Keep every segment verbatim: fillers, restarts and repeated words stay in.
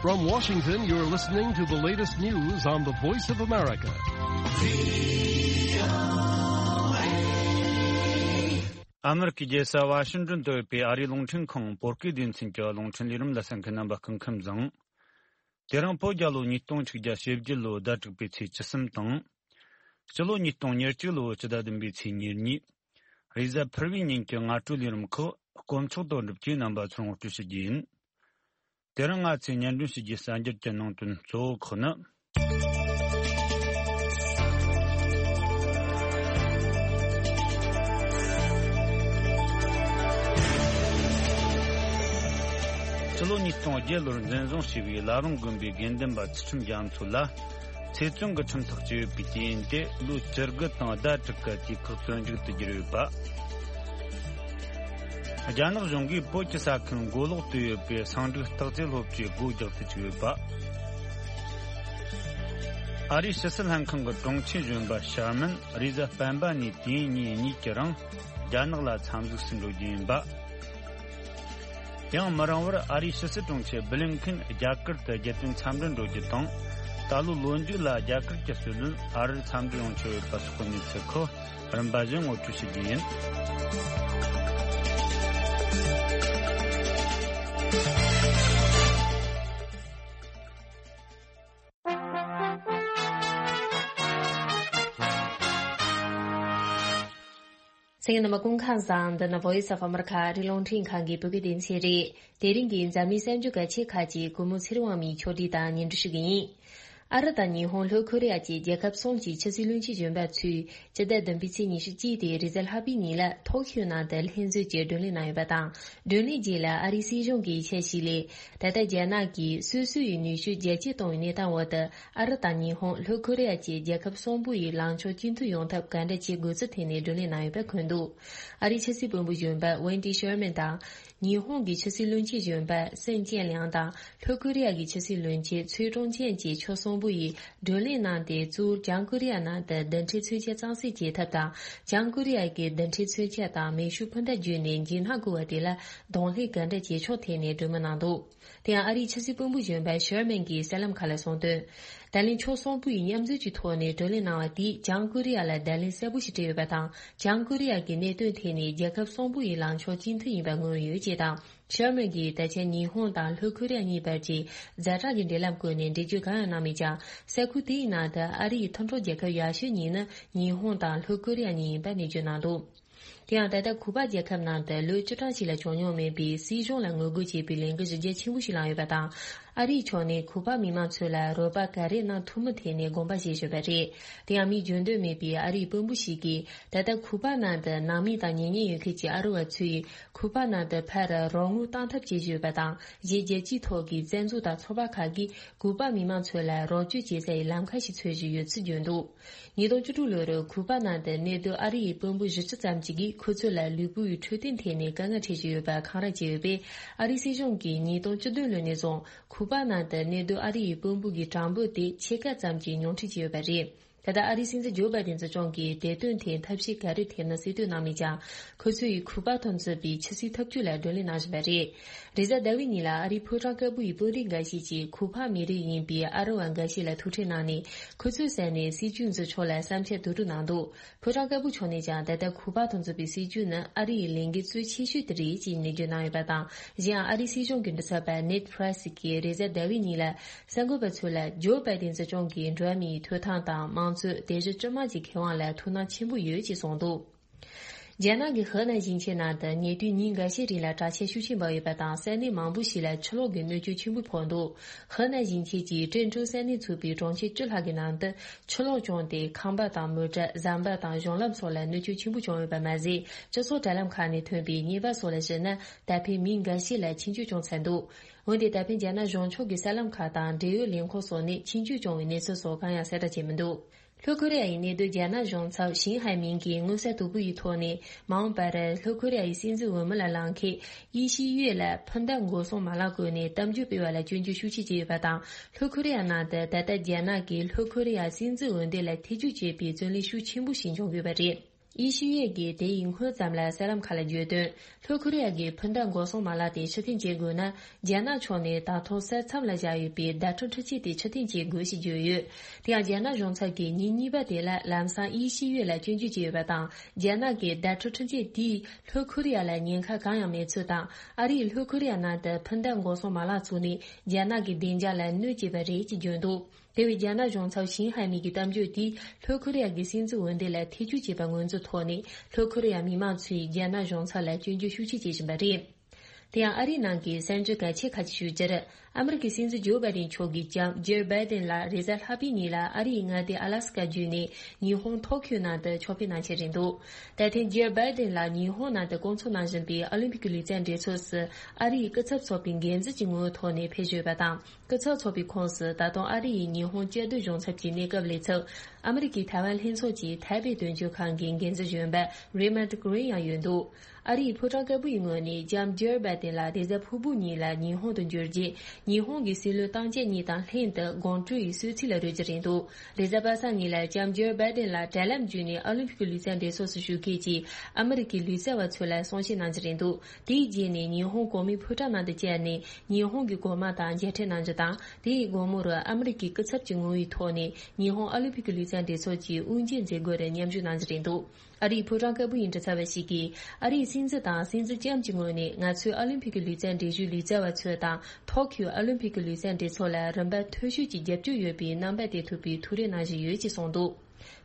From Washington, you're listening to the latest news on the Voice of America. ཨ་མེ་རི་ཁའི་རྒྱལ་ས་ཝ་ཤིང་ཏོན་དུ་ཡོད་པའི་ཨ་རིའི་རླུང་འཕྲིན་ཁང་བོད་སྐད་སྡེ་ཚན་གྱི་རླུང་འཕྲིན་ལས་རིམ་ལ་གསན་མཁན་རྣམ་པ་སྐུ་ཁམས་བཟང་། དེ་རིང་བོད་རྒྱལ་ལོ་ཉིས་སྟོང་ཆིག་བརྒྱ་ཞེ་བརྒྱད་ལོའི་ཟླ་དྲུག་པའི་ཚེས་བཅུ་གསུམ་དང་། སྤྱི་ལོ་ཉིས་སྟོང་ཉེར་གཅིག་ལོའི་སྤྱི་ཟླ་བདུན་པའི་ཚེས་ཉེར་གཉིས། རེས་གཟའ་ཕུར་བུའི་ཉིན་གྱི་སྔ་དྲོའི་ལས་རིམ་ཁག་དཀོན་མཆོག་དོན་གྲུབ་ཀྱིས་རྣམ་པ་ཚོར་ངོ་སྤྲོད་ཞུ་རྒྱུ་ཡིན། དེ་རིང་ང་ཚོས་སྙན་སྒྲོན་ཞུ་རྒྱུའི་གསར་འགྱུར་གྱི་ནང་དོན་གཙོ་བོ་ཁག་ནི། ཕྱི་ལོ་ཉིས་སྟོང་བརྒྱད་ལོར་འཛིན་བཟུང་བྱས་པའི་བླ་བྲང་དགོན་པའི་དགེ་འདུན་པ་ཚུལ་ཁྲིམས་རྒྱ་མཚོ་ལ། ཚེ་བཙོན་གྱི་ཁྲིམས་ཐག་བཅད་ཡོད་པའི་རྐྱེན་གྱིས་ཏེ་ལོ་བཅུ་དགུ་དང་ཟླ་དྲུག་གི་དུས་བཀག་བཙོན་འཇུག་ཏུ་གྱུར་ཡོད་པ། རྒྱ་ནག་གཞུང་གིས་བོད་ཀྱི་ས་ཁུལ་མགོ་ལོག་ཏུ་ཡོད་པའི་སེང་འབྲུག་སྟག་རྩེ་སློབ་གྲྭའི་སྒོ་རྒྱག་ཏུ་བཅུག་ཡོད་པ། ཨ་རིའི་ཕྱི་སྲིད་ལྷན་ཁང་གི་དྲུང་ཆེ་གཞོན་པ་ཤར་མན་རེས་གཟའ་སྤེན་པ་ནས་དུས་ཡུན་ཉིན་གཉིས་ཀྱི་རིང་རྒྱ་ནག་ལ་འཚམས་གཟིགས་སུ་འགྲོ་རྒྱུ་ཡིན་པ། ཡང་མི་རིང་བར་ཨ་རིའི་ཕྱི་སྲིད་དྲུང་ཆེ་བྷི་ལིན་ཁིན་རྒྱ་གར་དུ་རྒྱལ་དོན་འཚམས་འདྲིར་འགྲོ་རྒྱུ་དང་། ད་ལོའི་ལོ་མཇུག་ལ་རྒྱ་གར་གྱི་སྲིད་བློན་ཨ་རིར་འཚམས་འདྲིར་ཡོང་ཆོག་ཡོད་པ་སོགས་ཀྱི་གནས་ཚུལ་ཁག་རིམ་པ་བཞིན་ངོ་སྤྲོད་ཞུ་རྒྱུ་ཡིན། གསན་མཁན་རྣམ་པ་སྐུ་ཁམས་བཟང་། འདི་ནི་Voice of America ཨ་རིའི་རླུང་འཕྲིན་ཁང་གི་བོད་སྐད་སྡེ་ཚན་རེད། དེ་རིང་གི་འཛམ་གླིང་གསར་འགྱུར་གལ་ཆེ་ཁག་ཅིག་སྐུ་ངོ་ཚེ་རིང་དབང་མོས་ཕྱོགས་སྒྲིག་དང་སྙན་སྒྲོན་ཞུ་གི་ཡིན། ཨ་རི་དང་ཉི་ཧོང་ལྷོ་ཁོ་རེ་ཡ་བཅས་རྒྱལ་ཁབ་གསུམ་གྱི་ཕྱི་སྲིད་བློན་ཆེན་གཞོན་པ་ཚོས་སྤྱི་ཟླ་བདུན་པའི་ཚེས་ཉི་ཤུ་གཅིག་སྟེ་རེས་གཟའ་ལྷག་པའི་ཉིན་ལ་ཐོག་ཤོད་ནང་དུ་ལྷན་འཛོམས་ཀྱིས་བགྲོ་གླེང་གནང་ཡོད་པ་དང་། བགྲོ་གླེང་རྗེས་ལ་ཨ་རིའི་སྲིད་གཞུང་གིས་འཆར་གཞི་ལས། ད་ལྟ་རྒྱ་ནག་གིས་སོ་སོ་ཡི་ནུས་ཤུགས་རྒྱ་སྐྱེད་གཏོང་བའི་གནས་སྟངས་འོག་ཏུ། ཨ་རི་དང་ཉི་ཧོང་། ལྷོ་ཁོ་རེ་ཡ་བཅས་རྒྱལ་ཁབ་གསུམ་པོ་ཡི་ལངས་ཕྱོགས་གཅིག་མཐུན་ཡོང་ཐབས་ག་འདྲ་བྱེད་དགོས་ཚུལ་ཐད་ནས་བགྲོ་གླེང་གནང་ཡོད་པ་འཁོད་འདུག་ཨ་རིའི་ཕྱི་སྲིད་དཔོན་པོ་གཞོན་པ་ཝེན་ཏི་ཤར་མན་དང་། ཉི་ཧོང་གི་ཕྱི་སྲིད་བློན་ཆེན་གཞོན་པ་སན་ཅན་ལིའང་དང་། ལྷོ་ཁོ་རེ་ཡ་གི་ཕྱི་སྲིད་བློན་ཆེན་ཚོའེ་ཀྲུང་ཅན་བཅས་ཕྱོགས་གསུམ་པོ་ཡིས་བགྲོ་གླེང་གནང་སྟེ། གཙོ་བོར་བྱང་ཀོ་རི་ཡ་ནང་དུ་རྡུལ་ཕྲན་མཚོན་ཆ་གཙང་སེལ་བྱེད་ཐབས་དང་། བྱང་ཀོ་རི་ཡ་གིས་རྡུལ་ཕྲན་མཚོན་ཆ་དང་མེ་ཤུགས་འཕུར་མདའ་བརྒྱུད་ནས་འཇིགས་སྣང་བསྐུལ་བ་དེ་ལ་གདོང་ལེན་ག་འདྲ་བྱེད་ཕྱོགས་ཐད་ནས་གྲོས་མོལ་གནང་འདུག་དེ་ཡང་ཨ་རིའི་ཕྱི་སྲིད་དཔོན་པོ་གཞོན་པ་ཤར་མན་གྱིས་གསར་ལམ་ཁག་ལ་གསུངས་དོན། ད་ལན་ཕྱོགས་གསུམ་པོ་ཡིས་མཉམ་འཛོམས་ཀྱི་ཐོག་ནས་བགྲོ་གླེང་གནང་བ་དེས་བྱང་ཀོ་རི་ཡ་ལ་བརྡ་ལན་གསལ་པོ་ཞིག་སྤྲད་ཡོད་པ་དང་། བྱང་ཀོ་རི་ཡ་གི་གནད་དོན་ཐད་ནས་རྒྱལ་ཁབ་གསུམ་པོ་ཡི་ལངས་ཕྱོགས་གཅིག་མཐུན་ཡིན་པ་མངོན་ཡོད་ཅེས་དང་། ཤར་མན་གྱིས་ད་ཆ་ཉི་ཧོང་དང་ལྷོ་ཁོ་རི་ཡ་གཉིས་བར་གྱི་ཛ་དྲག་གི་འབྲེལ་ལམ་བཀོད་ནས་འགྲེལ་བརྗོད་གང་ཡང་གནང་མེད་ཀྱང་། ས་ཁུལ་དེའི་ནང་དུ་ཨ་རི་ཡི་མཐུན་གྲོགས་རྒྱལ་ཁབ་ཡག་ཤོས་གཉིས་ནི་ཉི་ཧོང་དང་ལྷོ་ཁོ་རི་ཡ་གཉིས་ཡིན་པ་གནས་བརྗོད་གནང་འདུག་དེ་ཡང་ད་ལྟ་གུ་པ་རྒྱལ་ཁབ་ནང་དུ་ལོ་བཅུ་གྲངས་ཤིག་ལ་བྱུང་མྱོང་མེད་པའི་སྲིད་གཞུང་ལ་ངོ་རྒོལ་བྱེད་པའི་ལས་འགུལ་གཞི་རྒྱ་ཆེན་པོ་ཞིག་ལངས་ཡོད་པ་དང་། ཨ་རིའི་ཕྱོགས་ནས་གུ་པ་མི་མང་ཚོ་ལ་རོགས་པ་ག་རེ་གནང་ཐུབ་མིན་ཐད་ནས་དགོངས་པ་བཞེས་བཞིན་པ་རེད། དེ་ཡང་མིས་འཇོན་འདོད་མེད་པའི་ཨ་རིའི་དཔོན་པོ་ཞིག་གིས། ད་ལྟ་གུ་པ་ནང་དུ་ནང་མི་དང་གཉེན་ཉེ་ཡོད་མཁན་གྱི་ཨ་རི་བ་ཚོས་གུ་པ་ནང་དུ་ཕར་རོགས་དངུལ་བཏང་ཐབས་བྱེད་བཞིན་ཡོད་པ་དང་། གཞི་རྒྱལ་སྤྱིའི་ཐོག་གི་བཙན་འཛུལ་དང་ཚོགས་པ་ཁག་གིས་གུ་པ་མི་མང་ཚོ་ལ་རོགས་སྐྱོར་བྱེད་སའི་ལམ་ཁ་ཞིག་འཚོལ་བཞིན་ཡོད་ཚུལ་བརྗོད་འདུག་ཉིས་སྟོང་བཅུ་དྲུག་ལོར་གུ་པ་ནང་དུ་གནས་སྡོད་ཨ་རི་ཡི་དཔོན་པོ་བཞི་བཅུ་ཙམ་ཞིག་གིས་ཁོ་ཚོ་ལ་ལུས་པོ་ཡི་འཕྲོད་བསྟེན་ཐད་ནས་དཀའ་ངལ་འཕྲད་བཞིན་ཡོད་པ་འཁང་ར་བྱས་ཡོད་པས། ཨ་རིའི་སྲིད་གཞུང་གིས་ཉིས་སྟོང་བཅུ་བདུན་ལོ་ནས་བཟུང་གུ་པ་ནང་དུ་གནས་སྡོད་ཨ་རི་ཡི་དཔོན་པོ་གི་གྲངས་འབོར་དེ་ཕྱེད་ཀ་ཙམ་གྱིས་ཉུང་འཕྲི་བྱས་ཡོད་པ་རེད། ད་ལྟ་ཨ་རིའི་སྲིད་འཛིན་ཇོ་བྷའི་ཏིན་སྲིད་སྐྱོང་གིས་དེ་དོན་ཐད་ཐབས་ཤེས་ག་རེ་ཐེབས་ན་གསལ་སྟོན་གནང་མེད་ཀྱང་། ཁོ་ཚོ་ཡིས་གུ་པ་དང་མཚུངས་པའི་ཆབ་སྲིད་ཐབས་ཇུས་ལ་བགྲོ་གླེང་གནང་བཞིན་པ་རེད། རེས་གཟའ་ཟླ་བའི་ཉིན་ལ་ཨ་རིའི་ཕོ་བྲང་དཀར་པོ་ཡི་དཔོན་རིགས་འགའ་ཤས་ཀྱིས་གུ་པ་མི་རིགས་ཡིན་པའི་ཨ་རི་བ་འགའ་ཤས་ལ་ཐུག་འཕྲད་གནང་ནས། ཁོ་ཚོའི་ས་ནས་སྲིད་ཇུས་འཛིན་ཕྱོགས་ལ་བསམ་འཆར་བསྡུ་རུབ་གནང་འདུག་ཕོ་བྲང་དཀར་པོ་ཕྱོགས་ནས་ཀྱང་ད་ལྟ་གུ་པ་དང་མཚུངས་པའི་སྲིད་ཇུས་ནི་ཨ་རི་ཡི་ལས་འགན་གཙོ་ཆེ་ཤོས་དེ་རེད་ཅེས་ནན་བརྗོད་གནང་ཡོད་པ་དང་། གཞན་ཡང་ཨ་རིའི་སྲིད་གཞུང་གི་འབྲེལ་ཚབ་པ་ནེད་པྲེ་སི་གིས་རེས་གཟའ་ཟླ་བའི་ཉིན་ལ་གསར་འགོད་པ་ཚོ་ལ་ཇོ་བྷའི་ཏིན་སྲིད་སྐྱོང་གིས་འགྲོ་བ་མིའི་ཐོབ་ཐང་དང་། མང་གཙོ། དེ་བཞིན་སྤྱི་དམངས་ཀྱི་ཁེ་དབང་ལ་ཐུགས་སྣང་ཆེན་པོ་ཡོད་ཅེས་གསུངས་འདུག་རྒྱ་ནག་གི་ཧི་ནན་ཞིང་ཆེན་ནང་དུ་ཉེ་དུས་ཉིན་འགའ་ཤས་རིང་ལ་དྲག་ཆས་ཤུགས་ཆེན་འབབ་ཡོད་པ་དང་། ས་གནས་མང་པོ་ཞིག་ལ་ཆུ་ལོག་གི་གནོད་སྐྱོན་ཆེན་པོ་ཕོག་འདུག་ཧི་ནན་ཞིང་ཆེན་གྱི་ཀྲེན་ཀྲོའུ་ས་གནས་ཚུད་པའི་གྲོང་ཁྱེར་བཅུ་ལྷག་གི་ནང་དུ་ཆུ་ལོག་བྱུང་སྟེ། ཁང་པ་དང་། མོ་ཊ། ཟམ་པ་དང་། གཞུང་ལམ་སོགས་ལ་གནོད་སྐྱོན་ཆེན་པོ་བྱུང་ཡོད་པ་མ་ཟད། སྤྱི་ཚོགས་དྲ་ལམ་ཁག་ནས་ཐོན་པའི་བརྙན་པར་སོགས་ལ་གཞིགས་ན། ད་ཕན་མི་འགའ་ཤས་ལ་འཆིང་སྐྱོན་བྱུང་ཚར་འདུག་འོན་ཏེ་ད་ཕན་རྒྱ་ནག་གཞུང་ཕྱོགས་ཀྱི་གསར་ལམ་ཁག་དང་འབྲེལ་ཡོད་ལས་ཁུངས་སོགས་ནས་འཆིང་སྐྱོན་བྱུང་བའི་གནས་ཚུལ་སོགས་གང་ཡང་གསལ་བསྒྲགས་བྱས་མི་འདུག་ལྷོ་ཁོ་རེ་ཡ་ཡི་གནས་སྡོད་རྒྱ་ནག་གཞུང་ཚབ་ཞིན་ཧའེ་མིང་གིས་མངོན་གསལ་དོད་པོ་ཡི་ཐོག་ནས། མ་འོངས་པར་ལྷོ་ཁོ་རེ་ཡ་ཡི་སྲིད་འཛིན་འོས་མི་ལ་ལངས་མཁན་ཡེ་ཤི་ཡུས་ལ་འཕུར་མདའ་འགོག་སྲུང་མ་ལག་བཀོལ་ནས་གཏམ་བརྗོད་སྤེལ་བ་ལ་སྐྱོན་བརྗོད་ཤུགས་ཆེ་བྱས་ཡོད་པ་དང་། ལྷོ་ཁོ་རེ་ཡ་ནང་དུ་ད་ལྟ་རྒྱ་ནག་གིས་ལྷོ་ཁོ་རེ་ཡ་སྲིད་འཛིན་འོས་འདེམས་ལ་ཐེ་ཇུས་བྱེད་པའི་བཙོན་ལས་ཤུགས་ཆེན་པོ་ཞིག་འབྱུང་གི་ཡོད་པ་རེད། དབྱི་ཤི་ཡོད་ཀྱིས་དེ་ཡི་སྔོན་ཙམ་ལ་གསར་ལམ་ཁག་ལ་བརྗོད་དོན། ལྷོ་ཁོ་རི་ཡ་གིས་འཕུར་མདའ་འགོག་སྲུང་མ་ལག་དེ་ཕྱིར་འཐེན་བྱེད་དགོས་ན། རྒྱ་ནག་ཕྱོགས་ནས་ད་དུང་ས་མཚམས་ལ་བཞག་ཡོད་པའི་བརྡ་སྤྲོད་འཕྲུལ་ཆས་དེ་ཕྱིར་འཐེན་བྱེད་དགོས་ཞེས་བརྗོད་ཡོད། དེ་ཡང་རྒྱ་ནག་གཞུང་ཚབ་ཀྱིས་ཉིན་གཉིས་པ་དེ་ལ་ལམ་སང་དབྱི་ཤི་ཡོད་ལ་སྐྱོན་བརྗོད་བྱས་ཡོད་པ་དང་། རྒྱ་ནག་གིས་བརྡ་སྤྲོད་འཕྲུལ་ཆས་དེས་ལྷོ་ཁོ་རི་ཡ་ལ་ཉེན་ཁ་གང་ཡང་མེད་ཚུལ་དང་། ཨ་རིས་ལྷོ་ཁོ་རི་ཡ་ནང་དུ་འཕུར་མདའ་འགོག་སྲུང་མ་ལག་བཙུགས་ནས་རྒྱ་ནག་གི་བདེ་འཇགས་ལ་གནོད་བྱས་པ་རེད་ཅེས་བརྗོད་འདུག་དེ་བས་རྒྱ་ནག་གཞུང་ཚབ་ཞིན་ཧའེ་མིག་གི་གཏམ་བརྗོད་དེས་ལྷོ་ཁོ་རི་ཡ་གི་སྲིད་འཛིན་འོས་འདེམས་ལ་ཐེ་བྱུས་བྱས་པ་ངོས་འཛིན་ཐོག་ནས། ལྷོ་ཁོ་རི་ཡ་མི་མང་ཚོས་རྒྱ་ནག་གཞུང་ཚབ་ལ་སྐྱོན་བརྗོད་ཤུགས་ཆེ་བྱེད་བཞིན་པ་རེད། དེ་ཡང་ཨ་རིའི་ནང་གི་གསར་འགྱུར་གལ་ཆེ་ཁག་ཅིག་ཞུ་རྒྱུར། ཨ་མི་རི་ཀའི་སྲིད་འཛིན་ཇོ་བྷའི་ཏིན་མཆོག་གིས་ལྕམ་ཇིལ་བྷའི་ཏིན་ལ་རེས་གཟའ་ལྷག་པའི་ཉིན་ལ་ཨ་རིའི་མངའ་སྡེ་ཨ་ལ་སི་ཀ་བརྒྱུད་ནས་ཉི་ཧོང་ཐོ་ཁྱོ་ནང་དུ་ཕྱོགས་ཕེབས་གནང་འཆར་རེད་འདུག་ད་ཐེངས་ཇིལ་བྷའི་ཏིན་ལ་ཉི་ཧོང་ནང་དུ་སྐོང་ཚོགས་གནང་བཞིན་པའི་ཨོ་ལིམ་པིག་གི་ལུས་རྩལ་འགྲན་ཚོགས་སུ་ཨ་རིའི་སྐུ་ཚབ་ཚོགས་པའི་འགན་འཛིན་གྱི་ངོ་བོའི་ཐོག་ནས་ཕེབས་བཞིན་ཡོད་པ་དང་། སྐུ་ཚབ་ཚོགས་པའི་ཁོངས་སུ་ད་དུང་ཨ་རི་ཡི་ཉི་ཧོང་བཅའ་སྡོད་གཞུང་ཚབ་ཀྱི་གནས་སྐབས་ལས་ཚབ། ཨ་མི་རི་ཀའི་ཐའེ་ཝན་ལྷན་ཚོགས་ཀྱི་ཐའེ་པེ་དོན་གཅོད་ཁང་གི་འགན་འཛིན་གཞོན་པ་རེ་མོན་ཌི་གྷི་རིན་ཡང་ཡོད་འདུག་ཨ་རིའི་ཕོ་བྲང་དཀར་པོ་ཡི་ངོས་ནས་ལྕམ་ཇིལ་བྷའི་ཏིན་ལ་རེས་གཟའ་ཕུར་བུ་ཉིན་ལ་ཉི་ཧོང་དུ་འབྱོར་རྗེས། ཉི་ཧོང་གི་སྲིད་བློན་སྟངས་དཔྱད་གཉིས་དང་ལྷན་དུ་དགོང་དྲོའི་གསོལ་ཚིགས་ལ་རོལ་རྒྱུ་རེད་འདུག་རེས་གཟའ་པ་སངས་ཉིན་ལ་ལྕམ་ཇིལ་བྷའི་ཏིན་ལ་དྲ་ལམ་བརྒྱུད་ནས་ཨོ་ལིམ་པིག་གི་ལུས་རྩལ་འགྲན་ཚོགས་སུ་ཞུགས་མཁན་གྱི་ཨ་མི་རི་ཀའི་ལུས་རྩལ་བ་ཚོ་ལ་གསུང་བཤད་གནང་རྒྱུ་རེད་འདུག་དེའི་རྗེས་ནས་ཉི་ཧོང་གོང་མའི་ཕོ་བྲང་ནང་དུ་བཅར་ནས་ཉི་ཧོང་གི་གོང་མ་དང་མཇལ་འཕྲད་གནང་རྒྱུ་དང་། དེའི་དགོང་མོར་ཨ་མི་རི་ཀའི་སྐུ་ཚབ་ཀྱི་ངོ་བོའི་ཐོག་ནས་ཉི་ཧོང་ཨོ་ལིམ་པིག་གི་ལུས་རྩལ་འགྲན་ཚོགས་ཀྱི་དབུ་འབྱེད་མཛད་སྒོར་མཉམ་ཞུགས་གནང་རྒྱུ་རེད་འདུག་ཨ་རིའི་ཕོ་བྲང་དཀར་པོ་ཡི་མགྲིན་ཚབ་པ་ཞིག་གིས། ཨ་རིའི་སྲིད་འཛིན་དང་སྲིད་འཛིན་ལྕམ་གྱི་ངོས་ནས་ང་ཚོས་ཨོ་ལིམ་པིག་གི་ལུས་རྩལ་འགྲན་བཞུགས་ལུས་རྩལ་བ་ཚོ་དང་། ཐོ་ཁྱོའི་ཨོ་ལིམ་པིག་གི་ལུས་རྩལ་འགྲན་ཚོགས་ལ་རིམ་པ་མཐོ་ཤོས་ཀྱི་རྒྱབ་སྐྱོར་ཡོད་པའི་རྣམ་པ་སྟེར་ཐུབ་པའི་ཐུགས་རེ་གནང་བཞིན་ཡོད་ཅེས་གསུངས་འདུག་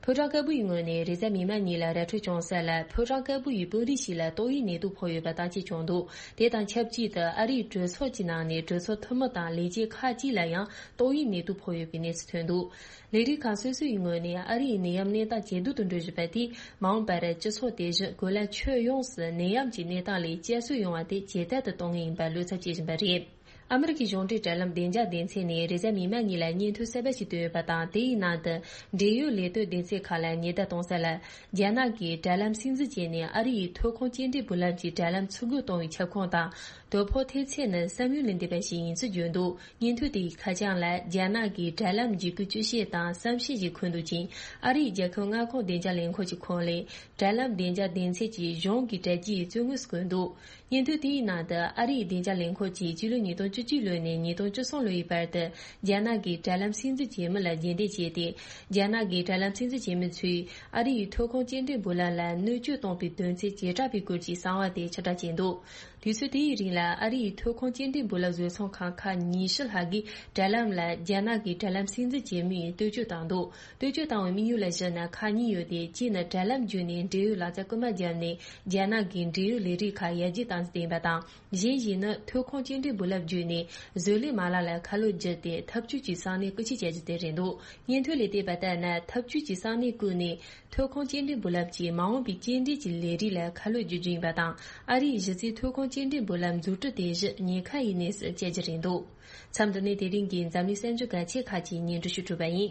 ཕོ་བྲང་དཀར་པོ་ཡི་ངོས་ནས་རེས་གཟའ་མིག་དམར་ཉིན་ལ་ར་འཕྲོད་བྱུང་ས་ལ། ཕོ་བྲང་དཀར་པོ་ཡི་དཔོན་རིགས་ཤིག་ལ་ཏོག་དབྱིབས་ནད་དུག་ཕོག་ཡོད་པ་བརྟག་དཔྱད་བྱུང་འདུག་དེ་དང་ཆབས་ཅིག་ཏུ་ཨ་རིའི་གྲོས་ཚོགས་ཀྱི་ནང་ནས་གྲོས་ཚོགས་འཐུས་མི་དང་ལས་བྱེད་ཁག་ཅིག་ལ་ཡང་ཏོག་དབྱིབས་ནད་དུག་ཕོག་ཡོད་པའི་གནས་ཚུལ་ཐོན་འདུག་ལས་རིགས་ཁག་སོ་སོ་ཡི་ངོས་ནས་ཨ་རིའི་ནད་ཡམས་གནས་སྟངས་ཇེ་སྡུག་ཏུ་འགྲོ་བཞིན་པ་དེས། མ་འོངས་པར་སྤྱི་ཚོགས་དེ་བཞིན་གོ་ལ་ཁྱོན་ཡོངས་སུ་ནད་ཡམས་ཀྱི་གནས་སྟངས་ལས་བསྐྱར་གསོ་ཡོང་བ་དེ་ཇེ་དལ་དུ་གཏོང་ངེས་ཡིན་པར་བློ་འཚབ་བྱེད་བཞིན་པ་རེད། ཨ་མི་རི་ཀའི་གཞུང་འབྲེལ་དྲ་ལམ་བདེ་འཇགས་སྡེ་ཚན་ནས་རེས་གཟའ་མིག་དམར་ཉིན་ལ་སྙན་ཐོ་གསར་པ་ཞིག་བཏོན་ཡོད་པ་དང་། དེའི་ནང་དུ་འབྲེལ་ཡོད་ལས་དོན་སྡེ་ཚན་ཁག་ལ་ཉེན་བརྡ་གཏོང་ས་ལ། རྒྱ་ནག་གིས་དྲ་ལམ་སྲིད་འཛིན་བྱས་ནས་ཨ་རི་ཡི་ཐོན་ཁུངས་སྐྱེལ་འདྲེན་བུ་ལམ་གྱི་དྲ་ལམ་ཚུར་རྒོལ་གཏོང་བའི་ཁྱབ་ཁོངས་དང་། དོ་ཕོག་ཐེབས་ཚད་ནི་བསམ་ཡུལ་ལས་འདས་པ་ཞིག་ཡིན་ཚུལ་བརྗོད་འདུག་སྙན་ཐོ་དེའི་ཁ་བྱང་ལ། རྒྱ་ནག་གིས་དྲ་ལམ་འཇིགས་སྐུལ་སྤྱི་བཤད་དང་བསམ་ཤེས་ཀྱི་འཁོན་འདུག་ཅིང་། ཨ་རིའི་རྒྱལ་ཁབ་མངའ་ཁོངས་བདེ་འཇགས་ལས་ཁུངས་ཀྱི་ཁོངས་ལས། དྲ་ལམ་བདེ་འཇགས་སྡེ་ཚན་གྱི་གཞུང་གི་དྲ་རྒྱའི་རྩོད་ངོས་སུ་བཀོད་འདུག་སྙན་ཐོ་དེའི་ནང་དུ། ཨ་རིའི་བདེ་འཇགས་ལས་ཁུངས་ཀྱིས་སྤྱི་ལོ་ཉིས་སྟོང་བཅུ་གཅིག་ལོ་ནས་ཉིས་སྟོང་བཅུ་གསུམ་ལོའི་བར་དུ། རྒྱ་ནག་གིས་དྲ་ལམ་སྲིད་འཛིན་བྱེད་མི་ལ་རྗེས་འདེད་བྱས་ཏེ། རྒྱ་ནག་གིས་དྲ་ལམ་སྲིད་འཛིན་བྱེད་མི་ཚོས་ཨ་རིའི་ཐོན་ཁུངས་སྐྱེལ་འདྲེན་བུ་ལམ་ལ་གནོད་སྐྱོན་གཏོང་པའི་དོན་ཚན་བྱེ་བྲག་པའི་སྐོར་གྱི་གསང་བ་དེ་ཕྱིར་བསྒྲགས་བྱས་འདུག་དུས་ཚོད་དེའི་རིང་ལ། ཨ་རིའི་ཐོན་ཁུངས་སྐྱེལ་འདྲེན་བུ་ལམ་བཟོ་ཚོང་ཁང་ཁག་ཉི་ཤུ་ལྷག་གིས་དྲ་ལམ་ལ་རྒྱ་ནག་གི་དྲ་ལམ་སྲིད་འཛིན་བྱེད་མིའི་བསྟོད་བཅོས་བཏང་འདུག་བསྟོད་བཅོས་བཏང་བའི་དམིགས་ཡུལ་ལ་གཞིགས་ན། ཁག་གཉིས་ཡོད་དེ། གཅིག་ནི་དྲ་ལམ་བརྒྱུད་ནས་འབྲེལ་ཡོད་ལག་རྩལ་རྐུན་མ་བརྒྱབ་ནས། རྒྱ་ནག་གི་འབྲེལ་ཡོད་ལས་རིགས་ཁག་ཡར་རྒྱས་བཏང་རྒྱུ་དེ་ཡིན་པ་དང་། གཞན་ཞིག་ནི། ཐོན་ཁུངས་སྐྱེལ་འདྲེན་བུ་ལམ་བརྒྱུད་ནས་བཟོ་ལས་མ་ལག་ལ་ཁ་ལོ་བསྒྱུར་ཏེ། འཐབ་ཇུས་ཀྱི་ས་གནས་རྐུ་འཁྱེར་བྱ་རྒྱུ་དེ་རེད་འདུག་སྙན་ཐོ་ལས་བལྟས་པ་ལྟར་ན། འཐབ་ཇུས་ཀྱི་ས་གནས་བརྐུས་ནས། ཐོན་ཁུངས་སྐྱེལ་འདྲེན་བུ་ལམ་གྱིས་མ་འོངས་པའི་སྐྱེལ་འདྲེན་གྱི་ལས་རིགས་ལ་ཁ་ལོ་བསྒྱུར་རྒྱུ་ཡིན་པ་དང་། ཨ་རིའི་གཞི་རྩའི་ཐོན་ཁུངས་སྐྱེལ་འདྲེན་བུ་ལམ་འཛུགས་སྐྲུན་དེ་བཞིན་ཉེན་ཁ་ཡི་གནས་སུ་བསྐྱལ་རྒྱུ་རེད་འདུག་མཚམས་འདི་ནས་དེ་རིང་གི་འཛམ་གླིང་གསར་འགྱུར་གལ་ཆེ་ཁག་ཅིག་སྙན་སྒྲོན་ཞུ་གྲུབ་པ་ཡིན།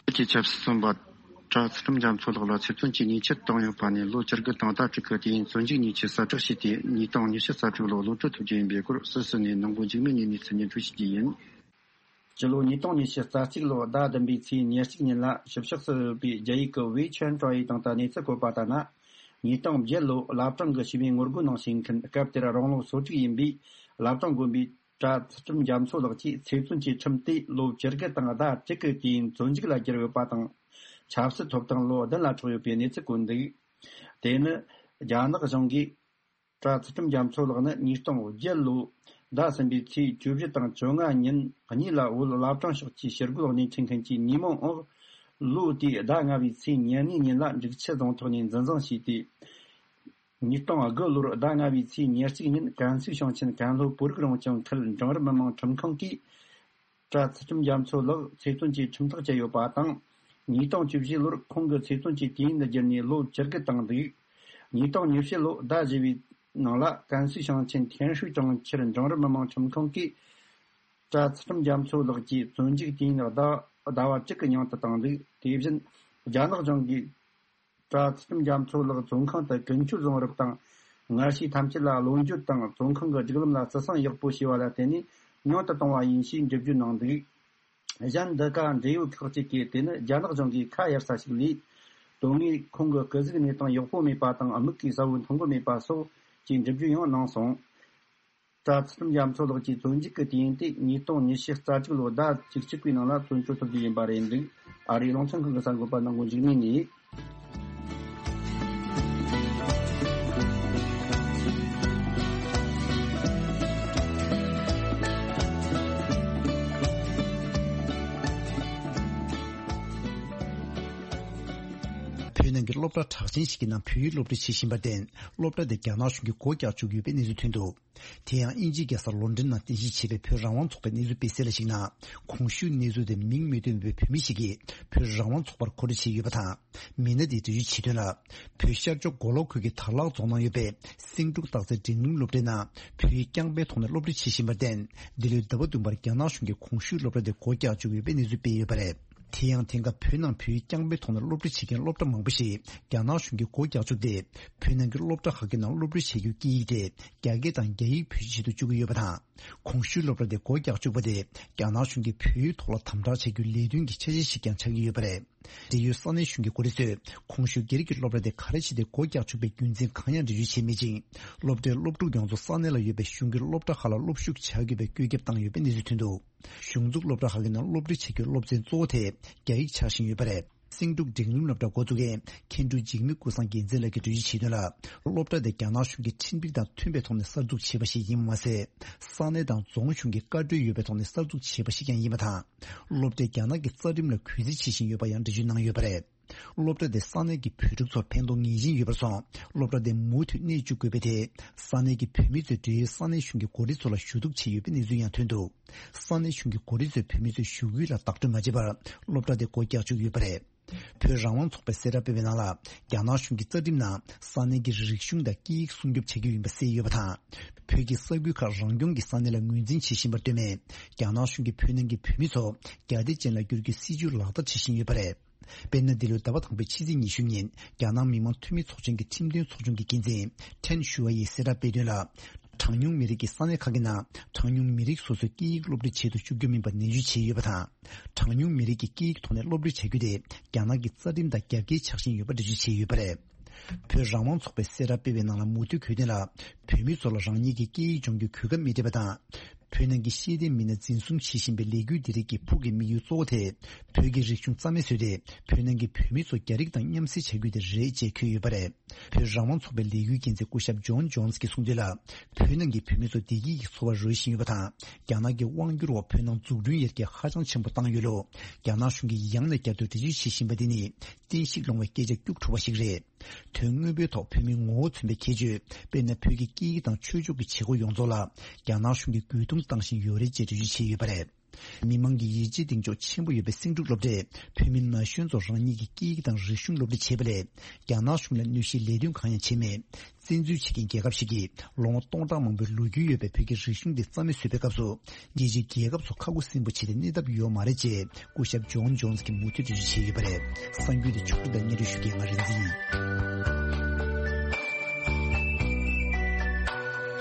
བོད་ཀྱི་ཆབ་སྲིད་བཙོན་པ་གྲྭ་ཚུལ་ཁྲིམས་རྒྱ་མཚོ་ལགས་ལ་ཚེ་བཙོན་གྱི་ཉེས་ཆད་བཏང་ཡོད་པ་ནས་ལོ་བཅུ་དགུ་དང་ཟླ་དྲུག་གི་དུས་ཡུན་བཙོན་འཇུག་ཉེས་ཆད་གསལ་བསྒྲགས་བྱས་ཏེ། ཉིས་སྟོང་ཉི་ཤུ་རྩ་དྲུག་ལོར་གློད་གྲོལ་ཐོབ་རྒྱུ་ཡིན་པའི་སྐོར་སུད་སི་ནས་ནང་པའི་འཇིགས་མེད་གཉིས་ནས་གནས་ཚུལ་སྙན་སྒྲོན་ཞུ་རྒྱུ་ཡིན། སྤྱི་ལོ་ཉིས་སྟོང་ཉི་ཤུ་རྩ་གཅིག་ལོའི་ཟླ་བདུན་པའི་ཚེས་ཉེར་གཅིག་ཉིན་ལ་ཞིབ་བཤེར་སུ་ཡོད་པའི་རྒྱ་ཡིག་གི་ཝེ་ཆན་ཀྲོའི་དང་དུ་གནས་ཚུལ་བཀོད་པ་ལྟར་ན། ཉིས་སྟོང་བརྒྱད་ལོའི་བླ་བྲང་གི་ཞི་བའི་ངོ་རྒོལ་ནང་ཞུགས་མཁན། སྐབས་དེར་རང་ལོ་སོ་དྲུག་ཡིན་པའི་བླ་བྲང་དགོན་པའི་གྲྭ་ཚུལ་ཁྲིམས་རྒྱ་མཚོ་ལགས་ཀྱིས་ཚེ་བཙོན་གྱི་ཁྲིམས་དེ་ལོ་བཅུ་དགུ་དང་ཟླ་དྲུག་གི་དུས་ཡུན་བཙོན་འཇུག་ལ་བསྒྱུར་ཡོད་པ་དང་། ཆབ་སྲིད་ཐོབ་ཐང་ལོ་བདུན་ལ་འཕྲོག་ཡོད་པའི་གནས་ཚུལ་བཀོད་འདུག་དེ་ནི་རྒྱ་ནག་གཞུང་གིས། གྲྭ་ཚུལ་ཁྲིམས་རྒྱ་མཚོ་ལགས་ནི་ཉིས་སྟོང་བརྒྱད་ལོའི་ཟླ་གསུམ་པའི་ཚེས་བཅུ་བཞི་དང་བཅོ་ལྔ་ཉིན་གཉིས་ལ་བོད་བླ་བྲང་ཕྱོགས་ཀྱི་ཞི་རྒོལ་སྣེ་ཁྲིད་མཁན་གྱི་ཉེས་མིང་འོག་ལོ་དེའི་ཟླ་ལྔ་པའི་ཚེས་ཉེར་གཉིས་ཉིན་ལ་འབྲུག་ཆུ་རྫོང་ཐོག་ནས་འཛིན་བཟུང་བྱས་ཏེ། ཉིས་སྟོང་དགུ་ལོར་ཟླ་ལྔ་པའི་ཚེས་ཉེར་གཅིག་ཉིན་ཀན་སུའུ་ཞིང་ཆེན་ཀན་ལྷོ་བོད་རིགས་རང་སྐྱོང་ཁུལ་འབྲིང་རིམ་མི་དམངས་ཁྲིམས་ཁང་གིས། གྲྭ་ཚུལ་ཁྲིམས་རྒྱ་མཚོ་ལགས་ཚེ་བཙོན་གྱི་ཁྲིམས་ཐག་བཅད་ཡོད་པ་དང་། ཉིས་སྟོང་བཅུ་བཞི་ལོར་ཁོང་གི་ཚེ་བཙོན་གྱི་དུས་ཡུན་བསྒྱུར་ནས་ལོ་བཅུ་དགུ་བཏང་འདུག་ཉིས་སྟོང་ཉི་བཅུ་ལོའི་ཟླ་བཞི་པའི་ནང་ལ་ཀན་སུའུ་ཞིང་ཆེན་ཐེན་ཧྲུའུ་གྲོང་ཁྱེར་འབྲིང་རིམ་མི་དམངས་ཁྲིམས་ཁང་གིས། གྲྭ་ཚུལ་ཁྲིམས་རྒྱ་མཚོ་ལགས་ཀྱི་བཙོན་འཇུག་དུས་ཡུན་ཟླ་ཟླ་བ་གཅིག་གི་ཉིང་དུ་བཏང་འདུག་དེ་བཞིན་རྒྱ་ནག་གཞུང་གིས། གྲྭ་ཚུལ་ཁྲིམས་རྒྱ་མཚོ་ལགས་བཙོན་ཁང་དུ་ཀུན་སྤྱོད་བཟང་རབས་དང་། ངར་ཤེས་ཐམས་ཅད་ལ་བློ་འགྱོད་དང་། བཙོན་ཁང་གི་སྒྲིག་ལམ་ལ་བརྩི་སྲུང་ཡག་པོ་བྱས་པ་ལ་བརྟེན་ནས་ཉུང་དུ་བཏང་བ་ཡིན་ཞེས་འགྲེལ་བརྗོད་གནང་འདུག་གཞན་འདི་ག་འབྲེལ་ཡོད་ཁག་ཅིག་གིས་དེ་ནི་རྒྱ་ནག་གཞུང་གིས་ཁ་གཡར་ས་ཞིག་ལས། དོན་དངོས་ཁོང་གི་སྐུ་གཟུགས་གནས་སྟངས་ཡག་པོ་མེད་པ་དང་། མིག་གིས་གསལ་བོ་མཐོང་གི་མེད་པ་སོགས་ཀྱི་འགྲེལ་བརྗོད་ཡང་གནང་སོང་། གྲྭ་ཚང་རྒྱ་མཚོ་ལགས་ཀྱི་བཙོན་འཇུག་གི་དུས་ཡུན་དེ་ཉིས་སྟོང་ཉི་ཤུ་རྩ་གཅིག་ལོའི་ཟླ་བཅུ་གཅིག་པའི་ནང་ལ་བཙོན་བཅོལ་ཐུབ་རྒྱུ་ཡིན་པ་རེད་འདུག་ཨ་རིའི་རླུང་འཕྲིན་ཁང་གི་གསར་འགོད་པ་ནང་གོ་འཇིགས་མེད་ནས། བོད་ནང་གི་སློབ་གྲྭ་གྲགས་ཅན་ཞིག་གི་ནང་བོད་ཡིག་སློབ་ཁྲིད་བྱེད་བཞིན་པར་བརྟེན། སློབ་གྲྭ་དེ་རྒྱ་ནག་གཞུང་གིས་སྒོ་རྒྱག་བཅུག་ཡོད་པའི་གནས་ཚུལ་ཐོན་འདུག་དེ་ཡང་དབྱིན་ཇིའི་རྒྱལ་ས་ལོན་ཌོན་ནང་རྟེན་གཞི་བྱས་པའི་བོད་རང་དབང་ཚོགས་པའི་གནས་ཚུལ་སྤེལ་གསལ་ལ་གཞིགས་ན། གོང་ཞུས་གནས་ཚུལ་དེ་མིང་མི་བཏོན་པའི་བོད་མི་ཞིག་གིས་བོད་རང་དབང་ཚོགས་པར་གོ་སྒྲིག་བྱས་ཡོད་པ་དང་། མི་སྣ་དེའི་འབྲེལ་ཡོད་ཕྱི་དོན་ལ། བོད་ཤར་ཕྱོགས་མགོ་ལོག་ཁུལ་གྱི་དར་ལག་རྫོང་ནང་ཡོད་པའི་སེང་འབྲུག་སྟག་རྩེ་འབྲིང་རིམ་སློབ་གྲྭའི་ནང་བོད་ཡིག་རྐྱང་པའི་ཐོག་ནས་སློབ་ཁྲིད་བྱེད་བཞིན་པར་བརྟེན། འདི་ལོའི་ཟླ་བ་བདུན་པར་རྒྱ་ནག་གཞུང་གིས་གོང་ཞུས་སློབ་གྲྭ་དེ་སྒོ་རྒྱག་བཅུག་ཡོད་པའི་གནས་ཚུལ་སྤེལ་ཡོད་པ་རེད། དེ་ཡང་དེང་སྐབས་བོད་ནང་བོད་ཡིག་རྐྱང་པའི་ཐོག་ནས་སློབ་ཁྲིད་བྱེད་མཁན་སློབ་གྲྭ་མང་པོ་ཞིག་རྒྱ་ནག་གཞུང་གིས་སྒོ་རྒྱག་བཅུག་སྟེ། བོད་ནང་གི་སློབ་གྲྭ་ཁག་གི་ནང་སློབ་ཁྲིད་བྱེད་རྒྱུའི་སྐད་ཡིག་དེ་རྒྱ་སྐད་དང་རྒྱ་ཡིག་བེད་སྤྱོད་བྱེད་དུ་བཅུག་གི་ཡོད་པ་དང་། གོང་ཞུས་སློབ་གྲྭ་དེ་སྒོ་རྒྱག་བཅུག་པ་དེ་རྒྱ་ནག་གཞུང་གིས་བོད་ཡིག་ཐོག་ལ་དམ་དྲག་བྱ་རྒྱུའི་ལས་དོན་གྱི་འཆར་གཞི་ཞིག་ཀྱང་ཆགས་ཀྱི་ཡོད་པ་རེད། འབྲེལ་ཡོད་ས་གནས་གཞུང་གི་འགོ་ཁྲིད་ཚོས་གོང་ཞུས་སྒེར་གྱི་སློབ་གྲྭ་དེ་ག་རེ་བྱས་ཏེ་སྒོ་རྒྱག་བཅུག་པའི་རྒྱུ་མཚན་གང་ཡང་འགྲེལ་བརྗོད་བྱས་མེད་ཅིང་། སློབ་གྲྭའི་སློབ་ཕྲུག་ཡོངས་རྫོགས་ས་གནས་ལ་ཡོད་པའི་གཞུང་གི་སློབ་གྲྭ་ཁག་ལ་སློབ་ཞུགས་བྱ་དགོས་པའི་བཀོད་ཁྱབ་བཏང་ཡོད་པའི་གནས་ཚུལ་ཐོན་འདུག་གཞུང་འཛུགས་སློབ་གྲྭ་ཁག་གི་ནང་སློབ་ཁྲིད་བྱེད་རྒྱུའི་སློབ་ཚན་གཙོ་བོ་དེ་རྒྱ་ཡིག་ཆགས་བཞིན་ཡོད་པ་རེད། སེང་འབྲུག་འབྲིང་རིམ་སློབ་གྲྭ་འགོ་འཛུགས་མཁན་མཁན་སྤྲུལ་འཇིགས་མེད་ཀུན་བཟང་རྒྱལ་མཚན་ལགས་ཀྱིས་འགྲེལ་བརྗོད་བྱས་དོན་ལ། སློབ་གྲྭ་དེ་རྒྱ་ནག་གཞུང་གིས་ཁྲིམས་སྒྲིག་དང་མཐུན་པའི་ཐོག་ནས་གསར་འཛུགས་བྱས་པ་ཞིག་ཡིན་པ་མ་ཟད། ས་གནས་དང་རྫོང་གཞུང་གི་བཀའ་འཁྲོལ་ཡོད་པའི་ཐོག་ནས་གསར་འཛུགས་བྱས་པ་ཞིག་ཀྱང་ཡིན་པ་དང་། སློབ་གྲྭས་རྒྱ་ནག་གི་རྩ་ཁྲིམས་ལ་གུས་བརྩི་བྱེད་བཞིན་ཡོད་པ་ཡང་འགྲེལ་བརྗོད་གནང་ཡོད་པ་རེད། སློབ་གྲྭ་དེ་ས་གནས་ཀྱི་བོད་ཕྲུག་ཚོར་ཕན་ཐོགས་ངེས་ཅན་ཡོད་པར་སོང་། སློབ་གྲྭ་དེ་མུ་མཐུད་གནས་བཅུག་དགོས་པའི་ཐད། ས་གནས་ཀྱི་བོད་མི་ཚོས་འབྲེལ་ཡོད་ས་གནས་གཞུང་གི་འགོ་ཁྲིད་ཚོ་ལ་ཞུ་གཏུག་བྱས་ཡོད་པའི་གནས་ཚུལ་ཡང་ཐོན་འདུག་ས་གནས་གཞུང་གི་འགོ་ཁྲིད་ཚོས་བོད་མི་ཚོའི་ཞུ་སྐུལ་ལ་བདག་སྤྲོད་མ་བྱས་པར་སློབ་གྲྭ་དེ་སྒོ་རྒྱག་བཅུག་ཡོད་པ་རེད། བོད་རང་དབང་ཚོགས་པས་གསལ་བསྒྲགས་སྤེལ་བའི་ནང་ལ། རྒྱ་ནག་གཞུང་གི་རྩ་ཁྲིམས་ནང་ས་གནས་ཀྱི་རིག་གཞུང་དང་སྐད་ཡིག་སྲུང་སྐྱོབ་བྱ་རྒྱུ་ཡིན་པ་གསལ་ཡོད་པ་དང་། བོད་ཀྱི་ས་ཁུལ་ཁག་རང་སྐྱོང་གི་ས་གནས་ལ་ངོས་འཛིན་བྱེད་བཞིན་པར་ལྟོས་མེད། རྒྱ་ནག་གཞུང་གིས་བོད་ནང་གི་བོད་མི་ཚོ་རྒྱ་སྡེ་ཅན་ལ་བསྒྱུར་རྒྱུའི་སྲིད་བྱུས་ལག་བསྟར་བྱེད་བཞིན་ཡོད་པ་རེད། དཔེར་ན། འདི་ལོའི་ཟླ་བ་དང་པོའི་ཕྱི་ཚེས་ཉི་ཤུ་ཉིན། རྒྱ་ནག་མི་དམངས་འཐུས་མི་ཚོགས་ཆེན་གྱི་ཁྲིམས་དོན་ཚོགས་ཆུང་གི་འགན་འཛིན་ཁྲེན་ཞུ་ཝ་ཡིས་གསལ་བསྒྲགས་སྤེལ་དོན་ལ། གྲངས་ཉུང་མི་རིགས་ཀྱི་ས་གནས་ཁག་གི་ནང་གྲངས་ཉུང་མི་རིགས་སོ་སོའི་སྐད་ཡིག་སློབ་ཁྲིད་བྱེད་དུ་བཅུག་རྒྱུ་མིན་པ་ནན་བརྗོད་བྱས་ཡོད་པ་དང་། གྲངས་ཉུང་མི་རིགས་ཀྱི་སྐད་ཡིག་ཐོག་ནས་སློབ་ཁྲིད་བྱ་རྒྱུ་དེ་རྒྱ་ནག་གི་རྩ་ཁྲིམས་དང་རྒྱབ་འགལ་ཆགས་བཞིན་ཡོད་པ་འགྲེལ་བརྗོད་བྱས་ཡོད་པ་རེད། བོད་རང་དབང་ཚོགས་པས་གསལ་བསྒྲགས་སྤེལ་བའི་ནང་ལ་མུ་མཐུད་གོ་དོན་ལ། བོད་མི་ཚོ་ལ་རང་ཉིད་ཀྱི་སྐད་ཡིག་སྦྱོང་རྒྱུའི་གོ་སྐབས་མི་སྤྲད་པ་དང་། བོད་ནང་གི་ཤེས་ལྡན་མི་སྣ་འཛིན་བཟུང་བྱེད་བཞིན་པའི་ལས་འགུལ་འདི་རིགས་ཀྱི་ཕུགས་ཀྱི་དམིགས་ཡུལ་གཙོ་བོ་དེ། བོད་ཀྱི་རིག་གཞུང་རྩ་མེད་བཟོས་ཏེ། བོད་ནང་གི་བོད་མི་ཚོ་རྒྱ་རིགས་དང་མཉམ་བསྲེས་བྱ་རྒྱུ་དེ་རེད་ཅེས་འཁོད་ཡོད་པ་རེད། བོད་རང་དབང་ཚོགས་པའི་ལས་འགུལ་འགན་འཛིན་སྐུ་ཞབས་ཇོན་ཇོན་སི་གིས་གསུངས་དོན་ལ། བོད་ནང་གི་བོད་མི་ཚོ་བདེ་སྐྱིད་ཀྱི་འཚོ་བར་རོལ་བཞིན་ཡོད་པ་དང་། རྒྱ་ནག་གི་དབང་སྒྱུར་འོག་བོད་ནང་འཛུགས་སྐྲུན་ཡར་རྒྱས་ཧ་ཅང་ཆེན་པོ་བཏང་ཡོད་ལུགས། རྒྱ་ནག་གཞུང་གིས་ཡང་ནས་བསྐྱར་དུ་འགྲེལ་བརྗོད་བྱེད་བཞིན་པ་འདི་ནི། གཏིང་ཤུགས་སློང་བའི་སྐད་ཆ་སྐྱུག་བྲོ་བ་ཞིག་རེད། དོན་དངོས་པོའི་ཐོག་བོད་མིའི་ངོ་བོ་མཚོན་པའི་ཁྱད་ཆོས། དཔེར་ན། བོད་ཀྱི་སྐད་ཡིག་དང་ཆོས་ཕྱོགས་ཀྱི་བྱེད་སྒོ་ཡོངས་རྫོགས་ལ། རྒྱ་ནག་གཞུང་གིས་རྒོལ་རྡུང་བཏང་བཞིན་ཡོད་རེད་ཅེས་འགྲེལ་བརྗོད་བྱས་ཡོད་པ་རེད། མི་མང་གི་ཡིད་ཆེས་གདེང་འཇོག་ཆེན་པོ་ཡོད་པའི་སེང་འབྲུག་སློབ་གྲྭས། བོད་མི་ན་གཞོན་ཚོར་རང་ཉིད་ཀྱི་སྐད་ཡིག་དང་རིག་གཞུང་སློབ་ཁྲིད་བྱེད་པ་ལས། རྒྱ་ནག་གཞུང་ལ་གནོད་གཞིའི་ལས་དོན་གང་ཡང་བྱས་མེད། བཙན་འཛུལ་བྱེད་མཁན་རྒྱལ་ཁབ་ཞིག་གིས། ལོ་ངོ་སྟོང་ཕྲག་མང་པོའི་ལོ་རྒྱུས་ཡོད་པའི་བོད་ཀྱི་རིག་གཞུང་འདི་རྩ་མེད་བཟོས་པའི་སྐབས་སུ། རྒྱལ་སྤྱིའི་རྒྱལ་ཁབ་ཚོ་ཁ་ཁུ་སིམ་པོ་བྱས་ཏེ་གནས་ཐབས་ཡོད་མ་རེད་ཅེས། སྐུ་ཞབས་ཇོན་ཇོན་སི་གིས་མུ་མཐུད་འགྲེལ་བརྗོད་བྱས་ཡོད་པ་རེད། གསར་འགྱུར་འདི་ཕྱོགས་བསྒྲིགས་དང་སྙན་སྒྲོན་ཞུ་མཁན་ང་རིག་འཛིན་ཡིན།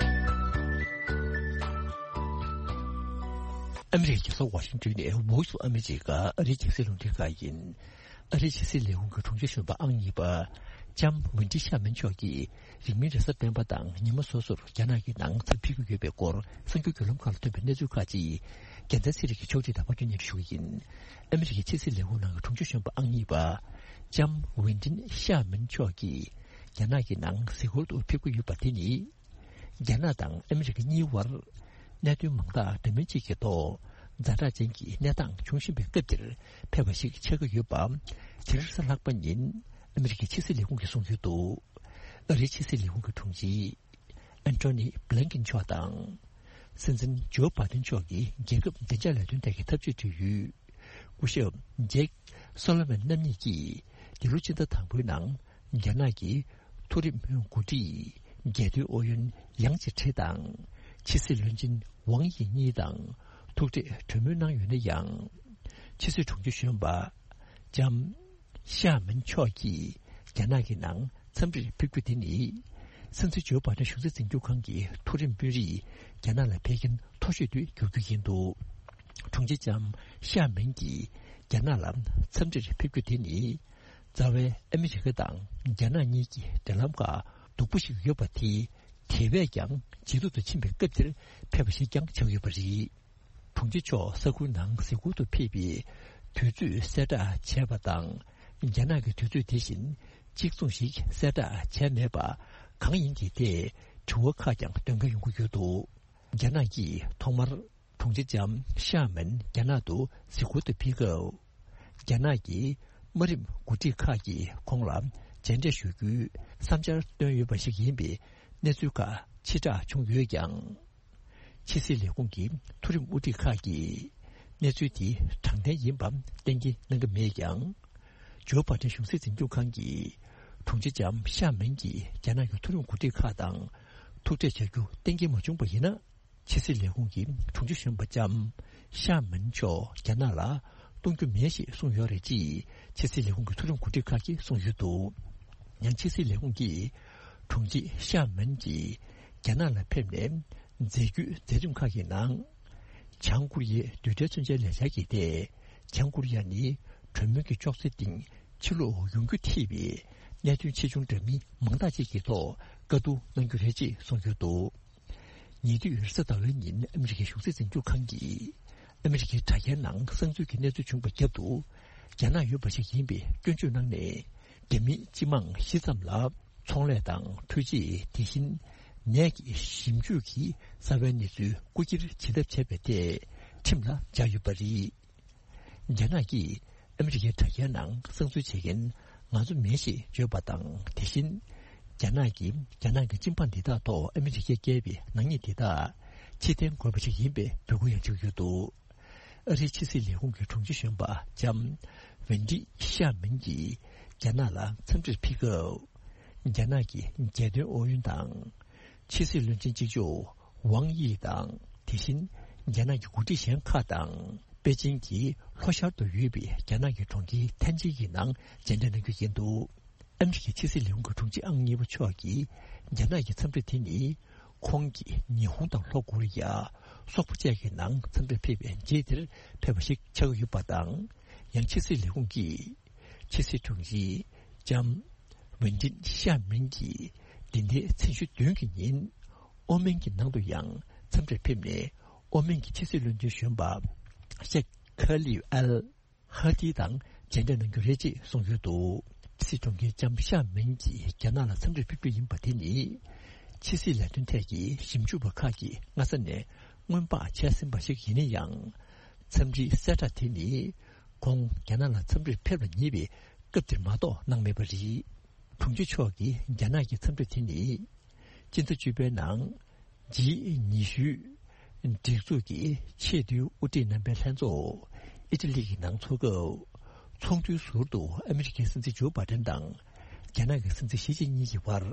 ཨ་མི་རི་ཀའི་རྒྱལ་ས་ཝ་ཤིང་ཏོན་ནས་Voice of America ཨ་རིའི་རྒྱང་སྲིང་རླུང་འཕྲིན་ཁང་ཡིན། ཨ་རིའི་ཕྱི་སྲིད་ལས་ཁུངས་ཀྱི་དྲུང་ཆེ་གཞོན་པ་ཨང་གཉིས་པ། ལྕམ་ཝེན་ཏི་ཤ་མན་མཆོག་གིས། རིང་མིན་རེས་གཟའ་སྤེན་པ་དང་ཉི་མ་སོ་སོར་རྒྱ་ནག་གི་ནང་འཚམས་ཕེབས་ཀྱི་ཡོད་པའི་སྐོར་གསར་འགྱུར་བརྒྱུད་ལམ་ཁག་ལ་ཐོན་པའི་གནས་ཚུལ་ཁག་ཅིག་རྒྱལ་མཚན་ཚེ་རིང་གིས་ཕྱོགས་སྒྲིག་དང་ཕབ་སྒྱུར་སྙན་སྒྲོན་ཞུ་གི་ཡིན། ཨ་མི་རི་ཀའི་ཕྱི་སྲིད་ལས་ཁུངས་ནང་གི་དྲུང་ཆེ་གཞོན་པ་ཨང་གཉིས་པ། ལྕམ་ཝེན་ཏིན་ཤ་མིན་མཆོག་གིས་རྒྱ་ནག་གི་ནང་གཟིགས་སྐོར་དུ་ཕེབས་ཀྱི་ཡོད་པ་དེ་ནི། རྒྱ་ནག་དང་ཨ་མི་རི་ཀ་གཉིས་བར་གནད་དོན་མང་དག་འདྲ་མིན་གཅིག་གི་ཐོག་ཛ་དྲག་ཅན་གྱི་གནས་སྟངས་འབྱུང་བཞིན་པའི་སྐབས་འདིར་ཕེབས་པ་ཞིག་ཆགས་ཀྱི་ཡོད་པ། དེ་རིང་གཟའ་ལྷག་པ་ཉིན་ཨ་མི་རི་ཀའི་ཕྱི་སྲིད་ལས་ཁུངས་ཀྱིས་གསུངས་ཡོད་འདུག་ཨ་རིའི་ཕྱི་སྲིད་ལས་ཁུངས་ཀྱི་དྲུང་ཆེ། ཨན་ཐོ་ནི་བྷི་ལིན་ཀིན་མཆོག་དང་། སྲིད་འཛིན་ཇོ་བྷའི་ཏིན་མཆོག་གི་རྒྱལ་ཁབ་བདེ་འཇགས་ལས་དོན་ཐད་ཀྱི་འཐབ་ཇུས་འབྲེལ་ཡོད། སྐུ་ཞབས་ཇེག་སོ་ལོ་མན་རྣམ་གཉིས་ཀྱིས་འདི་ལོ་ཕྱི་ཟླ་དང་པོའི་ནང་རྒྱ་ནག་གི་མཐོ་རིམ་འགོ་ཁྲིད་རྒྱལ་དོན་ཨུ་ཡོན་ཡང་ཅི་ཁྲེ་དང་། ཕྱི་སྲིད་བློན་ཆེན་ཝང་དབྱི་གཉིས་དང་ཐུག་འཕྲད་གྲོས་མོལ་གནང་ཡོད་ན་ཡང་། ཕྱི་སྲིད་དྲུང་ཆེ་གཞོན་པ་ལྕམ་ཤ་མིན་མཆོག་གིས་རྒྱ་ནག་གི་ནང་འཚམས་འདྲིར་ཕེབས་རྒྱུ་དེ་ནི། སྲིད་འཛིན་ཇོ་བྷའི་ཏིན་གཞུང་སྲིད་འཛིན་རྒྱུ་ཁང་གི་མཐོ་རིམ་དཔོན་རིགས་རྒྱ་ནག་ལ་ཕེབས་མཁན་མཐོ་ཤོས་དེ་འགྱུར་རྒྱུ་ཡིན་འདུག་དྲུང་ཆེ་ལྕམ་ ཤ་མིན་གྱིས་རྒྱ་ནག་ལ་འཚམས་འདྲིར་ཕེབས་རྒྱུ་དེ་ནི། རྩ་བའི་ཨ་མི་རི་ཀ་དང་རྒྱ་ནག་གཉིས་ཀྱི་འབྲེལ་ལམ་ཁག་སྡུག་པོ་ཞིག་ཡོད་པ་དེ། དེ་བས་ཀྱང་ཇེ་སྡུག་ཏུ་ཕྱིན་པའི་སྐབས་དེར་ཕེབས་པ་ཞིག་ཀྱང་ཆགས་ཡོད་པ་རེད། དྲུང་ཆེ་མཆོག་ས་ཁུལ་ནང་གཟིགས་སྐོར་དུ་ཕེབས་པའི་དུས་ཚོད་གསལ་བསྒྲགས་བྱས་པ་དང་། རྒྱ་ནག་གི་དུས་ཚོད་དེ་བཞིན་གཅིག་མཚུངས་ཤིག་གསལ་བསྒྲགས་བྱས་མེད་པ་གང་ཡིན་གྱི་ཐད་དྲི་བ་ཁག་ཀྱང་འདོན་ག་ཡོང་གི་ཡོད་འདུག་རྒྱ་ནག་གིས་ཐོག་མར་དྲུང་ཆེ་ལྕམ་ཤ་མིན་རྒྱ་ནག་ཏུ་གཟིགས་སྐོར་དུ་ཕེབས་སྐབས། རྒྱ་ནག་གི་དམའ་རིམ་འགོ་ཁྲིད་ཁག་གིས་ཁོང་ལ་མཇལ་འཕྲད་ཞུ་རྒྱུའི་བསམ་འཆར་བཏོན་ཡོད་པ་ཞིག་ཡིན་པའི་གནས་ཚུལ་ཁག་ཕྱིར་བསྒྲགས་བྱུང་ཡོད་ཀྱང་། ཕྱི་སྲིད་ལས་ཁུངས་ཀྱི་མཐོ་རིམ་དབུ་ཁྲིད་ཁག་གིས་གནས་ཚུལ་དེ་དྲང་བདེན་ཡིན་པ་གཏན་འཁེལ་གནང་གི་མེད་ཀྱང་། ཇོ་བྷ་ཏན་གཞུང་སྲིད་འཛིན་སྐྱོང་ཁང་གིས་དྲུང་ཆེ་ལྕམ་ཤ་མིན་གྱིས་རྒྱ་ནག་གི་མཐོ་རིམ་འགོ་ཁྲིད་ཁག་དང་ཐུག་འཕྲད་བྱ་རྒྱུ་གཏན་འཁེལ་མ་བྱུང་པ་ཡིན་ན། ཕྱི་སྲིད་ལས་ཁུངས་ཀྱི་དྲུང་ཆེ་གཞོན་པ་ལྕམ་ཤ་མིན་མཆོག་རྒྱ་ནག་ལ་གཏོང་རྒྱུ་མེད་ཞེས་གསུངས་ཡོད་རེད་ཅེས་ཕྱི་སྲིད་ལས་ཁུངས་ཀྱི་མཐོ་རིམ་འགོ་ཁྲིད་ཁག་གིས་གསུངས་ཡོད་འདུག་ཡང་ཕྱི་སྲིད་ལས་ཁུངས་ཀྱིས་དྲུང་ཆེ་ཤ་མིན་གྱིས་རྒྱ་ནག་ལ་ཕེབས་ནས་མཛད་རྒྱུའི་མཛད་རིམ་ཁག་གི་ནང་། བྱང་ཀོ་རི་ཡའི་རྡུལ་ཕྲན་མཚོན་ཆའི་ལས་འཆར་གྱི་ཐད། བྱང་ཀོ་རི་ཡ་ནི་གྲོས་མོལ་གྱི་ཅོག་ཙེའི་སྟེང་ཕྱིར་ལོག་ཡོང་རྒྱུ་ཐེ་བའི་གནད་དོན་ཆེ་ཆུང་འདྲ་མིན་མང་དག་ཅིག་གི་ཐོག་བཀའ་བསྡུར་གནང་རྒྱུ་རེད་ཅེས་གསུངས་ཡོད་འདུག་ཉེ་དུས་རེས་གཟའ་ཟླ་བའི་ཉིན་ཨ་མི་རི་ཀའི་གཞུང་སྲིད་འཛིན་སྐྱོང་ཁང་གིས་ཨ་མི་རི་ཀའི་དྲ་རྒྱའི་ནང་གསང་འཛུལ་གྱི་གནས་ཚུལ་བྱུང་བའི་རྒྱབ་ཏུ། རྒྱ་ནག་ཡོད་པ་ཞིག་ཡིན་པའི་སྐྱོན་བརྗོད་གནང་ནས། རྒྱ་མིའི་སྤྱི་དམངས་བཞི་ཙམ་ལ་ཚོང་ལས་དང་འཕྲུལ་ཆས། དེ་བཞིན་ནས་ཀྱི་ཞིབ་འཇུག་གི་གསར་བའི་གནས་ཚུལ་རྐུ་འཁྱེར་བྱེད་ཐབས་བྱས་པའི་ཐད་ཁྲིམས་ལ་སྦྱར་ཡོད་པ་རེད། རྒྱ་ནག་གིས་ཨ་མི་རི་ཀའི་དྲ་རྒྱའི་ནང་གསང་འཛུལ་བྱེད་མཁན་ང་ཚོ་མིན་ཞེས་བརྗོད་པ་དང་། དེ་བཞིན་རྒྱ་ནག་གིས་རྒྱ་ནག་གི་སྤྱི་འབངས་འདི་དག་ཐོག་ཨ་མི་རི་ཀས་བཀལ་བའི་ནག་ཉེས་འདི་དག་ཕྱིར་འཐེན་དགོས་པ་ཞིག་ཡིན་པའི་འབོད་སྐུལ་ཡང་བྱུང་ཡོད་འདུག་ཨ་རིའི་ཕྱི་སྲིད་ལས་ཁུངས་ཀྱི་དྲུང་ཆེ་གཞོན་པ་ལྕམ་ཝེན་ཏི་ཤ་མིན་གྱིས་རྒྱ་ནག་ལ་འཚམས་འདྲིར་ཕེབས་སྐབས། རྒྱ་ནག་གི་རྒྱལ་དོན་ཨུ་ཡོན་དང་། ཕྱི་སྲིད་བློན་ཆེན་གཅིག་ལྕོགས་ཝང་དབྱི་དང་། དེ་བཞིན་རྒྱ་ནག་གི་འགོ་ཁྲིད་གཞན་ཁག་དང་། པེ་ཅིང་གི་ལྷོ་ཤར་དུ་ཡོད་པའི་རྒྱ་ནག་གི་གྲོང་ཁྱེར་ཐན་ཅིན་གྱི་ནང་མཇལ་འཕྲད་གནང་རྒྱུ་ཡིན་འདུག་ཨ་མི་རི་ཀའི་ཕྱི་སྲིད་ལས་ཁུངས་ཀྱི་དྲུང་ཆེ་ཨང་གཉིས་པ་མཆོག་གིས་རྒྱ་ནག་གི་འཚམས་འདྲི་དེ་ནི། ཁོང་གིས་ཉི་ཧོང་དང་ལྷོ་ཀོ་རི་ཡ། སོག་པོ་བཅས་ཀྱི་ནང་འཚམས་འདྲིར་ཕེབས་པའི་རྗེས་དེར་ཕེབས་པ་ཞིག་ཆགས་ཀྱི་ཡོད་པ་དང་། ཡང་ཕྱི་སྲིད་ལས་ཁུངས་ཀྱིས། ཕྱི་སྲིད་དྲུང་ཆེ་ལྕམ་ཝེན་ཏིན་ཤ་མིན་གྱིས། འདི་ཟླའི་ཚེས་བཅུ་བདུན་གྱི་ཉིན། ཨོ་མན་གྱི་ནང་དུ་ཡང་འཚམས་འདྲིར་ཕེབས་ནས། ཨོ་མན་གྱི་ཕྱི་སྲིད་བློན་ཆེན་གཞོན་པ། ཤེག་ཁ་ལིབ་ཨལ། ཧ་ཏི་དང་མཇལ་འཕྲད་གནང་རྒྱུ་རེད་ཅེས་གསུངས་ཡོད་འདུག་ཕྱི་སྲིད་དྲུང་ཆེ་ལྕམ་ཤ་མིན་གྱིས་རྒྱ་ནག་ལ་འཚམས་འདྲིར་ཕེབས་རྒྱུ་ཡིན་པ་དེ་ནི། ཕྱི་སྲིད་ལས་དོན་ཐད་ཀྱི་ཞིབ་འཇུག་པ་ཁག་གིས་སྔ་ས་ནས་སྔོན་དཔག་བྱས་ཟིན་པ་ཞིག་ཡིན་ན་ཡང་། འཚམས་འདྲིའི་གསལ་བསྒྲགས་དེ་ནི། ཁོང་རྒྱ་ནག་ལ་འཚམས་འདྲིར་ཕེབས་ལ་ཉེ་བའི་སྐབས་དེར་མ་གཏོགས་གནང་མེད་པ་རེད། དྲུང་ཆེ་མཆོག་གིས་རྒྱ་ནག་གི་འཚམས་འདྲི་དེ་ནི། སྤྱི་ཟླ་བཅུ་པའི་ནང་། ཇི་ཉི་ཤུ། སྒྲིག་འཛུགས་ཀྱི་ཆེས་མཐོའི་དབུ་ཁྲིད་རྣམ་པའི་ལྷན་ཚོགས་ཨི་ཊ་ལི་གི་ནང་འཚོགས་སྐབས། ཚོགས་འདུའི་ཟུར་དུ་ཨ་མི་རི་ཀའི་སྲིད་འཛིན་ཇོ་བྷ་ཏན་དང་། རྒྱ་ནག་གི་སྲིད་འཛིན་ཞི་ཅིན་ཕིང་གཉིས་ཀྱི་བར།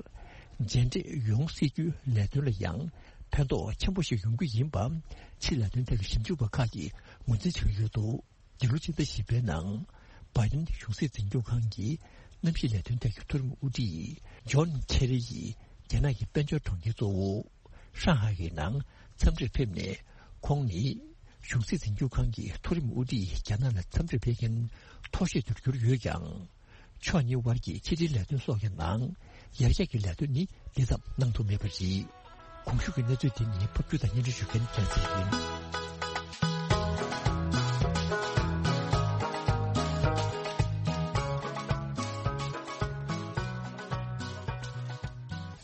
མཇལ་འཕྲད་ཡོང་སྲིད་རྒྱུའི་ལས་དོན་ལ་ཡང་ཕན་ཐོགས་ཆེན་པོ་ཞིག་ཡོང་རྒྱུ་ཡིན་པ། ཕྱི་ལས་དོན་ཐད་ཀྱི་ཞིབ་འཇུག་པ་ཁག་གིས་ངོས་འཛིན་བྱེད་ཀྱི་ཡོད་འདུག་འདི་ལོ་སྤྱི་ཟླ་བཞི་པའི་ནང་། བྷའི་ཏིན་གཞུང་སྲིད་འཛིན་སྐྱོང་ཁང་གི་གནམ་གཤིས་ལས་དོན་ཐད་ཀྱི་མཐོ་རིམ་དབུ་ཁྲིད་ཇོན་ཁེ་རི་ཡིས་རྒྱ་ནག་གི་དཔལ་འབྱོར་གྲོང་ཁྱེར་གཙོ་བོ་ཧྲང་ཧའེ་ཡི་ནང་འཚམས་འདྲིར་ཕེབས་ནས། ཁོང་ནི་གཞུང་སྲིད་འཛིན་སྐྱོང་ཁང་གི་མཐོ་རིམ་དབུ་ཁྲིད་རྒྱ་ནག་ལ་འཚམས་འདྲིར་ཕེབས་མཁན་མཐོ་ཤོས་དུ་གྱུར་ཡོད་ཀྱང་། ཕྱོགས་གཉིས་དབར་གྱི་ཕྱི་འབྲེལ་ལས་དོན་སོགས་ཀྱི་ནང་ཡར་རྒྱས་ཀྱི་ལས་དོན་ནི་འདི་ཙམ་གནང་ཐུབ་མེད་པ་རེད། གོང་ཞུས་ཀྱི་གནས་ཚུལ་དེ་ནི་ཕབ་སྒྱུར་དང་སྙན་སྒྲོན་ཞུ་མཁན་རྒྱལ་མཚན་ཡིན།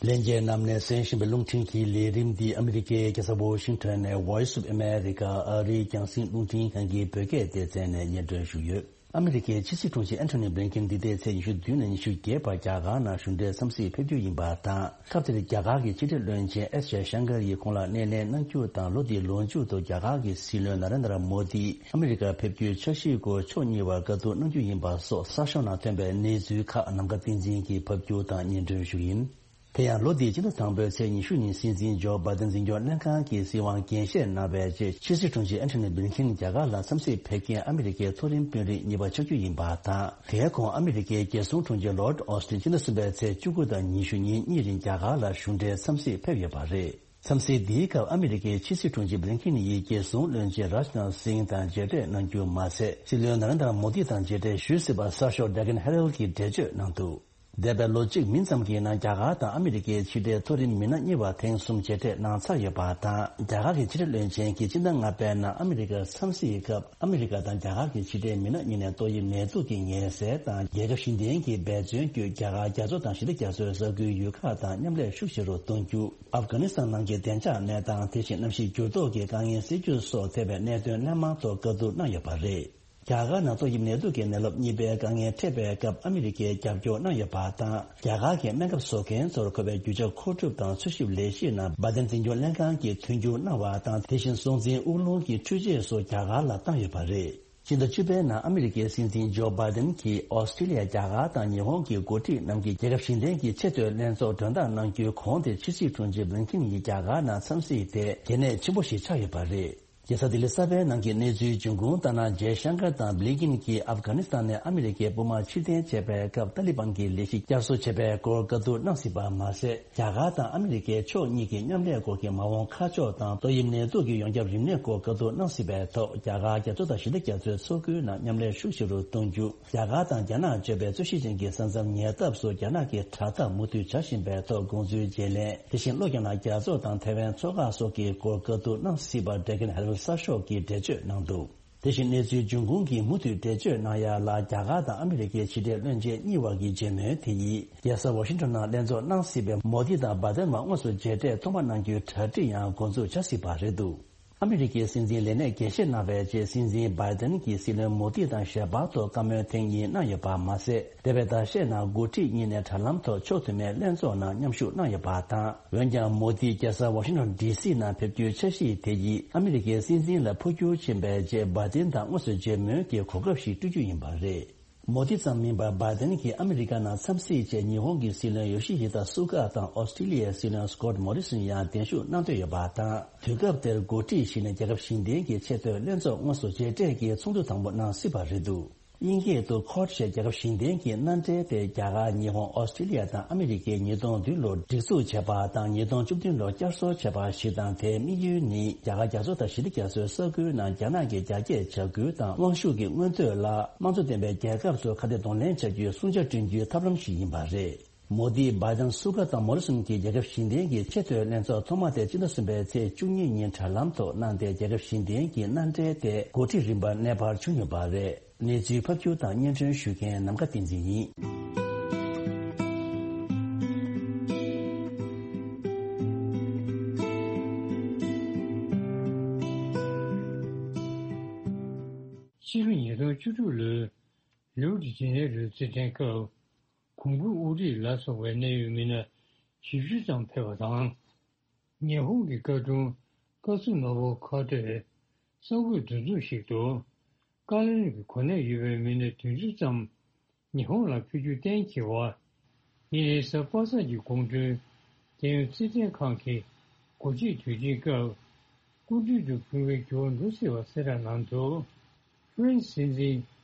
ལྷན་རྒྱས་རྣམས་ནས་གསན་བཞིན་པའི་རླུང་འཕྲིན་གྱི་ལས་རིམ་འདི་ཨ་མི་རི་ཀའི་རྒྱལ་ས་ཝོ་ཤིང་ཊོན་ནས་Voice of America ཨ་རིའི་རྒྱང་སྲིང་རླུང་འཕྲིན་ཁང་གི་བོད་སྐད་སྡེ་ཚན་ནས་སྙན་སྒྲོན་ཞུས་ཡོད། ཨ་མི་རི་ཀའི་ཕྱི་སྲིད་དྲུང་ཆེ་ཨན་ཐོ་ནི་བྷི་ལིན་ཀིན་འདི་ཟླའི་ཚེས་ཉི་ཤུ་བདུན་ནས་ཉི་ཤུ་བརྒྱད་བར་རྒྱ་གར་ནང་གཞུང་འབྲེལ་འཚམས་གཟིགས་ཕེབས་རྒྱུ་ཡིན་པ་དང་། སྐབས་དེར་རྒྱ་གར་གྱི་ཕྱི་འབྲེལ་བློན་ཆེན་ཨེས་ཇེ་ཤང་ཀར་ཡིས་ཁོང་ལ་སྣེ་ལེན་གནང་རྒྱུ་དང་། ལོ་འདིའི་ལོ་མཇུག་ཏུ་རྒྱ་གར་གྱི་སྲིད་བློན་ན་རེན་དྲ་མོ་དི་ཨ་མི་རི་ཀར་ཕེབས་རྒྱུའི་འཆར་གཞིའི་སྐོར་ཕྱོགས་གཉིས་བར་བཀའ་བསྡུར་གནང་རྒྱུ་ཡིན་པ་སོགས་གསར་ཤོག་ནང་ཐོན་པའི་གནས་ཚུལ་ཁག་ནམ་མཁའ་བསྟན་འཛིན་གྱིས་ཕབ་སྒྱུར་དང་སྙན་སྒྲོན་ཞུ་གི་ཡིན། དེ་ཡང་ལོ་འདིའི་སྤྱི་ཟླ་དང་པོའི་ཚེས་ཉི་ཤུ་ཉིན་སྲིད་འཛིན་ཇོ་བྷའི་ཏིན་འཛིན་སྐྱོང་ལྷན་ཁང་གི་སྲིད་དབང་འགན་བཞེས་གནང་བའི་རྗེས། ཕྱི་སྲིད་དྲུང་ཆེ་ཨན་ཐོ་ནི་བྷི་ལིན་ཀིན་རྒྱ་གར་ལ་འཚམས་གཟིགས་ཕེབས་མཁན་ཨ་མི་རི་ཀའི་མཐོ་རིམ་དཔོན་རིགས་གཉིས་པ་ཆགས་རྒྱུ་ཡིན་པ་དང་། དེའི་གོང་ཨ་མི་རི་ཀའི་རྒྱལ་སྲུང་དྲུང་ཆེ་ལོར་ཌི་ཨོ་སི་ཊིན་སྤྱི་ཟླ་གསུམ་པའི་ཚེས་བཅུ་དགུ་དང་ཉི་ཤུ་ཉིན་གཉིས་རིང་རྒྱ་གར་ལ་གཞུང་འབྲེལ་འཚམས་གཟིགས་ཕེབས་ཡོད་པ་རེད། འཚམས་གཟིགས་འདིའི་སྐབས་ཨ་མི་རི་ཀའི་ཕྱི་སྲིད་དྲུང་ཆེ་བྷི་ལིན་ཁིན་ཡིས་རྒྱལ་སྲུང་བློན་ཆེན་རཱཇ་ནཱཐ་སིང་དང་མཇལ་འཕྲད་གནང་རྒྱུ་མ་ཟད། སྲིད་བློན་ན་རེན་དྲ་མོ་དི་དང་མཇལ་འཕྲད་ཞུས་སྲིད་པ་གསར་ཤོག་ཌེ་ཀན་ཧེ་རལ་གྱིས་འགྲེལ་བརྗོད་གནང་འདུག་འདས་པའི་ལོ་གཅིག་མིན་ཙམ་གྱི་ནང་རྒྱ་གར་དང་ཨ་མི་རི་ཀའི་ཕྱི་འབྲེལ་མཐོ་རིམ་མི་སྣ་གཉིས་བར་ཐེངས་གསུམ་མཇལ་འཕྲད་གནང་ཚར་ཡོད་པ་དང་། རྒྱ་གར་གྱི་ཕྱི་འབྲེལ་བློན་ཆེན་གྱིས་སྤྱི་ཟླ་ལྔ་པའི་ནང་ཨ་མི་རི་ཀར་འཚམས་གཟིགས་སྐབས། ཨ་མི་རི་ཀ་དང་རྒྱ་གར་གྱི་ཕྱི་འབྲེལ་མི་སྣ་གཉིས་ནས་ཏོག་དབྱིབས་ནད་དུག་གི་ངལ་སེལ་དང་རྒྱལ་ཁབ་གཞན་བརྟེན་གྱི་འབད་བརྩོན་བརྒྱུད། རྒྱ་གར་རྒྱ་མཚོ་དང་ཞི་བདེ་རྒྱ་མཚོའི་ས་ཁུལ་ཡུལ་ཁག་དང་མཉམ་ལས་ཤུགས་ཆེ་རུ་གཏོང་རྒྱུ། ཨབ་གྷ་ནི་སི་ཐན་ནང་གི་བདེ་འཇགས་གནས་སྟངས། དེ་བཞིན་གནམ་གཤིས་འགྱུར་ལྡོག་གི་དཀའ་ངལ་སེལ་རྒྱུ་སོགས་ཐེ་བའི་གནད་དོན་སྣ་མང་ཐོག་བཀའ་བསྡུར་གནང་ཡོད་པ་རེད། རྒྱ་གར་ནང་ཏོག་དབྱིབས་ནད་དུག་གི་ནད་རླབས་གཉིས་པའི་དཀའ་ངལ་འཕྲད་པའི་སྐབས། ཨ་མི་རི་ཀས་རྒྱབ་སྐྱོར་གནང་ཡོད་པ་དང་། རྒྱ་གར་གྱི་སྨན་ཁབ་བཟོ་མཁན་ཚོར་དགོས་པའི་རྒྱུ་ཆ་མཁོ་སྒྲུབ་དང་འཚོལ་ཞིབ་ལས་གཞིའི་ནང་། བྷའི་ཏན་འཛིན་སྐྱོང་ལྷན་ཁང་གིས་མཐུན་འགྱུར་གནང་བ་དང་། དེ་བཞིན་སྲོག་འཛིན་དབུགས་རླུང་གི་འཕྲུལ་ཆས་སོགས་རྒྱ་གར་ལ་བཏང་ཡོད་པ་རེད། ཕྱི་ཟླ་བཅུ་པའི་ནང་ཨ་མི་རི་ཀའི་སྲིད་འཛིན་ཇོ་བྷའི་ཏན་གྱིས་ཨོ་སི་ཀྲི་ལི་ཡ། རྒྱ་གར་དང་ཉི་ཧོང་གི་འགོ་ཁྲིད་རྣམས་ཀྱིས་རྒྱལ་ཁབ་གཞན་བརྟེན་གྱི་ཆེས་མཐོའི་ལྷན་ཚོགས་མགྲོན་བདག་གནང་རྒྱུའི་གོང་དེ། ཕྱི་སྲིད་དྲུང་ཆེ་བྷི་ལིན་ཁིན་ཡིས་རྒྱ་གར་ནང་འཚམས་གཟིགས་དེ་གལ་གནད་ཆེན་པོ་ཞིག་ཆགས་ཡོད་པ་རེད། རྒྱལ་ས་ལྡི་ལི་གསར་པའི་ནང་གི་གནས་ཚུལ་འབྱུང་ཁུངས་ལྟར་ན། ཇེ་ཤང་ཀར་དང་བྷི་ལིན་ཁིན་གྱིས་ཨབ་གྷ་ནི་སི་ཐན་ནས་ཨ་མི་རི་ཀའི་དཔུང་དམག་ཕྱིར་འཐེན་བྱས་པའི་སྐབས། ཏཱ་ལི་བན་གྱི་ལས་གཞི་བསྐྱར་གསོ་བྱས་པའི་སྐོར་བཀའ་བསྡུར་གནང་སྲིད་པ་མ་ཟད། རྒྱ་གར་དང་ཨ་མི་རི་ཀའི་ཕྱོགས་གཉིས་ཀྱི་མཉམ་ལས་སྐོར་གྱི་མ་འོངས་ཁ་ཕྱོགས་དང་། ཏོག་དབྱིབས་ནད་དུག་གི་ཡོངས་ཁྱབ་རིམས་ནད་སྐོར་བཀའ་བསྡུར་གནང་སྲིད་པའི་ཐོག་རྒྱ་གར་རྒྱ་མཚོ་དང་ཞི་བདེ་རྒྱ་མཚོའི་མཚོ་ཁུལ་ནང་མཉམ་ལས་ཤུགས་ཆེ་རུ་གཏོང་རྒྱུ། རྒྱ་གར་དང་རྒྱ་ནག་གཅོད་པའི་རྩོད་གཞི་ཅན་གྱི་ས་མཚམས་ཉེ་འདབས་སུ་རྒྱ་ནག་གི་དྲག་འཐབ་མུ་མཐུད་བྱ་བཞིན་པའི་ཐོག་དགོངས་ཚུལ་བརྗེ་ལེན། དེ་བཞིན་ལྷོ་རྒྱ་ནག་རྒྱ་མཚོ་དང་ཐའེ་ཝན་མཚོ་འགག་སོགས་ཀྱི་སྐོར་བཀའ་བསྡུར་གནང་སྲིད་པ་ཌེ་ཀན་ཧེ་རལ་གསར་ཤོག་གིས་འགྲེལ་བརྗོད་གནང་འདུག་དེ་བཞིན་གནས་ཚུལ་འབྱུང་ཁུངས་ཀྱིས་མུ་མཐུད་འགྲེལ་བརྗོད་གནང་ཡ་ལ། རྒྱ་གར་དང་ཨ་མི་རི་ཀའི་ཕྱི་འབྲེལ་བློན་ཆེན་གཉིས་བར་གྱི་མཇལ་མོལ་དེ་ཡིས། རྒྱལ་ས་ཝ་ཤིང་ཊོན་ནང་ལྷན་ཚོགས་གནང་སྲིད་པའི་མོ་དི་དང་བྷའི་ཏན་བར་དངོས་སུ་མཇལ་འཕྲད་ཐོག་མ་གནང་རྒྱུའི་གྲ་སྒྲིག་ཡང་འགོ་འཛུགས་བྱ་སྲིད་པ་རེད་འདུག་ཨ་མི་རི་ཀའི་སྲིད་འཛིན་ལས་གནས་རྒྱས་བཤད་གནང་བའི་རྗེས། སྲིད་འཛིན་བྷའི་ཏན་གྱིས་སྲིད་བློན་མོ་དི་དང་ཞལ་པར་ཐོག་བཀའ་མོལ་ཐེངས་གཉིས་གནང་ཡོད་པ་མ་ཟད། འདས་པའི་ཟླ་ཤས་ནང་འགོ་ཁྲིད་གཉིས་ནས་དྲ་ལམ་ཐོག་ཕྱོགས་མཐུན་མའི་ལྷན་ཚོགས་ནང་མཉམ་ཞུགས་གནང་ཡོད་པ་དང་། འོན་ཀྱང་མོ་དི་རྒྱལ་ས་ཝ་ཤིང་ཊོན་ཌི་སི་ནང་ཕེབས་རྒྱུའི་འཆར་གཞི་དེ་ཡིས་ཨ་མི་རི་ཀའི་སྲིད་འཛིན་ལ་འཕོ་འགྱུར་ཕྱིན་པའི་རྗེས། བྷའི་ཏན་དང་དངོས་སུ་མཇལ་མོལ་གྱི་གོ་སྐབས་ཤིག་སྤྲོད་རྒྱུ་ཡིན་པ་རེད། མོ་དི་ཙམ་མིན་པར་བྷའི་ཏན་གྱིས་ཨ་མི་རི་ཀ་ནང་འཚམས་གཟིགས་ཆེད་ཉི་ཧོང་གི་སྲིད་བློན་ཡོ་ཤི་ཧི་ད་སུ་ག་དང་ཨོ་སི་ཀྲི་ལི་ཡའི་སྲིད་བློན་སྐོཊ་མོ་རི་སོན་ཡང་གདན་ཞུ་གནང་འདོད་ཡོད་པ་དང་། དུས་སྐབས་དེར་འགོ་ཁྲིད་བཞི་ནས་རྒྱལ་ཁབ་གཞན་བརྟེན་གྱི་ཆེས་མཐོའི་ལྷན་ཚོགས་དངོས་སུ་མཇལ་འཕྲད་ཀྱིས་ཚོགས་འདུ་དང་པོ་གནང་སྲིད་པ་རེད་འདུག་དབྱིན་སྐད་དུ་ཁོཌ་ཞེས་རྒྱལ་ཁབ་གཞན་བརྟེན་གྱི་མནའ་འབྲེལ་དེ། རྒྱ་གར། ཉི་ཧོང་། ཨོ་སི་ཀྲི་ལི་ཡ་དང་ཨ་མི་རི་ཀས་ཉིས་སྟོང་བདུན་ལོར་སྒྲིག་འཛུགས་བྱས་པ་དང་། ཉིས་སྟོང་བཅུ་བདུན་ལོར་བསྐྱར་གསོ་བྱས་པ་ཞིག་དང་། དེའི་དམིགས་ཡུལ་ནི་རྒྱ་གར་རྒྱ་མཚོ་དང་ཞི་བདེ་རྒྱ་མཚོའི་ས་ཁུལ་ནང་རྒྱ་ནག་གིས་རྒྱ་སྐྱེད་བྱ་ཁུལ་དང་། དབང་ཤུགས་ཀྱི་མངོན་འདོད་ལ་དམངས་གཙོ་ལྡན་པའི་རྒྱལ་ཁབ་ཚོས་ཁ་གཏད་གདོང་ལེན་བྱ་རྒྱུའི་སྲུང་བྱ་བསྐྲུན་རྒྱུའི་ཐབས་ལམ་ཞིག་ཡིན་པ་རེད། མོ་དི། བྷའི་ཏན། སུ་ག་དང་མོ་རི་སོན་གྱིས་རྒྱལ་ཁབ་གཞན་བརྟེན་གྱི་ཆེས་མཐོའི་ལྷན་ཚོགས་ཐོག་མ་དེ་ཕྱི་ཟླ་གསུམ་པའི་ཚེས་བཅུ་གཉིས་ཉིན་དྲ་ལམ་ཐོག་གནང་སྟེ། རྒྱལ་ཁབ་གཞན་བརྟེན་གྱི་མནའ་འབྲེལ་དེ་འགོ་ཁྲིད་རིམ་པར་གནས་སྤར་བྱུང་ཡོད་པ་རེད། གནས་ཚུལ་ཕབ་སྒྱུར་དང་སྙན་སྒྲོན་ཞུ་མཁན་ནམ་མཁའ་བསྟན་འཛིན་ཡིན། ཕྱི་ལོ་ཉིས་སྟོང་བཅུ་དྲུག་ལོའི་རིའུ་ཌི་ཇེ་ནེ་རུའི་རྩེད་འགྲན་སྐབས། གོང་བུ་དབུ་ཁྲིད་ལ་སོགས་པའི་གནད་ཡོད་མི་སྣ་བཞི་བཅུ་ཙམ་ཕེབས་པ་དང་། ཉི་ཧོང་གི་བཀའ་དྲུང་ཀ་ཙུ་ནོ་བོ་ཁ་ཏོས་གསར་འགོད་འདུ་འཛོམས་ཤིག་ཏུ། ཀ་ལོན་གྱི་གོ་གནས་ཡོད་པའི་མི་སྣ་བདུན་ཅུ་ཙམ་ཉི་ཧོང་ལ་ཕེབས་རྒྱུ་གཏན་འཁེལ་བ། དེ་ནི་གཟའ་པ་སངས་ཀྱི་དགོང་དྲོའི་རྒྱལ་ཡོངས་རྩེད་འགྲན་ཁང་གི་སྒོ་འབྱེད་དུས་ཆེན་སྐབས། སྐུ་མདུན་དུ་ཕུལ་བའི་འགྱུར་བ་འགྲོ་སྲིད་པ་གསལ་བསྒྲགས་གནང་འདུག་ཧྥ་རན་སི་སྲིད་འཛིན་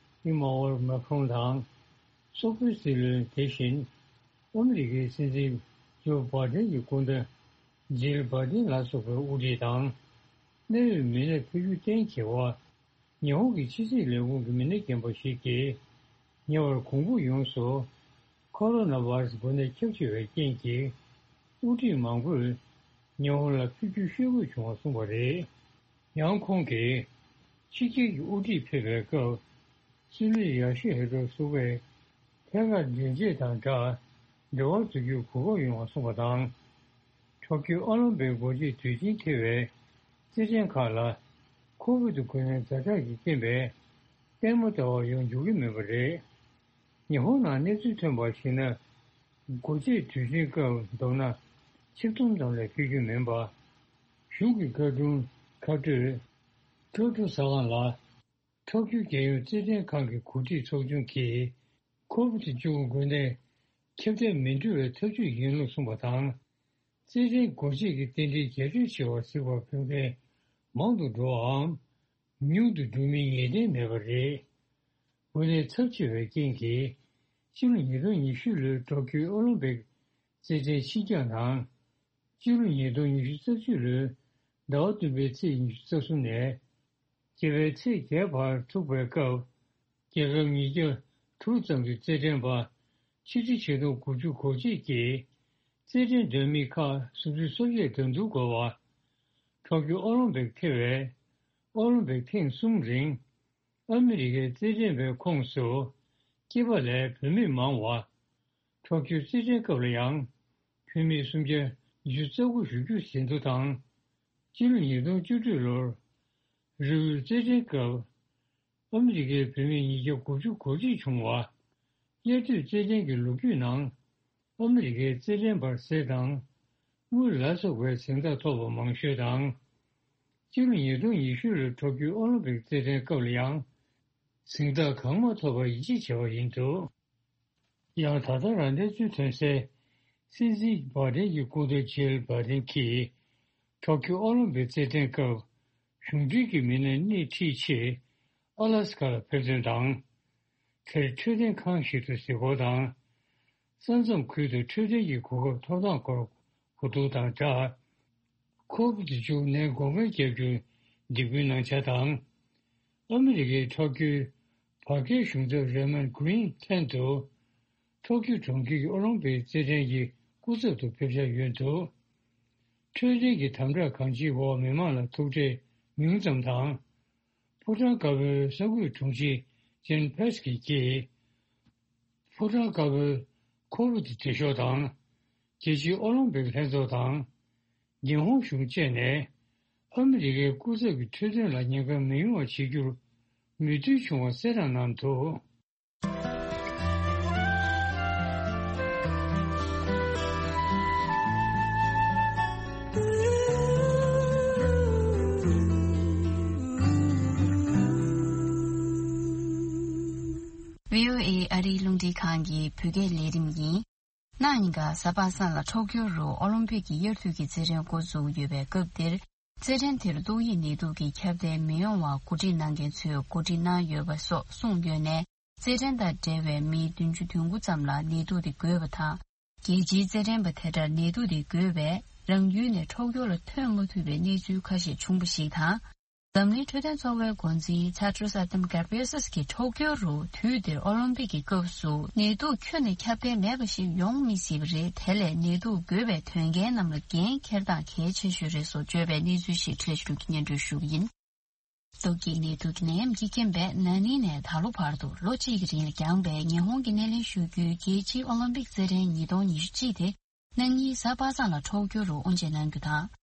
ཨི་མ་ཨོལ་མཱ་ཁྲོང་དང་། སོག་པོའི་སྲིད་བློན། དེ་བཞིན་ཨ་མི་རི་ཀའི་སྲིད་འཛིན་ཇོ་བྷའི་ཏན་གྱི་སྐུ་ཟླ་ཇིལ་བྷའི་ཏན་ལ་སོགས་པའི་དབུ་ཁྲིད་དང་། གནད་ཡོད་མི་སྣ་ཕེབས་རྒྱུ་གཏན་འཁེལ་བ། ཉི་ཧོང་གི་ཕྱི་སྲིད་ལས་ཁུངས་ཀྱི་མི་སྣ་རྒན་པ་ཞིག་གིས། ཉེ་བར་གོང་བུ་ཡོངས་སུ་ཁོ་རོ་ན་བྷ་ར་སི་འགོས་ནད་ཁྱབ་ཆེ་བའི་རྐྱེན་གྱིས། དབུ་ཁྲིད་མང་པོས་ཉི་ཧོང་ལ་ཕེབས་རྒྱུ་ཤོད་དགོས་བྱུང་བ་གསུངས་པ་རེད། ཡང་ཁོང་གིས། ཕྱི་རྒྱལ་གྱི་དབུ་ཁྲིད་ཕེབས་པའི་སྐབས། སྲིད་བློན་ཡ་ཤི་ཧི་དོ་སུ་གས་ཐད་ཀར་འགྲན་རྩོད་དང་སྦྲགས། འབྲེལ་བ་བཙུགས་རྒྱུའི་གོ་སྐབས་ཡོང་བ་གསུངས་པ་དང་། ཊོ་ཀིའོ་ཨོ་ལིམ་པིག་སྒོ་འབྱེད་དུས་ཆེན་འཁེལ་བའི་རྩེད་འགྲན་ཁག་ལ། ཁོ་བིད་འགོས་ནད་ཛ་དྲག་གི་རྐྱེན་པས། ལྟད་མོ་ལྟ་བར་ཡོང་འཇུག་གི་མིན་པ་རེད། ཉི་ཧོང་ནང་གནས་ཚུལ་ཐོན་པར་གཞིགས་ན། སྒོ་འབྱེད་དུས་ཆེན་སྐབས་མདོར་ན་ཆིག་སྟོང་ཙམ་ལས་ཕེབས་རྒྱུ་མིན་པ། གཞུང་གི་བཀའ་དྲུང་ཁ་སྤྲོད་ཀྲོ་ཀྲོ་ཟ་ཁང་ལ། ཊོ་ཀིའོ་རྒྱལ་ཡོངས་རྩེད་འགྲན་ཁང་གི་འགོ་ཁྲིད་ཚོགས་ཆུང་གིས། ཁོ་བིད་བཅུ་དགུ་འགོས་ནད་ཁྱབ་གདལ་མི་འགྲོ་བའི་ཐབས་ཇུས་ཡིན་ལུགས་གསུངས་པ་དང་། རྩེད་འགྲན་སྒོ་འབྱེད་ཀྱི་རྟེན་འབྲེལ་རྒྱ་སྐྱེད་ཆེ་བར་གཟིགས་པར་ཕེབས་མཁན་མང་དུ་འགྲོ་བའམ། ཉུང་དུ་འགྲོ་མིན་ངེས་གཏན་མེད་པ་རེད། འགོས་ནད་ཚབས་ཆེ་བའི་རྐྱེན་གྱིས། ཕྱི་ལོ་ཉིས་སྟོང་ཉི་ཤུ་ལོའི་ཊོ་ཀིའོ་ཨོ་ལིམ་པིག་རྩེད་འགྲན་ཕྱི་འགྱངས་དང་། སྤྱི་ལོ་ཉིས་སྟོང་ཉི་ཤུ་རྩ་གཅིག་ལོའི་ཟླ་བ་བདུན་པའི་ཚེས་ཉི་ཤུ་རྩ་གསུམ་ནས་བརྒྱད་པའི་ཚེས་བརྒྱད་བར་ཐུག་པའི་སྐབས། རྒྱལ་ཁབ་ཉིས་བརྒྱ་དྲུག་ཙམ་གྱི་རྩེད་འགྲན་པ་ཆིག་ཁྲི་ཆིག་སྟོང་དགུ་བཅུ་གོ་གཅིག་གིས་རྩེད་འགྲན་འདོན་མི་ཁག་སུམ་ཅུ་སོ་བརྒྱད་འགྲན་བསྡུར་དགོས་པ། ཊོ་ཀྱོ་ཨོ་ལིམ་པིག་ཐེ་བའི་ཨོ་ལིམ་པིག་ཐེངས་གསུམ་རིང་ཨ་མི་རི་ཀའི་རྩེད་འགྲན་པའི་ཁོངས་སུ་སྐྱེས་པ་ལས་བུད་མེད་མང་བ། ཊོ་ཀྱོ་རྩེད་འགྲན་སྐབས་ལ་ཡང་བུད་མེད་སུམ་བརྒྱ་ཉི་ཤུ་རྩ་དགུ་བཞུགས་རྒྱུ་ཟིན་ཐོ་དང་། སྤྱི་ལོ་ཉིས་སྟོང་བཅུ་དྲུག་ལོར་རི་ཝུའི་རྩེད་འགྲན་སྐབས་ཨ་མི་རི་ཀའི་བུད་མེད་ཉིས་བརྒྱ་དགུ་བཅུ་གོ་གཅིག་བྱུང་བ། དབྱར་དུས་རྩེད་འགྲན་གྱི་ལོ་རྒྱུས་ནང་ཨ་མི་རི་ཀའི་རྩེད་འགྲན་པར་གསེར་དང་དངུལ་ལ་སོགས་པའི་གཟེངས་རྟགས་ཐོབ་པ་མང་ཤོས་དང་། སྤྱི་ལོ་ཉིས་སྟོང་ཉི་ཤུ་ལོའི་ཊོ་ཀྱོ་ཨོ་ལིམ་པིག་རྩེད་འགྲན་སྐབས་ལ་ཡང་གཟེངས་རྟགས་གང་མ་ཐོབ་པར་ཡིད་ཆེས་བྱས་པ་ཡིན་འདུག། ཡང་ད་ལྟ་རང་བཙན་འཛུལ་ཐོན་སའི་སྲིད་འཛིན་བྷའི་ཌེན་གྱི་སྐུ་ཟླ་ཇིལ་བྷའི་ཌེན་གྱིས་ཊོ་ཀྱོ་ཨོ་ལིམ་པིག་རྩེད་འགྲན་སྐབས་གཞུང་འབྲེལ་གྱི་མི་སྣ་སྣེ་ཁྲིད་ཆེད་ཨ་ལ་སི་ཀ་ལ་ཕེབས་ཐོན་དང་། དེར་འཕྲོད་བསྟེན་ཁང་ཞིག་ཏུ་གཟིགས་སྐོར་དང་། ས་མཚམས་ཁུལ་དུ་འཕྲོད་བསྟེན་གྱི་གོ་སྐབས་ཐོབ་ཐང་སྐོར་གོ་བསྡུར་དང་སྦྲགས། ཁོ་བིད་བཅུ་ནད་འགོག་པའི་རྒྱབ་སྐྱོར་འདེགས་འབུལ་གནང་འཆར་དང་། ཨ་མི་རི་ཀའི་ཊོ་ཀྱོའི་བར་བརྒལ་གཞུང་ཚབ་རེ་མོན་ཌི་གྷི་རིན་ལྷན་དུ། ཊོ་ཀྱོ་གྲོང་ཁྱེར་གྱི་ཨོ་ལིམ་པིག་རྩེད་འགྲན་གྱི་སྐུ་ཚབ་ཏུ་ཕེབས་འཆར་ཡོད་འདུག། འཕྲོད་བསྟེན་གྱི་དམ་དྲག་གང་ཅིའི་འོག་མི་མང་ལ་ཐུག་འཕྲད་ཉུང་ཙམ་དང་། ཕོ་བྲང་དཀར་པོའི་གསར་འགོད་དྲུང་ཆེ་ཇེན་ཕེ་སི་ཀིས་ཀྱིས། ཕོ་བྲང་དཀར་པོའི་ཁོ་བིད་འབྲེལ་ཤོག་དང་། རྒྱལ་སྤྱིའི་ཨོ་ལིམ་པིག་ལྷན་ཚོགས་དང་། ཉི་ཧོང་གཞུང་བཅས་ནས་ཨ་མི་རི་ཀའི་སྐུ་ཚབ་ཀྱི་འཕྲོད་བསྟེན་ལ་ཉེན་ཁ་མི་ཡོང་བ་བྱེད་རྒྱུར་མོས་མཐུན་བྱུང་བ་གསལ་བསྒྲགས་གནང་འདུག། བྷི་ཨོ་ཨེ་ཨ་རིའི་རླུང་འཕྲིན་ཁང་གི་བོད་སྐད་ལས་རིམ་ཡིན། གནངས་ཉིན་ག་གཟའ་པ་སངས་ལ་ཊོ་ཀྱོ་རུ་ཨོ་ལིམ་པིག་གི་དབྱར་དུས་ཀྱི་རྩེད་འགྲན་འགོ་འཛུགས་ཡོད་པའི་སྐབས་འདིར། རྩེད་འགྲན་དེར་ཏོག་དབྱིབས་ནད་དུག་གི་ཁྱབ་གདལ་མི་ཡོང་བར་གོ་སྒྲིག་གནང་མཁན་ཚོས་གོ་སྒྲིག་གནང་ཡོད་པ་སོགས་གསུངས་ཡོད་ནས། རྩེད་འགྲན་དང་འབྲེལ་བའི་མི་བདུན་ཅུ་དོན་དགུ་ཙམ་ལ་ནད་དུག་དེ་འགོས་པ་དང་། རྒྱལ་སྤྱིའི་རྩེད་འགྲན་པ་དེ་འདྲར་ནད་དུག་དེ་འགོས་པས་རང་ཡུལ་ནས་ཊོ་ཀྱོ་ལ་ཐོན་མ་ཐུབ་པའི་གནས་ཚུལ་ཁ་ཤས་བྱུང་བ་ཞིག་དང་། འཛམ་གླིང་འཕྲོད་བསྟེན་ཚོགས་པའི་འགོ་འཛིན་ཐེ་ཏྲོ་སི་ཨ་དམ་གྷེབ་རི་ཡེ་སི་ཀྱིས་ཊོ་ཀྱོ་རུ་དུས་འདིར་ཨོ་ལིམ་པིག་གི་སྐབས་སུ་ནད་དུག་ཁྱོན་ནས་ཁྱབ་གདལ་མེད་པ་ཞིག་ཡོང་མི་སྲིད་པ་རེད། དེ་ལས་ནད་དུག་འགོས་པའི་དོན་རྐྱེན་རྣམས་ལ་འགན་འཁྱེར་སྟངས་གལ་ཆེ་ཤོས་རེད་སོགས་བརྗོད་པའི་གནས་ཚུལ་ཞིག་འཕྲལ་ཞིག་ཏུ་སྙན་སྒྲོན་ཞུ་གི་ཡིན། ཏོག་དབྱིབས་ནད་དུག་གི་ནད་ཡམས་ཀྱི་རྐྱེན་པས་ན་ནིང་ནས་ད་ལོ་བར་དུ་ལོ་གཅིག་གི་རིང་ལ་འགྱངས་པའི་ཉི་ཧོང་གི་སྣེ་ལེན་ཞུ་རྒྱུའི་རྒྱལ་སྤྱིའི་ཨོ་ལིམ་པིག་རྩེད་འགྲན་ཉིས་སྟོང་ཉི་ཤུ་གཅིག་དེ་གནངས་ཉིན་གཟའ་པ་སངས་ལ་ཊོ་ཀྱོ་རུ་དབུ་འབྱེད་གནང་རྒྱུ་དང་།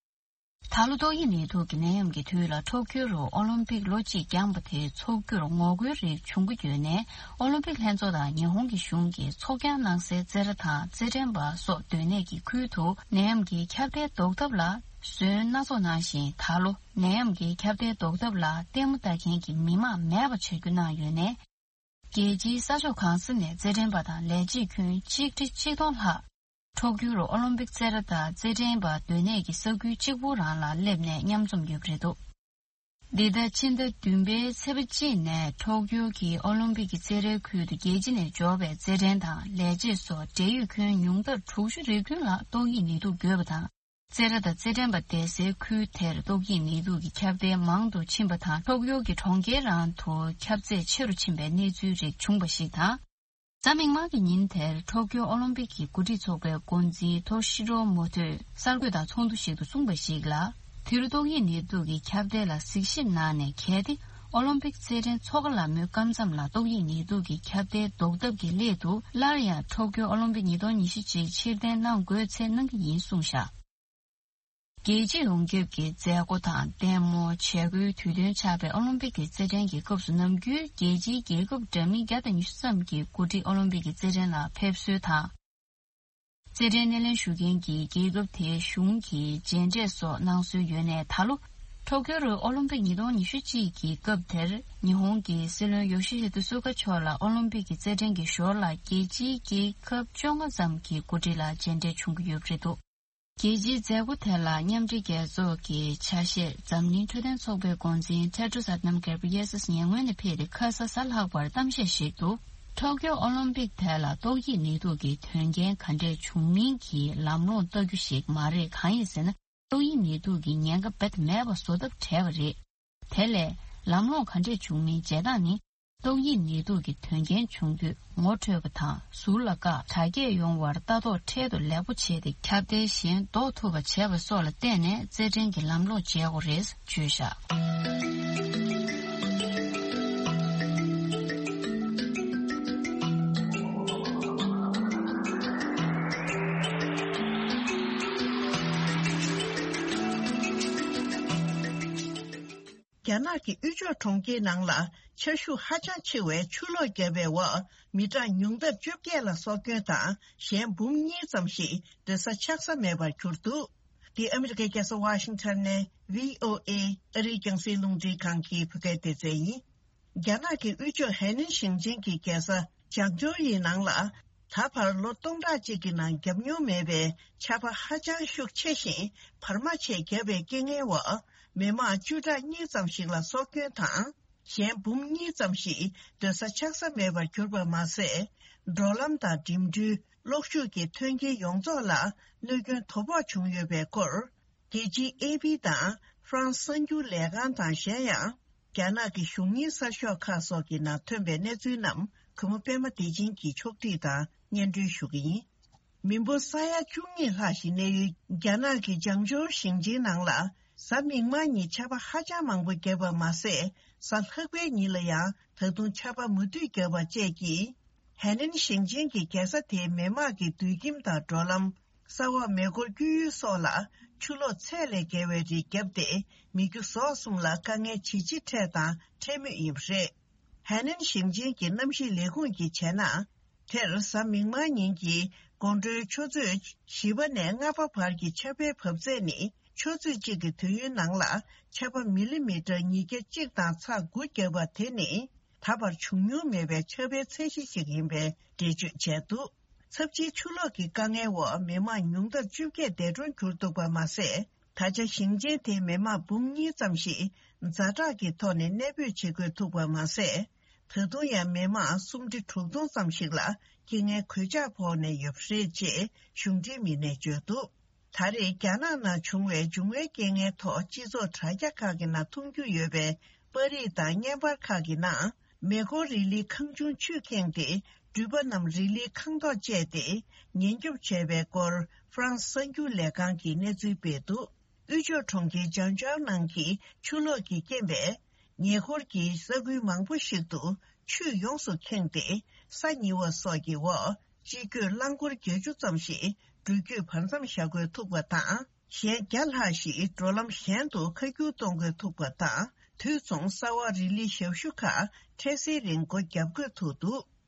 ད་ལོ་ཏོག་དབྱིབས་ནད་དུག་གི་ནད་ཡམས་ཀྱི་དུས་ལ་ཊོ་ཀྱོ་རུ་ཨོ་ལིམ་པིག་ལོ་གཅིག་འགྱངས་པ་དེ་འཚོགས་རྒྱུར་ངོ་རྒོལ་རིགས་བྱུང་གི་ཡོད་ནས། ཨོ་ལིམ་པིག་ལྷན་ཚོགས་དང་ཉི་ཧོང་གི་གཞུང་གིས་ཚོགས་ཀྱང་གནང་སའི་རྩེད་ར་དང་རྩེད་འགྲན་པ་སོགས་སྡོད་གནས་ཀྱི་ཁུལ་དུ་ནད་ཡམས་ཀྱི་ཁྱབ་གདལ་ཟློག་ཐབས་ལ་ཟོན་སྣ་ཚོགས་གནང་ཞིང་། ད་ལོ་ནད་ཡམས་ཀྱི་ཁྱབ་གདལ་ཟློག་ཐབས་ལ་ལྟད་མོ་ལྟ་མཁན་གྱི་མི་མང་མེད་པ་བྱ་རྒྱུ་གནང་ཡོད་ནས། རྒྱལ་སྤྱིའི་ས་ཕྱོགས་གང་ས་ནས་རྩེད་འགྲན་པ་དང་ལས་བྱེད་ཁྱོན་གཅིག་ཁྲི་གཅིག་སྟོང་ལྷག་ཊོ་ཀྱོ་རུ་ཨོ་ལིམ་པིག་རྩེད་ར་དང་རྩེད་འགྲན་པ་སྡོད་གནས་ཀྱི་ས་ཁུལ་གཅིག་པུ་རང་ལ་སླེབས་ནས་མཉམ་འཛོམས་ཡོད་པ་རེད་འདུག། འདི་ཟླ་ཕྱི་ཟླ་བདུན་པའི་ཚེས་པ་གཅིག་ནས་ཊོ་ཀྱོ་གི་ཨོ་ལིམ་པིག་གི་རྩེད་རའི་ཁུལ་དུ་རྒྱལ་སྤྱི་ནས་འབྱོར་བའི་རྩེད་འགྲན་དང་ལས་བྱེད་སོགས་འབྲེལ་ཡོད་ཁྱོན་ཉུང་མཐར་དྲུག་ཅུ་རེ་བདུན་ལྷག་ཏོག་དབྱིབས་ནད་དུག་འགོས་པ་དང་། རྩེད་ར་དང་རྩེད་འགྲན་པ་བསྡད་སའི་ཁུལ་དེར་ཏོག་དབྱིབས་ནད་དུག་གི་ཁྱབ་གདལ་མང་དུ་ཕྱིན་པ་དང་། ཊོ་ཀྱོ་གི་གྲོང་ཁྱེར་རང་དུ་ཁྱབ་ཚད་ཆེ་རུ་ཕྱིན་པའི་གནས་ཚུལ་རིགས་བྱུང་བ་ཞིག་དང་། གཟའ་མིག་དམར་གྱི་ཉིན་དེར་ཊོ་ཀྱོ་ཨོ་ལིམ་པིག་གི་འགོ་ཁྲིད་ཚོགས་པའི་འགོ་འཛིན་ཐོ་ཤི་རོ་མོ་ཐོས་གསར་འགོད་དང་ཚོགས་འདུ་ཞིག་ཏུ་གསུངས་པ་ཞིག་ལ། དེ་རུ་ཏོག་དབྱིབས་ནད་དུག་གི་ཁྱབ་གདལ་ལ་གཟིགས་ཞིབ་གནང་ནས། གལ་ཏེ་ཨོ་ལིམ་པིག་རྩེད་འགྲན་འཚོགས་ག་ལ་མོའི་སྐབས་མཚམས་ལ་ཏོག་དབྱིབས་ནད་དུག་གི་ཁྱབ་གདལ་ཟློག་ཐབས་ཀྱི་སླད་དུ་སླར་ཡང་ཊོ་ཀྱོ་ཨོ་ལིམ་པིག་ཉིས་སྟོང་ཉི་ཤུ་གཅིག་ཕྱིར་འཐེན་གནང་དགོས་ཚེ་གནང་གི་ཡིན་གསུངས་བཞག། རྒྱལ་སྤྱི་ཡོངས་ཁྱབ་ཀྱི་མཛད་སྒོ་དང་ལྟད་མོ། བྱེད་སྒོའི་དུས་སྟོན་ཆགས་པའི་ཨོ་ལིམ་པིག་གི་རྩེད་འགྲན་གྱི་སྐབས་སུ། ནམ་རྒྱུན་རྒྱལ་སྤྱིའི་རྒྱལ་ཁབ་འདྲ་མིན་བརྒྱ་དང་ཉི་ཤུ་ཙམ་གྱིས་གོ་སྒྲིག་ཨོ་ལིམ་པིག་གི་རྩེད་འགྲན་ལ་ཕེབས་སྲོལ་དང་། རྩེད་འགྲན་སྣེ་ལེན་ཞུ་མཁན་གྱི་རྒྱལ་ཁབ་དེའི་གཞུང་གིས་མཇལ་འཕྲད་སོགས་གནང་སྲོལ་ཡོད་ནས། ད་ལོ་ཊོ་ཀྱོ་རུ་ཨོ་ལིམ་པིག་ཉིས་སྟོང་ཉི་ཤུ་གཅིག་གི་སྐབས་དེར་ཉི་ཧོང་གི་སྲིད་བློན་ཡོ་ཤི་ཧི་ཏུ་སུ་ག་མཆོག་ལ་ཨོ་ལིམ་པིག་གི་རྩེད་འགྲན་གྱི་ཞོར་ལ་རྒྱལ་སྤྱིའི་རྒྱལ་ཁབ་བཅོ་ལྔ་ཙམ་གྱི་གོ་སྒྲིག་ལ་མཇལ་འཕྲད་བྱུང་གི་ཡོད་པ་རེད་འདུག། རྒྱལ་སྤྱིའི་མཛད་སྒོ་དེ་ལ་མཉམ་འབྲེལ་རྒྱལ་ཚོགས་ཀྱི་ཆ་ཤས་འཛམ་གླིང་འཕྲོད་བསྟེན་ཚོགས་པའི་འགོ་འཛིན་ཊེ་ཏྲོ་སི་ཨ་དྷ་ནམ་གྷེབ་རི་ཡེ་སི་ཉེ་སྔོན་ནས་ཕེབས་ཏེ་ཁ་ས་གཟའ་ལྷག་པར་གཏམ་བཤད་ཞིག་ཏུ། ཊོ་ཀྱོ་ཨོ་ལིམ་པིག་ཐད་ལ་ཏོག་དབྱིབས་ནད་དུག་གི་དོན་རྐྱེན་ག་འདྲས་བྱུང་མིན་གྱི་ལམ་ལྷོང་ལྟ་རྒྱུ་ཞིག་མ་རེད། གང་ཡིན་ཟེར་ན། ཏོག་དབྱིབས་ནད་དུག་གི་ཉེན་ཁ་རྦད་དེ་མེད་པ་བཟོ་ཐབས་བྲལ་བ་རེད། དེ་ལས་ལམ་ལྷོང་ག་འདྲས་བྱུང་མིན་བྱེད་སྟངས་ནི། ཏོག་དབྱིབས་ནད་དུག་གི་དོན་རྐྱེན་བྱུང་དུས་ངོ་འཕྲོད་པ་དང་ཟུར་ལ་བཀག་དྲག་སྐྱེད་ཡོང་བར་ལྟ་རྟོག་འཕྲལ་དུ་ལེགས་པོ་བྱས་ཏེ། ཁྱབ་གདལ་གཞན་ཟློག་ཐུབ་པ་བྱས་པ་སོགས་ལ་བརྟེན་ནས་རྩེད་འགྲན་གྱི་ལམ་ལྷོང་བྱེད་དགོས་རེད་བརྗོད་བཞག་རྒྱ་ནག་གི་དབུས་ཕྱོགས་གྲོང་ཁྱེར་ནང་ལ་ཆར་ཤུགས་ཧ་ཅང་ཆེ་བའི་ཆུ་ལོག་བརྒྱབ་པའི་འོག་མི་གྲངས་ཉུང་མཐར་བཅོ་བརྒྱད་ལ་སྲོག་སྐྱོན་དང་གཞན་འབུམ་གཉིས་ཙམ་ཞིག་སྡོད་ས་ཆགས་ས་མེད་པར་གྱུར་འདུག་འདི་ཨ་མི་རི་ཀའི་རྒྱལ་ས་ཝ་ཤིང་ཊོན་ནས་བྷི་ཨོ་ཨེ་ཨ་རིའི་རྒྱང་སྲིང་རླུང་འཕྲིན་ཁང་གི་བོད་སྐད་སྡེ་ཚན་ཡིན། རྒྱ་ནག་གི་དབུས་ཕྱོགས་ཧའེ་ནན་ཞིང་ཆེན་གྱི་རྒྱལ་ས་ཅང་ཅོའུ་ཡི་ནང་ལ་ད་བར་ལོ་སྟོང་ཕྲག་གཅིག་གི་ནང་བརྒྱབ་མྱོང་མེད་པའི་ཆར་པ་ཧ་ཅང་ཤུགས་ཆེ་ཞིང་བར་མ་ཆད་བརྒྱབ་པའི་རྐྱེན་ངན་འོག་མི་མང་བཅུ་ཕྲག་གཉིས་ཙམ་ཞིག་ལ་སྲོག་སྐྱོན་དང་། གཞན་འབུམ་གཉིས་ཙམ་ཞིག་སྡོད་ས་ཆགས་ས་མེད་པར་གྱུར་པ་མ་ཟད། འགྲོ་ལམ་དང་འགྲིམ་འགྲུལ། གློག་ཤུགས་ཀྱི་མཐུན་རྐྱེན་ཡོངས་རྫོགས་ལ་གནོད་སྐྱོན་དོ་ཕོག་བྱུང་ཡོད་པའི་སྐོར། རྒྱལ་སྤྱིའི་ཨེ་ཕི་དང་ཧྥ་རན་སི་གསར་འགྱུར་ལས་ཁང་དང་གཞན་ཡང་། རྒྱ་ནག་གི་གཞུང་གཉེར་གསར་ཤོག་ཁག་སོགས་ཀྱི་ནང་ཐོན་པའི་གནས་ཚུལ་རྣམས་གུས་མོ་པད་མ་བདེ་ཆེན་གྱིས་ཕྱོགས་སྒྲིག་དང་སྙན་སྒྲོན་ཞུ་གི་ཡིན། མི་འབོར་ས་ཡ་བཅུ་གཉིས་ལྷག་ཞིག་གནས་ཡུལ་རྒྱ་ནག་གི་ཅང་ཅོའུ་ཞིང་ཆེན་ནང་ལ། གཟའ་མིག་དམར་ཉིན་ཆར་པ་ཧ་ཅང་མང་པོ་བརྒྱབ་པ་མ་ཟད། གཟའ་ལྷག་པའི་ཉིན་ལ་ཡང་ད་དུང་ཆར་པ་མུ་མཐུད་བརྒྱབ་པ་བཅས་ཀྱིས། ཧའེ་ནན་ཞིང་ཆེན་གྱི་རྒྱལ་ས་དེའི་མི་དམངས་ཀྱི་སྡོད་ཁྱིམ་དང་འགྲོ་ལམ། ས་འོག་མེ་འཁོར་བསྐྱོད་ཡུལ་སོགས་ལ་ཆུ་ལོག་ཚད་ལས་བརྒལ་བའི་རིགས་བརྒྱབ་སྟེ། མི་རྒྱུ་ཟོག་གསུམ་ལ་དཀའ་ངལ་ཇི་ཆེ་འཕྲད་དང་འཕྲད་མུས་ཡིན་པ་རེད། ཧའེ་ནན་ཞིང་ཆེན་གྱི་གནམ་གཤིས་ལས་ཁུངས་ཀྱིས་བྱས་ན། དེར་གཟའ་མིག་དམར་ཉིན་གྱི་དགོང་དྲོའི་ཆུ་ཚོད་བཞི་པ་ནས་ལྔ་པ་བར་གྱི་ཆར་པའི་བབས་ཚད་ནི། ཆུ་ཚོད་གཅིག་གི་དུས་ཡུན་ནང་ལ་ཆར་པ་མི་ལི་མི་ཊར་ཉིས་བརྒྱ་གཅིག་དང་ཚེག་དགུ་བརྒྱབ་པ་དེ་ནི། ད་བར་བྱུང་མྱོང་མེད་པའི་ཆར་པའི་ཚད་གཞི་ཞིག་ཡིན་པའི་འགྲེལ་བརྗོད་བྱས་འདུག་ཚབས་ཆེའི་ཆུ་ལོག་གི་དཀའ་ངལ་འོག་མི་མང་ཉུང་མཐར་བཅོ་བརྒྱད་འདས་གྲོངས་གྱུར་འདུག་པ་མ་ཟད། ད་ཆ་ཞིང་ཆེན་དེའི་མི་མང་འབུམ་གཉིས་ཙམ་ཞིག་ཛ་དྲག་གི་ཐོག་ནས་གནས་སྤོས་བྱེད་དགོས་ཐུག་པ་མ་ཟད། ད་དུང་ཡང་མི་མང་སུམ་ཁྲི་དྲུག་སྟོང་ཙམ་ཞིག་ལ་རྐྱེན་ངན་གོད་ཆག་ཕོག་ནས་ཡོད་པ་རེད་ཅེས་གཞུང་འབྲེལ་མི་སྣས་བརྗོད་འདུག་ད་རེས་རྒྱ་ནག་ནང་བྱུང་བའི་འབྱུང་བའི་རྐྱེན་ངན་ཐོག་སྤྱི་ཚོགས་དྲ་རྒྱ་ཁག་གི་ནང་མཐོང་རྒྱུ་ཡོད་པའི་པར་རིས་དང་བརྙན་པར་ཁག་གི་ནང་། མེ་འཁོར་རི་ལིའི་ཁང་ཆུང་ཆུས་ཁེངས་ཏེ། འགྲུལ་པ་རྣམས་རི་ལིའི་ཁང་ཐོག་བཅད་དེ། ཉེན་སྐྱོབ་བྱས་པའི་སྐོར། ཧྥ་རན་སི་གསར་འགྱུར་ལས་ཁང་གིས་གནས་ཚུལ་སྤེལ་འདུག་དབུས་ཕྱོགས་གྲོང་ཁྱེར་ཅང་ཅའོ་ནང་གི་ཆུ་ལོག་གི་རྐྱེན་པས། ཉེ་འཁོར་གྱི་ས་ཁུལ་མང་པོ་ཞིག་ཏུ་ཆུས་ཡོངས་སུ་ཁེངས་ཏེ། ས་ཉིལ་བ་སོགས་ཀྱི་འོག་སྤྱི་སྒོས་རླངས་འཁོར་བརྒྱད་ཅུ་ཙམ་ཞིག་འགྲུལ་སྐྱོད་བར་མཚམས་བཞག་དགོས་ཐུག་པ་དང་། གཞན་བརྒྱ་ལྷག་ཞིག་འགྲོ་ལམ་གཞན་དུ་ཁ་བསྒྱུར་གཏོང་དགོས་ཐུག་པ་དང་། དུས་མཚུངས་ས་འོག་རི་ལི་ཞབས་ཞུ་ཁག་འཕྲལ་སེལ་རིང་སྒོ་བརྒྱབ་དགོས་ཐུག་འདུག་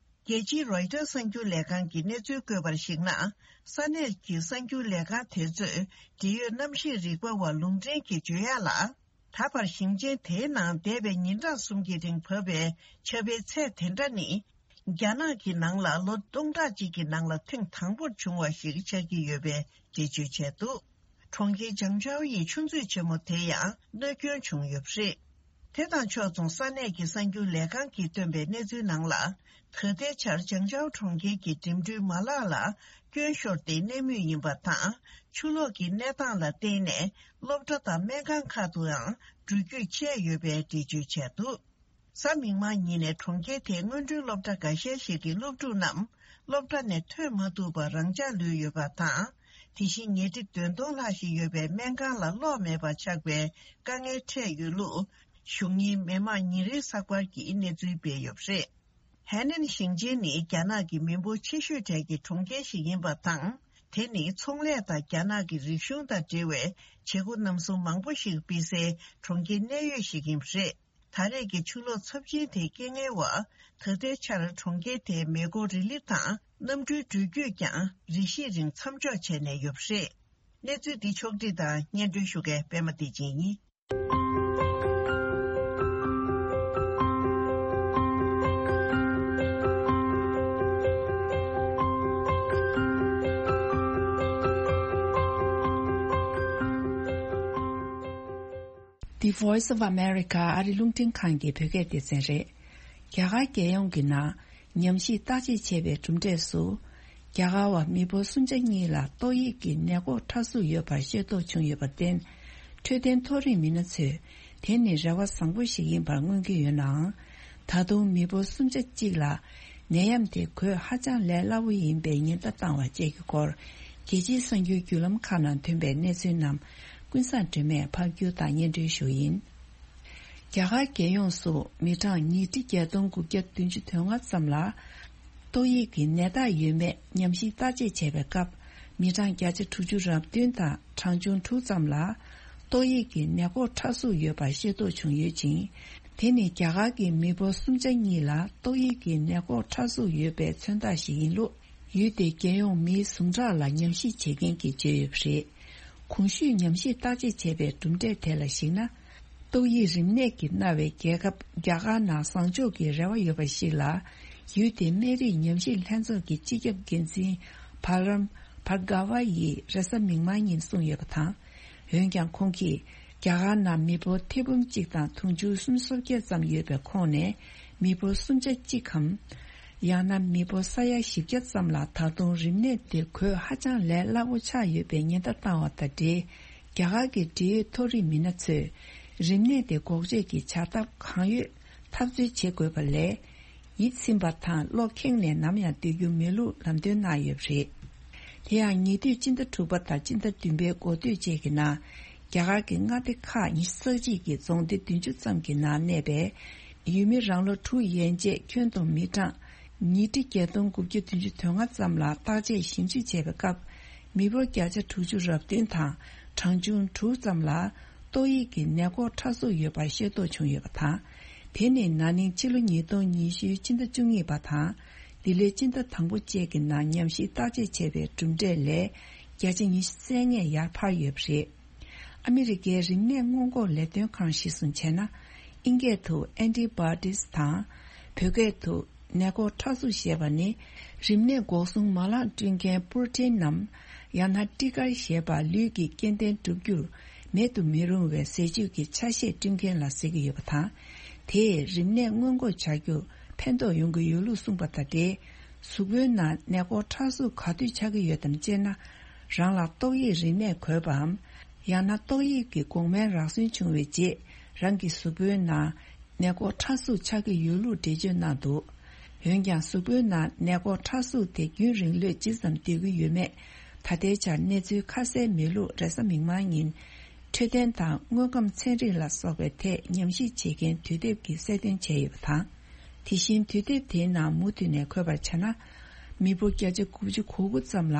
རྒྱལ་སྤྱིའི་རོའི་ཊར་གསར་འགྱུར་ལས་ཁང་གིས་གནས་ཚུལ་བཀོད་པར་གཞིགས་ན། ས་གནས་ཀྱི་གསར་འགྱུར་ལས་ཁང་དེ་ཚོས་འབྲེལ་ཡོད་གནམ་གཤིས་རིག་པ་བ་ལུང་འདྲེན་གྱིས་བརྗོད་ཡག་ལ། ད་བར་ཞིང་ཆེན་དེའི་ནང་འདས་པའི་ཉིན་གྲངས་གསུམ་གྱི་རིང་བབས་པའི་ཆར་པའི་ཚད་དེ་འདྲ་ནི། རྒྱ་ནག་གི་ནང་ལ་ལོ་སྟོང་ཕྲག་གཅིག་གི་ནང་ལ་ཐེངས་དང་པོར་བྱུང་བ་ཞིག་ཆགས་ཀྱི་ཡོད་པའི་འགྲེལ་བརྗོད་བྱས་འདུག་གྲོང་ཁྱེར་ཅང་ཅའོ་ཡི་ཆུ་མཛོད་ཆེན་མོ་དེ་ཡང་གནོད་སྐྱོན་བྱུང་ཡོད་པ་རེད། དེ་དང་ཕྱོགས་མཚུངས་ས་གནས་ཀྱི་གསར་འགྱུར་ལས་ཁང་གིས་བཏོན་པའི་གནས་ཚུལ་ནང་ལ། ད་ལྟའི་ཆར་ཅང་ཅའོ་གྲོང་ཁྱེར་གྱི་འགྲིམ་འགྲུལ་མ་ལག་ལ་སྐྱོན་ཤོར་ཏེ་གནས་མུས་ཡིན་པ་དང་། ཆུ་ལོག་གི་གནས་སྟངས་ལ་བརྟེན་ནས་སློབ་གྲྭ་དང་སྨན་ཁང་ཁག་ཏུའང་འགྲུལ་སྐྱོད་བྱས་ཡོད་པའི་འགྲེལ་བརྗོད་བྱས་འདུག་གཟའ་མིག་དམར་ཉིན་ནས་གྲོང་ཁྱེར་དེའི་སྔོན་འགྲོའི་སློབ་གྲྭ་འགའ་ཤས་ཤིག་གི་སློབ་ཕྲུག་རྣམས་སློབ་གྲྭ་ནས་ཐོན་མ་ཐུབ་པར་རང་འཇགས་ལུས་ཡོད་པ་དང་། དེ་བཞིན་ཉལ་ཁྲི་བདུན་སྟོང་ལྷག་ཞིག་ཡོད་པའི་སྨན་ཁང་ལ་གློག་མེད་པར་ཆགས་པའི་དཀའ་ངལ་འཕྲད་ཡོད་ལུགས། གཞུང་གཉེར་མི་དམངས་ཉིན་རེའི་གསར་པར་གྱིས་གནས་ཚུལ་སྤེལ་ཡོད་པ་རེད། ཧའེ་ནན་ཞིང་ཆེན་ནི་རྒྱ་ནག་གི་མི་འབོར་ཆེ་ཤོས་གྲས་ཀྱི་གྲོང་ཁྱེར་ཞིག་ཡིན་པ་དང་། དེ་ནི་ཚོང་ལས་དང་རྒྱ་ནག་གི་རིག་གཞུང་དང་འབྲེལ་བའི་བྱེད་སྒོ་རྣམ་གསུམ་མང་པོ་ཞིག་སྤེལ་སའི་གྲོང་ཁྱེར་གནད་ཡོད་ཞིག་ཡིན་པ་རེད། ད་རེས་ཀྱི་ཆུ་ལོག་ཚབས་ཆེན་དེའི་རྐྱེན་ངན་འོག་ད་ལྟའི་ཆར་གྲོང་ཁྱེར་དེའི་མེ་འཁོར་རི་ལི་དང་གནམ་གྲུའི་འགྲུལ་སྐྱོད་ཀྱང་རེ་ཞིག་རིང་མཚམས་འཇོག་བྱས་ནས་ཡོད་པ་རེད། གནས་ཚུལ་འདི་ཕྱོགས་བསྒྲིགས་དང་སྙན་སྒྲོན་ཞུ་མཁན་པད་མ་བདེ་ཆེན་ཡིན། The Voice of America ཨ་རི་རླུང་འཕྲིན་ཁང་གི་བོད་སྐད་སྡེ་ཚན་རེད། རྒྱ་གར་རྒྱལ་ཡོངས་ཀྱི་ནང་ ཉམས་ཞིབ་བརྟག་དཔྱད་བྱས་པའི་གྲུབ་འབྲས་སུ། རྒྱ་གར་བ་མི་འབོར་སུམ་ཆ་གཉིས་ལ་ཏོག་དབྱིབས་ཀྱི་ནད་འགོག་ཕྲ་གཟུགས་ཡོད་པ་ཤེས་རྟོགས་བྱུང་ཡོད་པར་བརྟེན། འཕྲོད་བསྟེན་མཐོ་རིམ་མི་སྣ་ཚོས་དེ་ནི་རེ་བ་བཟང་པོ་ཞིག་ཡིན་པར་མངོན་གྱི་ཡོད་ནའང་། ད་དུང་མི་འབོར་སུམ་ཆ་གཅིག་ལ་ནད་ཡམས་དེ་འགོས་ཧ་ཅང་ལས་སླ་བོ་ཡིན་པའི་ཉེན་བརྡ་བཏང་བ་བཅས་ཀྱི་སྐོར། རྒྱལ་སྤྱིའི་གསར་འགྱུར་བརྒྱུད་ལམ་ཁག་ནང་ཐོན་པའི་གནས་ཚུལ་རྣམས་ཀུན་བཟང་སྒྲོལ་མས་ཕབ་སྒྱུར་དང་སྙན་སྒྲོན་ཞུ་ཡིན། རྒྱ་གར་རྒྱལ་ཡོངས་སུ་མི་གྲངས་ཉིས་ཁྲི་བརྒྱད་སྟོང་དགུ་བརྒྱ་བདུན་ཅུ་དོན་ལྔ་ཙམ་ལ་ཏོག་དབྱིབས་ཀྱི་ནད་རྟགས་ཡོད་མེད་ཉམས་ཞིབ་བརྟག་དཔྱད་བྱས་པའི་སྐབས། མི་གྲངས་བརྒྱ་ཆ་དྲུག་ཅུ་རེ་བདུན་དང་གྲངས་ཆུང་དྲུག་ཙམ་ལ་ཏོག་དབྱིབས་ཀྱི་ནད་འགོག་ཕྲ་གཟུགས་ཡོད་པ་ཤེས་རྟོགས་བྱུང་ཡོད་ཅིང་། དེ་ནི་རྒྱ་གར་གྱི་མི་འབོར་སུམ་ཆ་གཉིས་ལ་ཏོག་དབྱིབས་ཀྱི་ནད་འགོག་ཕྲ་གཟུགས་ཡོད་པའི་མཚོན་རྟགས་ཤིག་ཡིན་ལུགས། ཡུལ་དེའི་རྒྱལ་ཡོངས་མིའི་ཟུངས་ཁྲག་ལ་ཉམས་ཞིབ་བྱེད་མཁན་གྱིས་བརྗོད་ཡོད་པ་རེད། གོང་ཞུས་ཉམས་ཞིབ་བརྟག་དཔྱད་བྱས་པའི་གྲུབ་འབྲས་དེ་ལ་གཞིགས་ན། ཏོག་དབྱིབས་རིམས་ནད་ཀྱིས་མནར་བའི་རྒྱལ་ཁབ་རྒྱ་གར་ནང་བཟང་ཕྱོགས་ཀྱི་རེ་བ་ཡོད་པ་ཞིག་ལ། ཡུལ་དེའི་སྨན་རིགས་ཉམས་ཞིབ་ལྷན་ཚོགས་ཀྱི་སྤྱི་ཁྱབ་འགན་འཛིན་བྷ་རམ་བྷར་ག་ཝ་ཡིས་རེས་གཟའ་མིག་དམར་ཉིན་གསུངས་ཡོད་པ་དང་། འོན་ཀྱང་ཁོང་གིས་རྒྱ་གར་ནང་མི་འབོར་ཐེར་འབུམ་གཅིག་དང་དུང་ཕྱུར་སུམ་ཅུ་སོ་བརྒྱད་ཙམ་ཡོད་པའི་ཁོངས་ནས་མི་འབོར་སུམ་ཆ་གཅིག་གམ། ཡང་ན་མི་འབོར་ས་ཡ་བཞི་བརྒྱ་ཙམ་ལ་ད་དུང་རིམས་ནད་དེ་འགོས་ཧ་ཅང་ལས་སླ་བོ་ཆགས་ཡོད་པའི་ཉེན་བརྡ་བཏང་བ་དང་འབྲེལ། རྒྱ་གར་གྱི་འབྲེལ་ཡོད་མཐོ་རིམ་མི་སྣ་ཚོས་རིམས་ནད་དེ་འགོག་བཅོས་ཀྱི་བྱ་ཐབས་གང་ཡོད་འཐབ་རྩོད་བྱེད་དགོས་པ་ལས། ཡིད་ཚིམ་པ་དང་གློ་ཁེངས་ནས་ནམ་ཡང་སྡོད་རྒྱུ་མེད་ལུགས་ལམ་སྟོན་གནང་ཡོད་པ་རེད། དེ་ཡང་ཉེ་དུས་སྤྱི་ཟླ་དྲུག་པ་དང་སྤྱི་ཟླ་བདུན་པའི་འགོ་སྟོད་བཅས་ཀྱི་ནང་རྒྱ་གར་གྱི་མངའ་སྡེ་ཁག་ཉི་ཤུ་རྩ་གཅིག་གི་རྫོང་སྡེ་བདུན་ཅུ་ཙམ་གྱི་ནང་གནས་པའི་ཡུལ་མི་རང་ལོ་དྲུག་ཡན་ཆད་ཁྱོན་བསྡོམས་མི་གྲངས་ཉིས་ཁྲི་བརྒྱད་སྟོང་དགུ་བརྒྱ་བདུན་ཅུ་དོན་ལྔ་ཙམ་ལ་བརྟག་དཔྱད་ཞིབ་འཇུག་བྱས་པའི་སྐབས། མི་འབོར་བརྒྱ་ཆ་དྲུག་ཅུ་རེ་བདུན་དང་གྲངས་ཆུང་དྲུག་ཙམ་ལ་ཏོག་དབྱིབས་ཀྱི་ནད་འགོག་ཕྲ་གཟུགས་ཡོད་པ་ཤེས་རྟོགས་བྱུང་ཡོད་པ་དང་། དེ་ནི་ན་ནིང་ཕྱི་ལོ་ཉིས་སྟོང་ཉི་ཤུའི་ཕྱི་ཟླ་བཅུ་གཉིས་པ་དང་འདི་ལོའི་ཕྱི་ཟླ་དང་པོ་བཅས་ཀྱི་ནང་ཉམས་ཞིབ་བརྟག་དཔྱད་བྱས་པའི་གྲུབ་འབྲས་ལས་བརྒྱ་ཆ་ཉི་ཤུ་རྩ་ལྔ་ཡར་འཕར་ཡོད་པ་རེད། ཨ་མི་རི་ཀའི་རིམས་ནད་སྔོན་འགོག་ལས་དོན་ཁང་གཞིར་བཟུང་བྱས་ན། ཨིན་སྐད་དུ་ཨན་ཊི་བྷོ་ཊིས་དང་། བོད་སྐད་དུ་ནད་འགོག་ཕྲ་གཟུགས་ཞེས་པ་ནི། རིམས་ནད་འགོག་སྲུང་མ་ལག་བསྐྲུན་མཁན་པོར་ཊིན་ནམ། ཡང་ན་ཊི་ཀར་ཞེས་པ་ལུས་ཀྱི་སྐྱེ་ལྡན་འགྲུབ་རྒྱུར་མེད་དུ་མི་རུང་བའི་ཟས་བཅུད་ཀྱི་ཆ་ཤས་བསྐྲུན་མཁན་ལ་ཟེར་གྱི་ཡོད་པ་དང་། དེས་རིམས་ནད་སྔོན་འགོག་བྱ་རྒྱུར་ཕན་ཐོགས་ཡོང་གི་ཡོད་ལུགས་གསུངས་པ་དང་འབྲེལ། གཟུགས་པོའི་ནང་ནད་འགོག་ཕྲ་གཟུགས་ག་དུས་ཆགས་ཀྱི་ཡོད་དམ་ཅེ་ན། རང་ལ་ཏོག་དབྱིབས་རིམས་ནད་འགོས་པའམ། ཡང་ན་ཏོག་དབྱིབས་ཀྱི་འགོག་སྨན་རག་སོན་བྱུང་བའི་རྗེས་རང་གི་གཟུགས་པོའི་ནང་ནད་འགོག་ཕྲ་གཟུགས་ཆགས་ཀྱི་ཡོད་ལུགས་འགྲེལ་བརྗོད་གནང་འདུག་འོན་ཀྱང་གཟུགས་པོའི་ནང་ནད་འགོག་ཕྲ་གཟུགས་དེ་རྒྱུན་རིང་ལོས་ཇི་ཙམ་སྡོད་ཀྱི་ཡོད་མེད་ད་ལྟའི་ཆར་གནས་ཚུལ་ཁ་གསལ་མེད་ལུགས་རེས་གཟའ་མིག་དམར་ཉིན་འཕྲོད་བསྟེན་དང་དངོས་ཁམས་ཚན་རིག་ལ་སོགས་པའི་ཐད་ཉམས་ཞིབ་བྱེད་མཁན་དུས་དེབ་ཀྱིས་གསལ་སྟོན་བྱས་ཡོད་པ་དང་། དེ་བཞིན་དུས་དེབ་དེའི་ནང་མུ་མཐུད་ནས་འཁོད་པར་བྱས་ན། མི་འབོར་བརྒྱ་ཆ་དགུ་བཅུ་གོ་དགུ་ཙམ་ལ་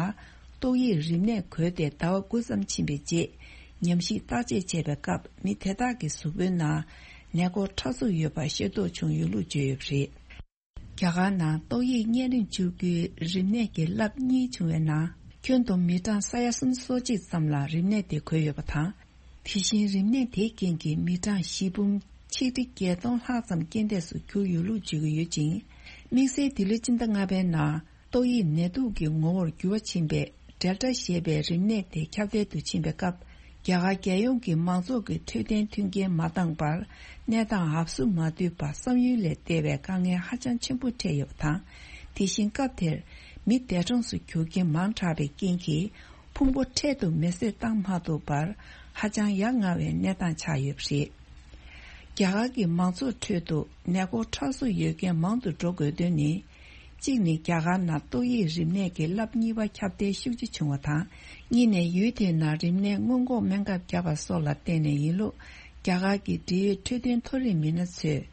ཏོག་དབྱིབས་རིམས་ནད་འགོས་ཏེ་ཟླ་བ་དགུ་ཙམ་ཕྱིན་པའི་རྗེས་ཉམས་ཞིབ་བརྟག་དཔྱད་བྱས་པའི་སྐབས་མི་དེ་དག་གི་གཟུགས་པོའི་ནང་ནད་འགོག་ཕྲ་གཟུགས་ཡོད་པ་ཤེས་རྟོགས་བྱུང་ཡོད་ལུགས་བརྗོད་ཡོད་པ་རེད། རྒྱ་གར་ནང་ཏོག་དབྱིབས་གཉན་རིམས་བཅུ་དགུའི་རིམས་ནད་ཀྱི་རླབས་གཉིས་བྱུང་བའི་ནང་ཁྱོན་བསྡོམས་མི་གྲངས་ས་ཡ་སུམ་ཅུ་སོ་གཅིག་ཙམ་ལ་རིམས་ནད་དེ་འགོས་ཡོད་པ་དང་། དེ་བཞིན་རིམས་ནད་དེའི་རྐྱེན་གྱིས་མི་གྲངས་བཞི་འབུམ་ཆིག་ཁྲི་བརྒྱད་སྟོང་ལྷག་ཙམ་རྐྱེན་འདས་སུ་གྱུར་ཡོད་ལུགས་བརྗོད་ཀྱི་ཡོད་ཅིང་། དམིགས་བསལ་འདི་ལོའི་སྤྱི་ཟླ་ལྔ་པའི་ནང་ཏོག་དབྱིབས་ནད་དུག་གི་ངོ་བོར་འགྱུར་བ་ཕྱིན་པའི་ཌེལ་ཊ་ཞེས་པའི་རིམས་ནད་དེ་ཁྱབ་གདལ་དུ་ཕྱིན་པའི་སྐབས། རྒྱ་གར་རྒྱལ་ཡོངས་ཀྱི་མང་ཚོགས་ཀྱི་འཕྲོད་བསྟེན་མཐུན་རྐྱེན་མ་འདང་པར་གནས་སྟངས་ཨབ་སུ་མ་བསྡུས་པ་བསམ་ཡུལ་ལས་འདས་པའི་དཀའ་ངལ་ཧ་ཅང་ཆེན་པོ་འཕྲད་ཡོད་པ་དང་། དེ་བཞིན་སྐབས་དེར་མི་འདས་གྲོངས་སུ་གྱུར་མཁན་མང་དྲགས་པའི་རྐྱེན་གྱིས། ཕུང་པོ་འཕྲལ་དུ་མེ་བསྲེགས་བཏང་མ་ཐུབ་པར་ཧ་ཅང་ཡ་ང་བའི་གནས་སྟངས་ཆགས་ཡོད་པ་རེད། རྒྱ་གར་གྱི་མང་ཚོགས་ཁྲོད་དུ་ནད་འགོག་ཁྲག་གསོག་ཡོད་མཁན་མང་དུ་འགྲོ་དགོས་དོན་ནི། གཅིག་ནི་རྒྱ་གར་ནང་ཏོག་དབྱིབས་རིམས་ནད་ཀྱི་རླབས་གཉིས་པ་ཁྱབ་གདལ་ཤུགས་ཆེ་བྱུང་བ་དང་། གཉིས་ནས་ཡུལ་དེའི་ནང་རིམས་ནད་སྔོན་འགོག་སྨན་ཁབ་བརྒྱབ་པ་སོགས་ལ་བརྟེན་ནས་ཡིན་ལུགས་རྒྱ་གར་གྱི་འབྲེལ་ཡོད་འཕྲོད་བསྟེན་མཐོ་རིམ་མི་སྣ་ཚོས་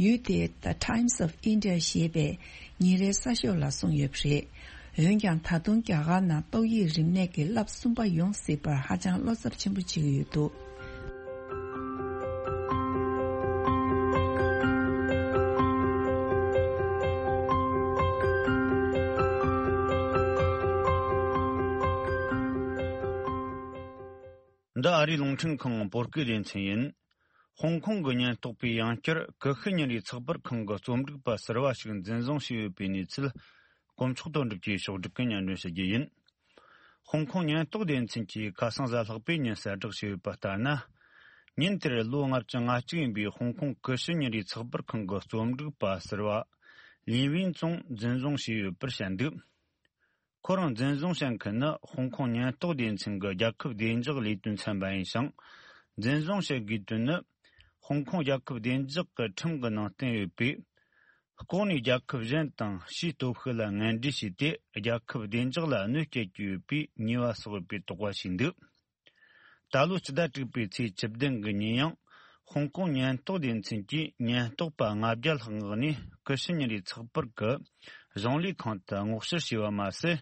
ཡུལ་དེའི་The Times of India ཞེས་པའི་ཉིན་རེའི་གསར་ཤོག་ལ་གསུངས་ཡོད་པ་རེད། འོན་ཀྱང་ད་དུང་རྒྱ་གར་ནང་ཏོག་དབྱིབས་རིམས་ནད་ཀྱི་རླབས་གསུམ་པ་ཡོང་སྲིད་པར་ཧ་ཅང་བློ་འཚབ་ཆེན་པོ་བྱེད་ཀྱི་ཡོད་འདུག་འདི་ཨ་རིའི་རླུང་འཕྲིན་ཁང་བོད་སྐད་སྡེ་ཚན་ཡིན། ཧོང་ཀོང་གི་ཉེན་རྟོག་པས་ཡང་བསྐྱར་ཀུ་ཤུ་ཉིན་རེའི་ཚགས་པར་ཁང་གི་རྩོམ་སྒྲིག་པ་ཟུར་པ་ཞིག་འཛིན་བཟུང་བྱས་ཡོད་པའི་གནས་ཚུལ། དཀོན་མཆོག་དོན་གྲུབ་ཀྱིས་ཕྱོགས་སྒྲིག་གིས་སྙན་སྒྲོན་ཞུ་རྒྱུ་ཡིན། ཧོང་ཀོང་ཉེན་རྟོག་སྡེ་ཚན་གྱིས་ཁ་སང་གཟའ་ལྷག་པའི་ཉིན་གསལ་བསྒྲགས་བྱས་ཡོད་པ་ལྟར་ན། ཉིན་དེར་ལོ་ལྔ་བཅུ་ང་གཅིག་ཡིན་པའི་ཧོང་ཀོང་ཀུ་ཤུ་ཉིན་རེའི་ཚགས་པར་ཁང་གི་རྩོམ་སྒྲིག་པ་ཟུར་པ། ལིན་ཝིན་ཙུང་འཛིན་བཟུང་བྱས་ཡོད་པར་བཤད་འདུག་ཁོ་རང་འཛིན་བཟུང་བྱེད་མཁན་ནི་ཧོང་ཀོང་ཉེན་རྟོག་སྡེ་ཚན་གྱི་རྒྱལ་ཁབ་བདེ་འཇགས་ལས་དོན་ཚན་པ་ཡིན་ཞིང་། འཛིན་བཟུང་བྱེད་དགོས་དོན་ནི། ཧོང་ཀོང་རྒྱལ་ཁབ་བདེ་འཇགས་ཀྱི་ཁྲིམས་ཀྱི་ནང་བསྟན་ཡོད་པས། ལྐོག་ནས་རྒྱལ་ཁབ་གཞན་དང་ཕྱིའི་སྟོབས་ཤུགས་ལ་ངན་འབྲེལ་བྱས་ཏེ། རྒྱལ་ཁབ་བདེ་འཇགས་ལ་གནོད་སྐྱེལ་གྱི་ཡོད་པའི་ཉེས་པ་སོགས་ཡོད་པའི་དོགས་པ་བྱས་འདུག་ད་ལོ་ཕྱི་ཟླ་དྲུག་པའི་ཚེས་བཅུ་བདུན་གྱི་ཉིན་ཡང་། ཧོང་ཀོང་ཉེན་རྟོག་སྡེ་ཚན་གྱིས་ཉེན་རྟོག་པ་ལྔ་བརྒྱ་ལྷག་མངགས་ནས། ཀུ་ཤུ་ཉིན་རེའི་ཚགས་པར་གྱི་གཞུང་ལས་ཁང་དུ་སྔོག་བཤེར་བྱས་པ་མ་ཟད།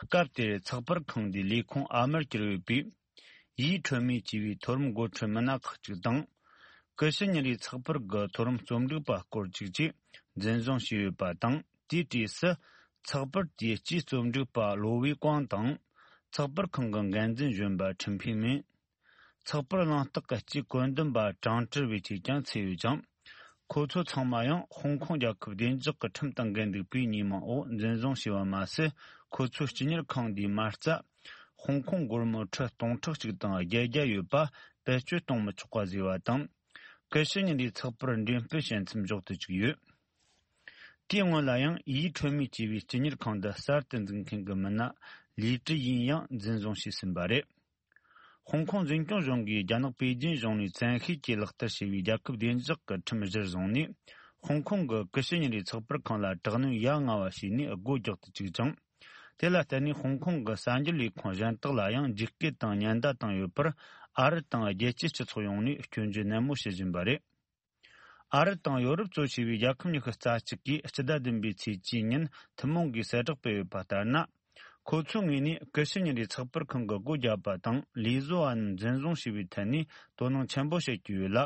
སྐབས་དེར་ཚགས་པར་ཁང་འདིའི་ལས་ཁུངས་ཨ་མར་གྱུར་ཡོད་པའི་ཡིའུ་ཁྲོན་མེ་ཅེས་པའི་མཐོ་རིམ་འགོ་ཁྲིད་མི་སྣ་ཁག་ཅིག་དང་། ཀུ་ཤུ་ཉིན་རེའི་ཚགས་པར་གྱི་མཐོ་རིམ་རྩོམ་སྒྲིག་པ་སྐོར་ཅིག་བཅས་འཛིན་བཟུང་བྱས་ཡོད་པ་དང་། དེའི་གྲས་སུ། ཚགས་པར་དེའི་སྤྱིའི་རྩོམ་སྒྲིག་པ་ལོ་ཝེ་ཀོང་དང་། ཚགས་པར་ཁང་གི་འགན་འཛིན་གཞོན་པ་ཁྲིན་ཕིང་མིན། ཚགས་པར་གླེང་སྟེགས་ཀྱི་སྤྱིའི་བཀོད་འདོམས་པ་ཀྲང་ཀྲི་ཝེ་བཅས་ཀྱང་ཚུད་ཡོད་ཅིང་། ཁོ་ཚོ་ཚང་མ་ཡང་ཧོང་ཀོང་རྒྱལ་ཁབ་བདེ་འཇགས་ཀྱི་ཁྲིམས་དང་འགལ་འདུག་པའི་ཉེས་མིང་འོག་འཛིན་བཟུང་བྱས་པ་མ་ཟད། ཁོ་ཚོའི་སྤྱི་གཉེར་ཁང་འདིའི་མ་རྩ། ཧོང་ཀོང་སྒོར་མོ་ཁྲི་སྟོང་ཕྲག་གཅིག་དང་བརྒྱད་བརྒྱ་ཡོད་པ་བེད་སྤྱོད་གཏོང་མི་ཆོག་པ་བཟོས་པ་དང་། ཀུ་ཤུ་ཉིན་རེའི་ཚགས་པར་འགྲེམས་སྤེལ་བྱེད་མཚམས་འཇོག་ཏུ་བཅུག་ཡོད། དེའི་སྔོན་ལ་ཡང་ཡིའུ་ཁྲོན་མེ་ཅེས་པའི་སྤྱི་གཉེར་ཁང་འདི་གསར་དུ་འཛུགས་མཁན་གྱི་མི་སྣ་ལི་ཀྲི་ཡིན་ཡང་འཛིན་བཟུང་བྱས་ཟིན་པ་རེད། ཧོང་ཀོང་འཛིན་སྐྱོང་གཞུང་གིས་རྒྱ་ནག་པེ་ཅིན་གཞུང་ནས་བཙན་ཤེད་ཀྱིས་ལག་བསྟར་བྱས་པའི་རྒྱལ་ཁབ་བདེ་འཇགས་ཀྱི་ཁྲིམས་གཞིར་བཟུང་ནས། ཧོང་ཀོང་གི་ཀུ་ཤུ་ཉིན་རེའི་ཚགས་པར་ཁང་ལ་དྲག་གནོན་ཡ་ང་བ་བྱས་ནས་སྒོ་རྒྱག་ཏུ་བཅུག་ཅིང་། དེ་ལ་བརྟེན་ནས་ཧོང་ཀོང་གི་གསར་འགྱུར་ལས་ཁུངས་གཞན་དག་ལ་ཡང་འཇིགས་སྐུལ་དང་ཉེན་བརྡ་བཏང་ཡོད་པར། ཨ་རི་དང་རྒྱལ་སྤྱིའི་སྤྱི་ཚོགས་ཡོངས་ནས་སྐྱོན་བརྗོད་ནན་མོ་བྱེད་བཞིན་པ་རེད། ཨ་རི་དང་ཡོ་རོབ་གཙོ་བྱས་པའི་རྒྱལ་ཁབ་ཉི་ཤུ་རྩ་གཅིག་གིས་སྤྱི་ཟླ་བདུན་པའི་ཚེས་བཅུའི་ཉིན་ཐུན་མོང་གིས་གསལ་བསྒྲགས་སྤེལ་ཡོད་པ་ལྟར་ན། ཁོ་ཚོའི་ངོས་ནས་ཀུ་ཤུ་ཉིན་རེའི་ཚགས་པར་ཁང་གི་སྒོ་བརྒྱབ་པ་དང་ལས་བཟོ་བ་རྣམས་འཛིན་བཟུང་བྱས་པའི་ཐད་ནས་དོ་སྣང་ཆེན་པོ་བྱེད་ཀྱི་ཡོད་ལ།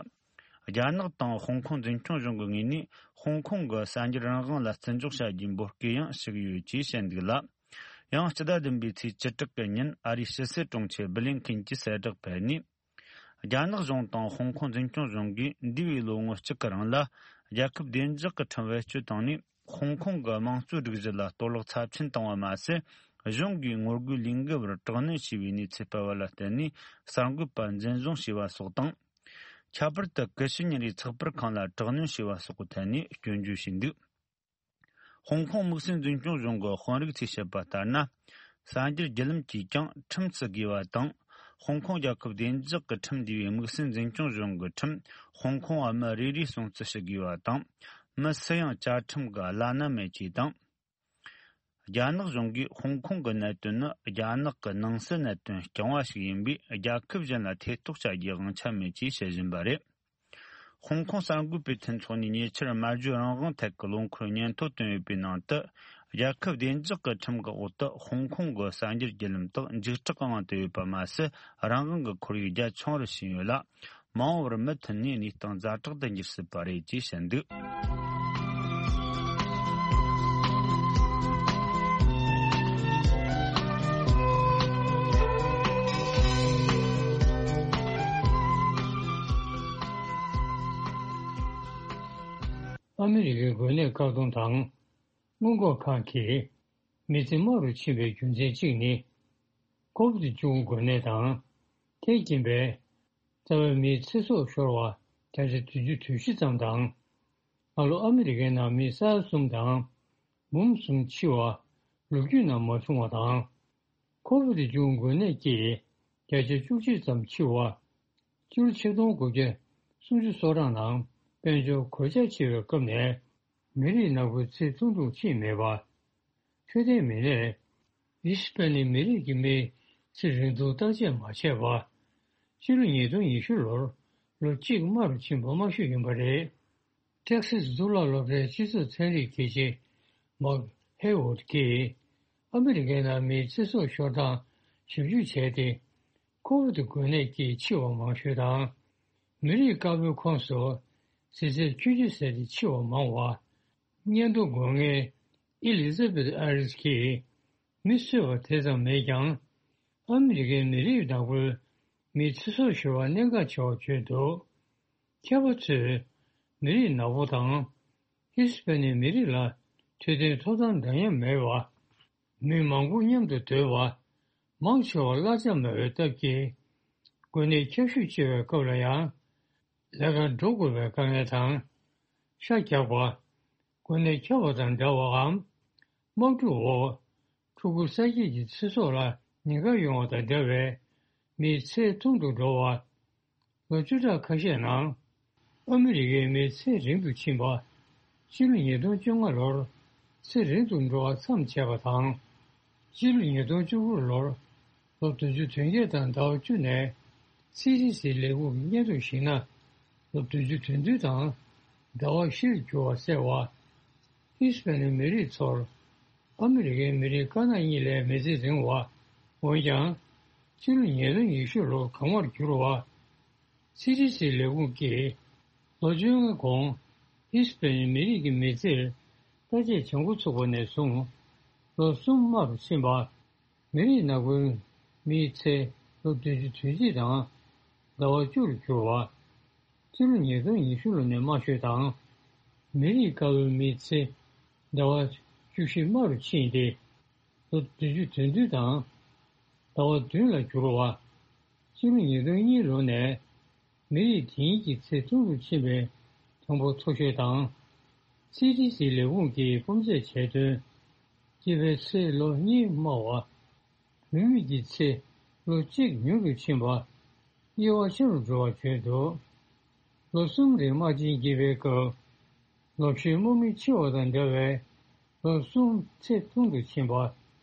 རྒྱ་ནག་དང་ཧོང་ཀོང་འཛིན་སྐྱོང་གཞུང་གི་ངོས་ནས་ཧོང་ཀོང་གི་གསར་འགྱུར་རང་དབང་ལ་བརྩི་འཇོག་བྱ་རྒྱུའི་འབོད་སྐུལ་ཡང་ཞུ་གི་ཡོད་ཅེས་བཤད་འདུག་ལ། ཡང་སྤྱི་ཟླ་བདུན་པའི་ཚེས་བཅུ་དྲུག་གི་ཉིན་ཨ་རིའི་ཕྱི་སྲིད་དྲུང་ཆེ་བྷི་ལིན་ཁིན་གྱིས་གསལ་བསྒྲགས་སྤེལ་ནས། རྒྱ་ནག་གཞུང་དང་ཧོང་ཀོང་འཛིན་སྐྱོང་གཞུང་གིས་འདས་པའི་ལོ་ངོ་གཅིག་གི་རིང་ལ་རྒྱལ་ཁབ་བདེ་འཇགས་ཀྱི་ཁྲིམས་བེད་སྤྱོད་བཏང་ནས། ཧོང་ཀོང་གི་དམངས་གཙོའི་སྒྲིག་གཞི་ལ་གཏོར་བརླག་ཚབས་ཆེན་བཏང་བ་མ་ཟད། གཞུང་གིས་ངོ་རྒོལ་ལས་འགུལ་བར་དྲག་གནོན་བྱས་པའི་གནས་ཚུལ་སྤེལ་བ་ལ་བརྟེན་ནས་གསར་འགོད་པ་འཛིན་བཟུང་བྱས་པ་སོགས་དང་། ཁྱད་པར་དུ་ཀུ་ཤུ་ཉིན་རེའི་ཚགས་པར་ཁང་ལ་དྲག་གནོན་བྱས་པ་སོགས་ཀྱི་ཐད་ནས་སྐྱོན་བརྗོད་བྱས་འདུག་ཧོང་ཀོང་དམིགས་བསལ་འཛིན་སྐྱོང་གཞུང་གི་དཔོན་རིགས་ཚོས་བཤད་པ་ལྟར་ན། གསར་འགྱུར་བརྒྱུད་ལམ་གྱིས་ཀྱང་ཁྲིམས་བརྩི་དགོས་པ་དང་། ཧོང་ཀོང་རྒྱལ་ཁབ་བདེ་འཇགས་ཀྱི་ཁྲིམས་འདུས་པའི་དམིགས་བསལ་འཛིན་སྐྱོང་གཞུང་གི་ཁྲིམས་ཧོང་ཀོང་བ་མི་རེ་རེས་སྲུང་བརྩི་ཞུ་དགོས་པ་དང་། མི་སུ་ཡང་བཅའ་ཁྲིམས་ཀྱི་བླ་ན་མེད་ཅེས་དང་། རྒྱ་ནག་གཞུང་གིས་ཧོང་ཀོང་གི་གནད་དོན་ནི་རྒྱ་ནག་གི་ནང་སྲིད་གནད་དོན་རྐྱང་བ་ཞིག་ཡིན་པས། རྒྱལ་ཁབ་གཞན་ལ་ཐེ་གཏོགས་བྱ་རྒྱུའི་དབང་ཆ་མེད་ཅེས་བཤད་བཞིན་པ་རེད། ཧོང་ཀོང་གསར་འགོད་པའི་མཐུན་ཚོགས་ནས་ཉེ་ཆར་སྨྲ་བརྗོད་རང་དབང་ཐད་ཀྱི་ལོ་འཁོར་སྙན་ཐོ་བཏོན་ཡོད་པའི་ནང་དུ། རྒྱལ་ཁབ་བདེ་འཇགས་ཀྱི་ཁྲིམས་ཀྱི་འོག་ཏུ་ཧོང་ཀོང་གི་གསར་འགྱུར་བརྒྱུད་ལམ་དག་འཇིགས་སྐྲག་གི་དབང་དུ་ཡོད་པ་མ་ཟད། རང་དབང་གི་ཁོར་ཡུག་རྒྱ་ཆུང་བར་ཕྱིན་ཡོད་ལ། མ་འོངས་པར་མུ་མཐུད་ནས་གནས་སྟངས་ཛ་དྲག་ཏུ་འགྱུར་སྲིད་པ་རེད་ཅེས་བཤད་འདུག་ཨ་མི་རི་ཀའི་འགོས་ནད་བཀག་སྡོམ་དང་སྔོན་འགོག་ཁང་གིས་མི་ཚེ་དམའ་རུ་ཕྱིན་པའི་རྒྱུ་མཚན་གཅིག་ནི། ཁོ་ཝིད་བཅུ་དགུ་འགོས་ནད་དང་། དེས་རྐྱེན་པས་རྩ་བའི་མིའི་ཚེ་སྲོག་ཤོར་བ་བརྒྱ་ཆ་བདུན་ཅུ་དོན་བཞི་ཙམ་དང་། སྔ་ལོ་ཨ་མི་རི་ཀའི་ནང་མི་ས་ཡ་གསུམ་དང་། འབུམ་གསུམ་འཆི་བ་ལོ་རྒྱུས་ནང་མ་བྱུང་བ་དང་། ཁོ་ཝིད་བཅུ་དགུ་འགོས་ནད་ཀྱིས་བརྒྱ་ཆ་བཅུ་གཅིག་ཙམ་འཆི་བ། སྤྱི་ལོ་ཆིག་སྟོང་དགུ་བརྒྱ་སུམ་ཅུ་སོ་གྲངས་ནང་དཔལ་འབྱོར་གོད་ཆག་ཆེ་བའི་སྐབས་ནས། མི་རིགས་ནག་པོའི་ཚེ་ཐུང་ཐུང་ཕྱིན་མེད་པ། འཕྲོད་བསྟེན་མི་སྣས་ཧི་སི་པ་ནི་མི་རིགས་ཀྱི་མིའི་ཚེ་རིང་ཐུང་བརྟག་དཔྱད་མ་བྱས་པ། ཕྱི་ལོ་ཉིས་སྟོང་ཉི་ཤུ་ལོར་ལོ་གཅིག་དམའ་རུ་ཕྱིན་པ་དམའ་ཤོས་ཡིན་པ་རེད། ཊེག་སིས་གཙུག་ལག་སློབ་གྲྭའི་སྤྱི་ཚོགས་ཚན་རིག་དགེ་ཆེ་མཱག་ཧེ་ཝུད་ཀྱིས། ཨ་མི་རི་ཀའི་ནང་མིའི་ཚེ་སྲོག་ཤོར་སྟངས་ཞིབ་འཇུག་བྱས་ཏེ། ཁོ་ཝིད་འགོས་ནད་ཀྱིས་འཆི་བ་མང་ཤོས་དང་། མི་རིགས་དཀར་པོའི་ཁོངས་སུ་ཟས་ཟད་ཁྱུ་གཅིག་ཟད་དེ་འཆི་བ་མང་བ། སྙན་ཐོ་འགོད་མཁན་ཨེ་ལི་ཛ་བེད་ཨ་རིས་ཀྱིས། མི་གསོད་པ་དེ་ཙམ་མེད་ཀྱང་། ཨ་མི་རི་ཀའི་མི་རིགས་ནག་པོའི་མིའི་ཚེ་སྲོག་ཤོར་བ་གནད་འགག་ཆེ་བར་བརྗོད་འདུག་མཁས་པ་ཚོས་མི་རིགས་ནག་པོ་དང་། ཧི་སི་པ་ནི་མི་རིགས་ལ་འཕྲོད་བསྟེན་ཐོབ་ཐང་འདྲ་མཉམ་མེད་པ། མི་མང་པོ་མཉམ་དུ་སྡོད་པ། མང་ཆེ་བ་གླ་ཆ་མེད་པའི་སྟབས་ཀྱིས། འགོས་ནད་ཁྱབ་ཤུགས་ཆེ་བའི་སྐབས་ལ་ཡང་། ལས་ཀར་འགྲོ་དགོས་པའི་དཀའ་ངལ་དང་། ཤ་རྒྱགས་པ། གོ་གནས་ཁྱབ་པ་དང་འདྲ་བའམ། དམག་འཁྲུག་འོག་ཕྲུ་གུ་ས་སྐྱེས་ཀྱི་ཚེ་སྲོག་ལ་ཉེན་ཁ་ཡོང་བ་དང་འདྲ་བའི་མིའི་ཚེ་ཐུང་དུ་འགྲོ་བ། ལོ་བཅུ་ཕྲག་ཁ་ཤས་ནང་ཨ་མི་རི་ཀའི་མིའི་ཚེ་རིང་དུ་ཕྱིན་པ། ཕྱི་ལོ་ཉིས་སྟོང་བཅོ་ལྔ་ལོར་ཚེ་རིང་དུ་འགྲོ་བ་མཚམས་ཆད་པ་དང་། ཕྱི་ལོ་ཉིས་སྟོང་བཅུ་དགུ་ལོར་ལོ་བདུན་ཅུ་དོན་བརྒྱད་དང་ཟླ་བ་བཅུ་ནས་སི་ཌི་སི་ལས་ཁུངས་ཀྱི་སྙན་ཐོ་ཞིག་ན། ལོ་བདུན་ཅུ་དོན་བདུན་དང་ཟླ་བ་བཞིར་གྱུར་བ་གསལ་བ། ཧི་སི་པན་ནི་མི་རིགས་ཚོར་ཨ་མི་རི་ཀའི་མི་རིགས་དཀར་ནག་གཉིས་ལས་མི་ཚེ་རིང་བ། འོན་ཀྱང་། ཕྱི་ལོ་ཉིས་སྟོང་ཉི་ཤུ་ལོར་གང་བར་གྱུར་བ། སི་ཌི་སི་ལས་ཁུངས་ཀྱིས་ལོ་བཅོ་ལྔ་གོང་ཧི་སི་པན་ནི་མི་རིགས་ཀྱི་མི་ཚེར་བརྟག་དཔྱད་བྱེད་འགོ་ཚུགས་པ་ནས་བཟུང་ལོ་གསུམ་དམའ་རུ་ཕྱིན་པ། མི་རིགས་ནག་པོའི་མིའི་ཚེ་ལོ་བདུན་ཅུ་དོན་གཅིག་དང་ཟླ་བ་བཅུ་རུ་གྱུར་བ། ཕྱི་ལོ་ཉིས་སྟོང་ཉི་ཤུ་ལོ་ནས་དམའ་ཤོས་དང་། མི་རིགས་དཀར་པོའི་མིའི་ཚེ་ཟླ་བ་བཅུ་བཞི་དམའ་རུ་ཕྱིན་ཏེ། ལོ་བདུན་ཅུ་དོན་བདུན་དང་ཟླ་བ་བདུན་ལ་གྱུར་བ། ཕྱི་ལོ་ཉིས་སྟོང་གཉིས་ལོ་ནས་མི་རིགས་དེ་ཉིད་ཀྱི་ཚེ་ཐུང་རུ་ཕྱིན་པའི་གྲངས་འབོར་མཐོ་ཤོས་དང་། སི་ཌི་སི་ལས་ཁུངས་ཀྱིས་སྤུས་ཚད་བྱས་དོན། སྐྱེས་པའི་ཚེ་ལོ་གཉིས་དམའ་བ། བུད་མེད་ཀྱི་ཚེ་ལོ་གཅིག་ཉུང་དུ་ཕྱིན་པ། དབྱེ་བ་ཆེ་རུ་འགྲོ་བ་བརྗོད་འདུག་ལོ་གསུམ་རིང་དམག་ཆེན་རྒྱས་པའི་སྐབས། ལོ་བཞིའི་དམག་མི་འཆི་བ་དང་འདྲ་བའི་ལོ་གསུམ་ཚེ་ཐུང་དུ་ཕྱིན་པ།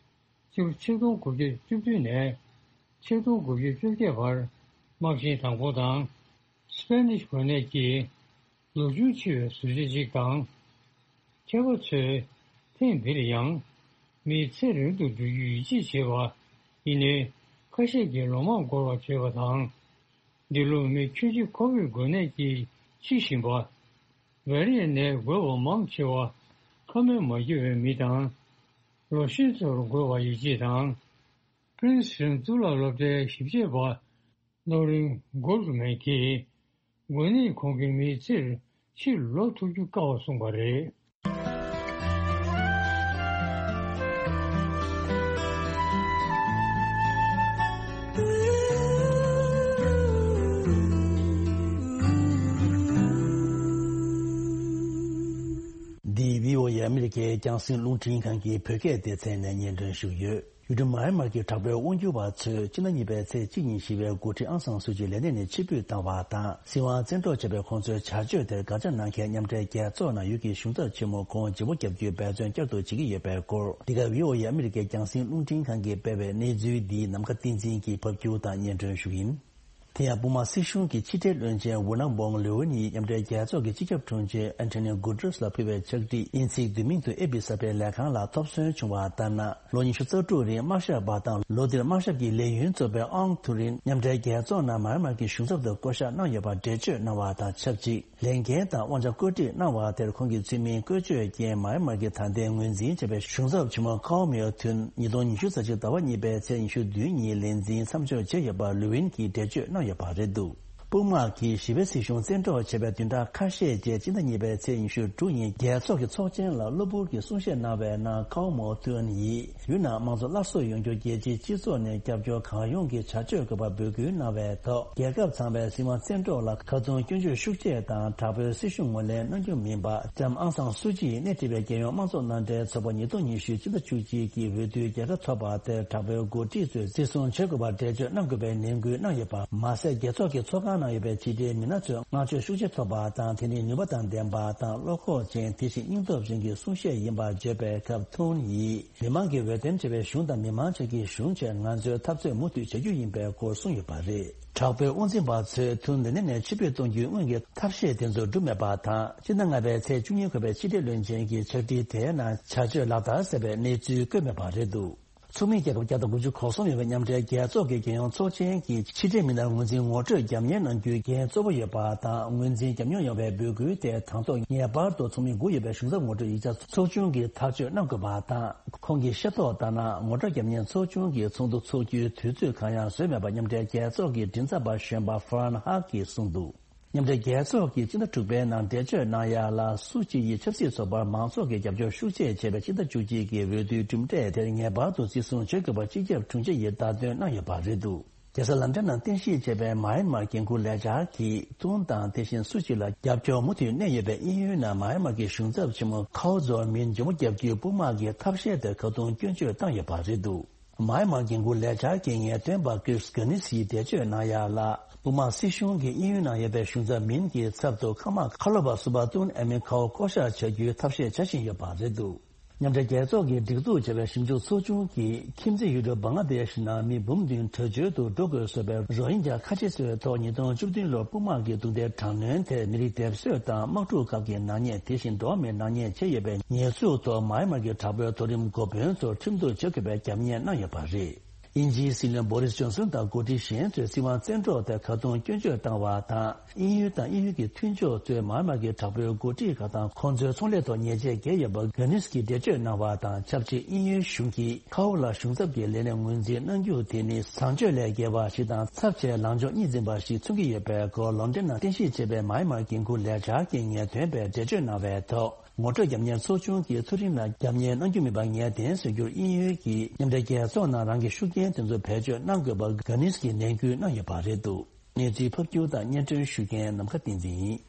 སྤྱི་ལོ་ཆིག་སྟོང་དགུ་བརྒྱ་བཅུ་བདུན་ནས་ཆིག་སྟོང་དགུ་བརྒྱ་བཅོ་བརྒྱད་བར་དམག་ཆེན་དང་པོ་དང་། སྤེ་ནིཤ་འགོས་ནད་ཀྱིས་ལོ་ཆུང་འཆི་བའི་ཟུར་བཅད་ཅིག་དང་། མཁས་པ་ཚོས་ཐེངས་འདིར་ཡང་མིའི་ཚེ་རིང་དུ་འགྲོ་རྒྱུར་ཡིད་ཆེས་བྱེད་པ་ཡིན་ནའི། ཁ་ཤས་ཀྱིས་ལོ་མང་འགོར་བར་བརྗོད་པ་དང་། འདི་ལོ་མི་ཁྱོན་ཆེ་ཁོ་བིཌ་འགོས་ནད་ཀྱིས་འཆི་བཞིན་པ། བེ་རི་ཡ་ནད་འགོས་པ་མང་ཆེ་བ་ཁ་སྨན་མ་ཁྱེར་བའི་མི་དང་། ལོ་ཤས་ཚོར་འགོས་པ་ཡིད་ཆེས་དང་། པྲིན་སི་ཊོན་གཙུག་ལག་སློབ་གྲྭའི་ཞིབ་དཔྱད་པ་ལོ་རིན་གོལ་ཌ་མན་གྱིས། འགོས་ནད་ཁོང་གི་མིའི་ཚེར་ཕྱིར་ལོག་ཐུབ་རྒྱུ་དཀའ་བར་གསུངས་པ་རེད། འདི་བྷི་ཨོ་ཨེ་ཨ་མི་རི་ཀའི་རྒྱང་སྲིང་རླུང་འཕྲིན་ཁང་གི་བོད་སྐད་སྡེ་ཚན་ནས་སྙན་སྒྲོན་ཞུ་གི་ཡོད། ཡུལ་གྲུ་མཱ་ཡན་མར་གྱི་དྲག་པོའི་དབང་སྒྱུར་བ་ཚོས་སྤྱི་ཟླ་གཉིས་པའི་ཚེས་གཅིག་ཉིན་ཞི་བའི་འགོ་ཁྲིད་ཨང་སང་སུའུ་ཅི་ལས་གནས་ནས་ཕྱིར་འབུད་བཏང་བ་དང་། སྲིད་དབང་བཙན་འཕྲོག་བྱས་པའི་ཁོང་ཚོའི་བྱ་སྤྱོད་དེར་དགག་བྱ་གནང་མཁན་མཉམ་འབྲེལ་རྒྱལ་ཚོགས་ནང་ཡུལ་གྱི་གཞུང་ཚབ་ཆེན་མོ་ཁོང་ལྗིད་པོ་བརྒྱབ་རྒྱུའི་འབད་བརྩོན་བསྐྱར་དུ་བྱེད་ཀྱི་ཡོད་པའི་སྐོར། འདི་ག་བྷི་ཨོ་ཨེ་ཨ་མི་རི་ཀའི་རྒྱང་སྲིང་རླུང་འཕྲིན་ཁང་གིས་སྤེལ་བའི་གནས་ཚུལ་འདི་ནམ་མཁའ་བསྟན་འཛིན་གྱིས་ཕབ་སྒྱུར་དང་སྙན་སྒྲོན་ཞུ་གི་ཡིན། དེ་ཡང་དཔུང་དམག་སྲིད་གཞུང་གི་ཕྱི་འབྲེལ་བློན་ཆེན་ཝུ་ནང་བོང་ལུའུ་ཝིན་ཡིས་མཉམ་འབྲེལ་རྒྱལ་ཚོགས་ཀྱི་སྤྱི་ཁྱབ་དྲུང་ཆེ་ཨན་ཐོ་ནི་གུ་ཏྲེས་ལ་ཕུལ་བའི་ཕྱག་བྲིས་དབྱིན་ཚིག་བསྡུས་མིང་དུ་ཨེ་བི་གསར་སྤེལ་ལས་ཁང་ལ་ཐོབ་སོན་བྱུང་བ་ལྟར་ན། ལོ་ཉི་ཤུ་རྩ་དྲུག་རིང་དམག་ཞབས་པ་དང་། ལོ་འདིར་དམག་ཞབས་ཀྱི་ལས་ཡུན་རྫོགས་པའི་ཨང་ཐུ་རིན་མཉམ་འབྲེལ་རྒྱལ་ཚོགས་ནང་མཱ་ཡན་མར་གྱི་གཞུང་ཚབ་ཏུ་བསྐོ་གཞག་གནང་ཡོད་པར་འགྲེལ་བརྗོད་གནང་བ་དང་ཆབས་ཅིག་ལས་འགན་དང་དབང་ཆ་བཀོད་སྒྲིག་གནང་བ་དེར་ཁོང་གི་ཚུལ་མིན་བཀོལ་སྤྱོད་ཀྱིས་མཱ་ཡན་མར་གྱི་ད་ལྟའི་ངོས་འཛིན་བྱས་པའི་གཞུང་ཚབ་ཆེན་མོ་ཁའོ་མེའོ་ཐུན་ཉིས་སྟོང་ཉི་ཤུ་རྩ་གཅིག་ཟླ་བ་གཉིས་པའི་ཚེས་ཉི་ཤུ་བདུན་ཉིན་ལས་འཛིན་མཚམས་འཇོག་བྱས་ཡོད་པ་ལུའུ་ཝིན་གྱིས་འགྲེལ་བརྗོད་གནང་ཡོད་པ་རེད་འདུག་དཔུང་དམག་གིས་ཞི་བའི་སྲིད་གཞུང་བཙན་འཕྲོག་བྱས་པའི་བདུན་ཕྲག་ཁ་ཤས་རྗེས་སྤྱི་ཟླ་གཉིས་པའི་ཚེས་ཉི་ཤུ་དྲུག་ཉིན་རྒྱལ་ཚོགས་ཀྱི་ཚོགས་ཆེན་ལ་གློ་བུར་གྱི་གསུང་བཤད་གནང་བའི་ནང་ཁའོ་མོ་ཐུན་ཡིས། ཡུལ་ནང་དམངས་གཙོ་སླར་གསོ་ཡོང་རྒྱུར་རྒྱལ་སྤྱིའི་སྤྱི་ཚོགས་ནས་རྒྱབ་སྐྱོར་གང་ཡོང་གི་བྱ་སྤྱོད་དགོས་པར་འབོད་སྐུལ་གནང་བའི་ཐོག་རྒྱལ་ཁབ་ཚང་མས་སྲིད་དབང་བཙན་འཕྲོག་ལ་ཁ་རྡུང་སྐྱོན་བརྗོད་ཤུགས་ཆེ་དང་དྲག་པོའི་སྲིད་ཤུགས་ངོས་ལེན་གནང་རྒྱུ་མིན་པ། ལྕམ་ཨང་སང་སུ་ཅི་ཡིས་སྣེ་ཁྲིད་པའི་རྒྱལ་ཡོངས་དམངས་གཙོ་མནའ་འབྲེལ་ཚོགས་པ་ཉིས་སྟོང་ཉི་ཤུ་སྤྱི་ཟླ་བཅུ་གཅིག་གི་འོས་བསྡུའི་རྒྱལ་ཁ་ཐོབ་པ་དེར་དྲག་པོའི་འགོ་ཁྲིད་ཚོས་བརྩི་སྲུང་བྱེད་དགོས་པར་འགྲེལ་བརྗོད་གནང་དགོས་པའི་ནན་སྐུལ་གནང་ཡོད་པ་མ་ཟད། རྒྱལ་ཚོགས་ཀྱི་ཚོགས་ཁང་ནང་ཡོད་པའི་ཕྱི་དྲིལ་མི་སྣ་ཚོས་བསྔགས་བརྗོད་ཤུགས་ཆེ་ཐོབ་པ་དང་། དེ་ནི་ནུས་པ་དང་ལྡན་པ་དང་བློ་ཁོག་ཅན། དེ་བཞིན་སྙིང་སྟོབས་ཅན་གྱི་གསུང་བཤད་ཡིན་པར་བརྗོད་པའི་སྐབས་ཐུན་ཡིས། མི་མང་གིས་འོས་འདེམས་བྱས་པའི་གཞུང་དང་མི་མང་བཅས་ཀྱི་གཞུང་ཆེད་ང་ཚོས་འཐབ་རྩོད་མུ་མཐུད་བྱ་རྒྱུ་ཡིན་པའི་སྐོར་གསུངས་ཡོད་པ་རེད། དྲག་པོའི་དབང་འཛིན་པ་ཚོས་ཐུན་འདི་ནས་ནས་ཕྱིར་འབུད་གཏོང་རྒྱུའི་སྔོན་གྱི་ཐབས་ཤེས་དེ་ཚོ་བསྒྲུབས་མེད་པ་དང་། སྤྱི་ཟླ་ལྔ་པའི་ཚེས་བཅུ་གཉིས་འཁོད་པའི་ཕྱི་འབྲེལ་བློན་ཆེན་གྱི་ཕྱག་བྲིས་དེའི་ནང་བྱ་སྤྱོད་ལག་བསྟར་ཟེར་བའི་གནས་ཚུལ་བཀོད་མེད་པ་རེད་འདུག་ཚོགས་མི་རྒྱལ་ཁབ་བརྒྱ་དང་དགུ་བཅུ་གོ་གསུམ་ཡོད་པའི་མཉམ་འབྲེལ་རྒྱལ་ཚོགས་ཀྱི་རྒྱལ་ཡོངས་ཚོགས་ཆེན་གྱི་ཕྱི་འབྲེལ་མི་སྣར་ངོས་འཛིན་ངོ་སྤྲོད་རྒྱབ་གཉེར་གནང་རྒྱུའི་འགན་གཙོ་བོ་ཡོད་པ་དང་། ངོས་འཛིན་རྒྱབ་མྱོང་ཡོད་པའི་འབོད་སྐུལ་དེ་དང་ཐོག་ངེས་པར་དུ་ཚོགས་མི་དགུ་ཡོད་པའི་གཞུང་ཚབ་ངོ་སྤྲོད་ཡིག་ཆ་ཚོགས་ཆུང་གིས་ཐག་གཅོད་གནང་དགོས་པ་དང་། ཁོང་གིས་ཤེས་རྟོགས་ལྟར་ན། ངོ་སྤྲོད་རྒྱབ་གཉེར་ཚོགས་ཆུང་གིས་ཚོགས་འདུ་འཚོགས་རྒྱུའི་དུས་ཚོད་གང་ཡང་བཟོས་མེད་པ་མཉམ་འབྲེལ་རྒྱལ་ཚོགས་ཀྱི་མགྲིན་ཚབ་པ་གཞོན་པ་ཧྥ་རན་ཧག་གིས་གསུངས་འདུག་མཉམ་འབྲེལ་རྒྱལ་ཚོགས་ཀྱིས་སྤྱི་ཟླ་དྲུག་པའི་ནང་འགྲེལ་བརྗོད་གནང་ཡ་ལ། སུ་ཅི་ཡིས་ཆབ་སྲིད་ཚོགས་པར་མང་ཚོགས་ཀྱིས་རྒྱབ་སྐྱོར་ཤུགས་ཆེ་བྱས་པའི་ཕྱི་ཟླ་བཅུ་གཅིག་གི་འོས་བསྡུའི་གྲུབ་འབྲས་དེར་ངེས་པར་དུ་བརྩི་སྲུང་བྱེད་དགོས་པར་སྤྱི་ཁྱབ་དྲུང་ཆེ་ཡིས་བརྡ་སྟོན་གནང་ཡོད་པ་རེད་འདུག་རྒྱལ་ས་ལན་ཀྲན་ནང་རྟེན་གཞི་བྱས་པའི་མཱ་ཡན་མར་འགན་འཁུར་ལས་འཆར་གྱིས་ཏུན་དང་དེ་བཞིན་སུ་ཅི་ལ་རྒྱབ་སྐྱོར་མུ་མཐུད་གནས་ཡོད་པའི་དབྱིན་ཡུལ་ནང་མཱ་ཡན་མར་གྱི་གཞུང་ཚབ་ཆེན་མོ་ཁའོ་ཛོར་མིན་མགྱོགས་པོ་བརྒྱབ་རྒྱུའི་དཔུང་དམག་གི་ཐབས་ཤེས་དེར་ཁ་རྡུང་སྐྱོན་བརྗོད་བཏང་ཡོད་པ་རེད་འདུག་མཱ་ཡན་མར་འགན་འཁུར་ལས་འཆར་གྱི་ངེས་སྟོན་པ་ཀིར་གྷ་ནི་སིས་འགྲེལ་བརྗོད་གནང་ཡ་ལ། དཔུང་དམག་སྲིད་གཞུང་གིས་དབྱིན་ཡུལ་ནང་ཡོད་པའི་གཞུང་ཚབ་མིན་གྱི་ཚབ་ཏུ་མཁའ་དམག་ཁ་ལོ་བ་སུ་པ་ཏུན་ཨེ་མིན་ཁའོ་བསྐོ་གཞག་བྱ་རྒྱུའི་ཐབས་ཤེས་བྱ་བཞིན་ཡོད་པ་རེད་འདུག་མཉམ་འབྲེལ་རྒྱལ་ཚོགས་ཀྱིས་སྒྲིག་འཛུགས་བྱས་པའི་ཞིབ་འཇུག་ཚོགས་ཆུང་གིས་ཁྱིམ་མཚེས་ཡུལ་གྲུ་བང་ལ་དེཤ་ནང་མི་འབུམ་བདུན་བྲོས་བྱོལ་དུ་འགྲོ་དགོས་བཟོས་པའི་རོ་ཧིན་ཇ་ཁ་ཆེ་ཚོའི་ཐོག་ཉིས་སྟོང་བཅུ་བདུན་ལོར་དཔུང་དམག་གི་རྡུང་རྡེག་དྲག་གནོན་དེར་མི་རིགས་སྡེབ་གསོད་དང་དམག་འཁྲུག་སྐབས་ཀྱི་ནག་ཉེས། དེ་བཞིན་འགྲོ་བ་མིའི་ནག་ཉེས་བྱས་ཡོད་པའི་ཉེས་འཛུགས་ཐོག་མཱ་ཡན་མར་གྱི་དྲག་པོའི་མཐོ་རིམ་འགོ་དཔོན་ཚོར་ཁྲིམས་གཏུག་བྱེད་དགོས་པའི་རྒྱབ་གཉེར་གནང་ཡོད་པ་རེད། དབྱིན་ཇིའི་སྲིད་བློན་བོ་རིས་ཇོན་སོན་དང་འགོ་ཁྲིད་གཞན་ཚོས་སྲིད་དབང་བཙན་འཕྲོག་དེར་ཁ་རྡུང་སྐྱོན་བརྗོད་བཏང་བ་དང་། དབྱིན་ཡུལ་དང་དབྱིན་ཡུལ་གྱི་མཐུན་ཕྱོགས་ཚོས་མཱ་ཡན་མར་གྱི་དྲག་པོའི་འགོ་ཁྲིད་ཁག་དང་ཁོང་ཚོའི་ཚོང་ལས་ཐོག་ཉེས་ཆད་འགེལ་ཡོད་པར་གྷ་ནིས་ཀྱིས་འགྲེལ་བརྗོད་གནང་བ་དང་ཆབས་ཅིག་དབྱིན་ཡུལ་གཞུང་གིས་ཁའོ་ལ་གཞུང་ཚབ་ཀྱི་ལས་གནས་ངོས་འཛིན་གནང་རྒྱུ་དེ་ནི་བཟང་སྤྱོད་ལས་བརྒལ་བ་ཞིག་དང་ཚབས་ཆེའི་ལངས་ཕྱོགས་གཉིས་འཛིན་པ་ཞིག་མཚོན་གྱི་ཡོད་པའི་སྐོར་ལོན་ཌོན་ནང་རྟེན་གཞི་བྱས་པའི་མཱ་ཡན་མར་འགན་འཁུར་ལས་འཆར་གྱི་ངེས་སྟོན་པས་འགྲེལ་བརྗོད་གནང་བའི་ཐོག་ངོ་སྤྲོད་རྒྱབ་གཉེར་ཚོགས་ཆུང་གིས་མཐོ་རིམ་ལ་རྒྱབ་གཉེར་གནང་རྒྱུ་མིན་པ་ངེས་གཏན་བཟོ་རྒྱུར་དབྱིན་ཡུལ་གྱིས་མཉམ་འབྲེལ་རྒྱལ་ཚོགས་ནང་རང་གི་ཤུགས་རྐྱེན་དེ་ཚོ་བེད་སྤྱོད་གནང་དགོས་པར་གྷ་ནིས་ཀྱིས་ནན་སྐུལ་གནང་ཡོད་པ་རེད་འདུག་གནས་ཚུལ་ཕབ་སྒྱུར་དང་སྙན་སྒྲོན་ཞུ་མཁན་ནམ་མཁའ་བསྟན་འཛིན་ཡིན།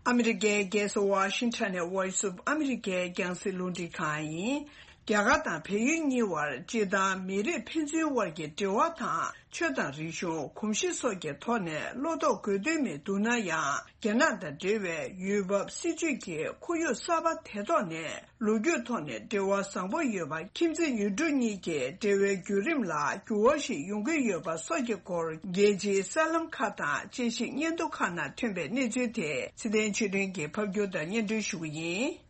ཨ་མི་རི་ཀའི་རྒྱལ་ས་ཝ་ཤིང་ཊོན་ནས་Voice of America རྒྱང་སྲིང་རླུང་འཕྲིན་ཁང་ཡིན། རྒྱ་གར་དང་བལ་ཡུལ་གཉིས་དབར་སྤྱིར་བཏང་མི་རིགས་ཕན་ཚུན་དབར་གྱི་འབྲེལ་བ་དང་ཆོས་དང་རིག་གཞུང་གོམས་གཤིས་སོགས་ཀྱི་ཐོག་ནས་བློ་དོགས་དགོས་དོན་མི་འདུག་ན་ཡང་། རྒྱ་ནག་དང་འབྲེལ་བའི་ཡུལ་བབ་སྲིད་ཇུས་ཀྱི་ཁོར་ཡུག་གསར་པ་དེ་ཐོག་ནས་ལོ་རྒྱུས་ཐོག་ནས་འབྲེལ་བ་བཟང་པོ་ཡོད་པ། ཁྱིམ་མཚེས་ཡུལ་གྲུ་གཉིས་ཀྱི་འབྲེལ་བའི་བརྒྱུད་རིམ་ལ་འགྱུར་བ་ཞིག་ཡོང་གི་ཡོད་པ་སོགས་ཀྱི་སྐོར་རྒྱལ་སྤྱིའི་གསར་ལམ་ཁག་དང་དཔྱད་ཞིབ་སྙན་ཐོ་ཁག་ནང་ཐོན་པའི་གནས་ཚུལ་དེ་ཚེ་བརྟན་ཆོས་སྒྲོན་གྱིས་ཕབ་སྒྱུར་དང་སྙན་སྒྲོན་ཞུ་གི་ཡིན།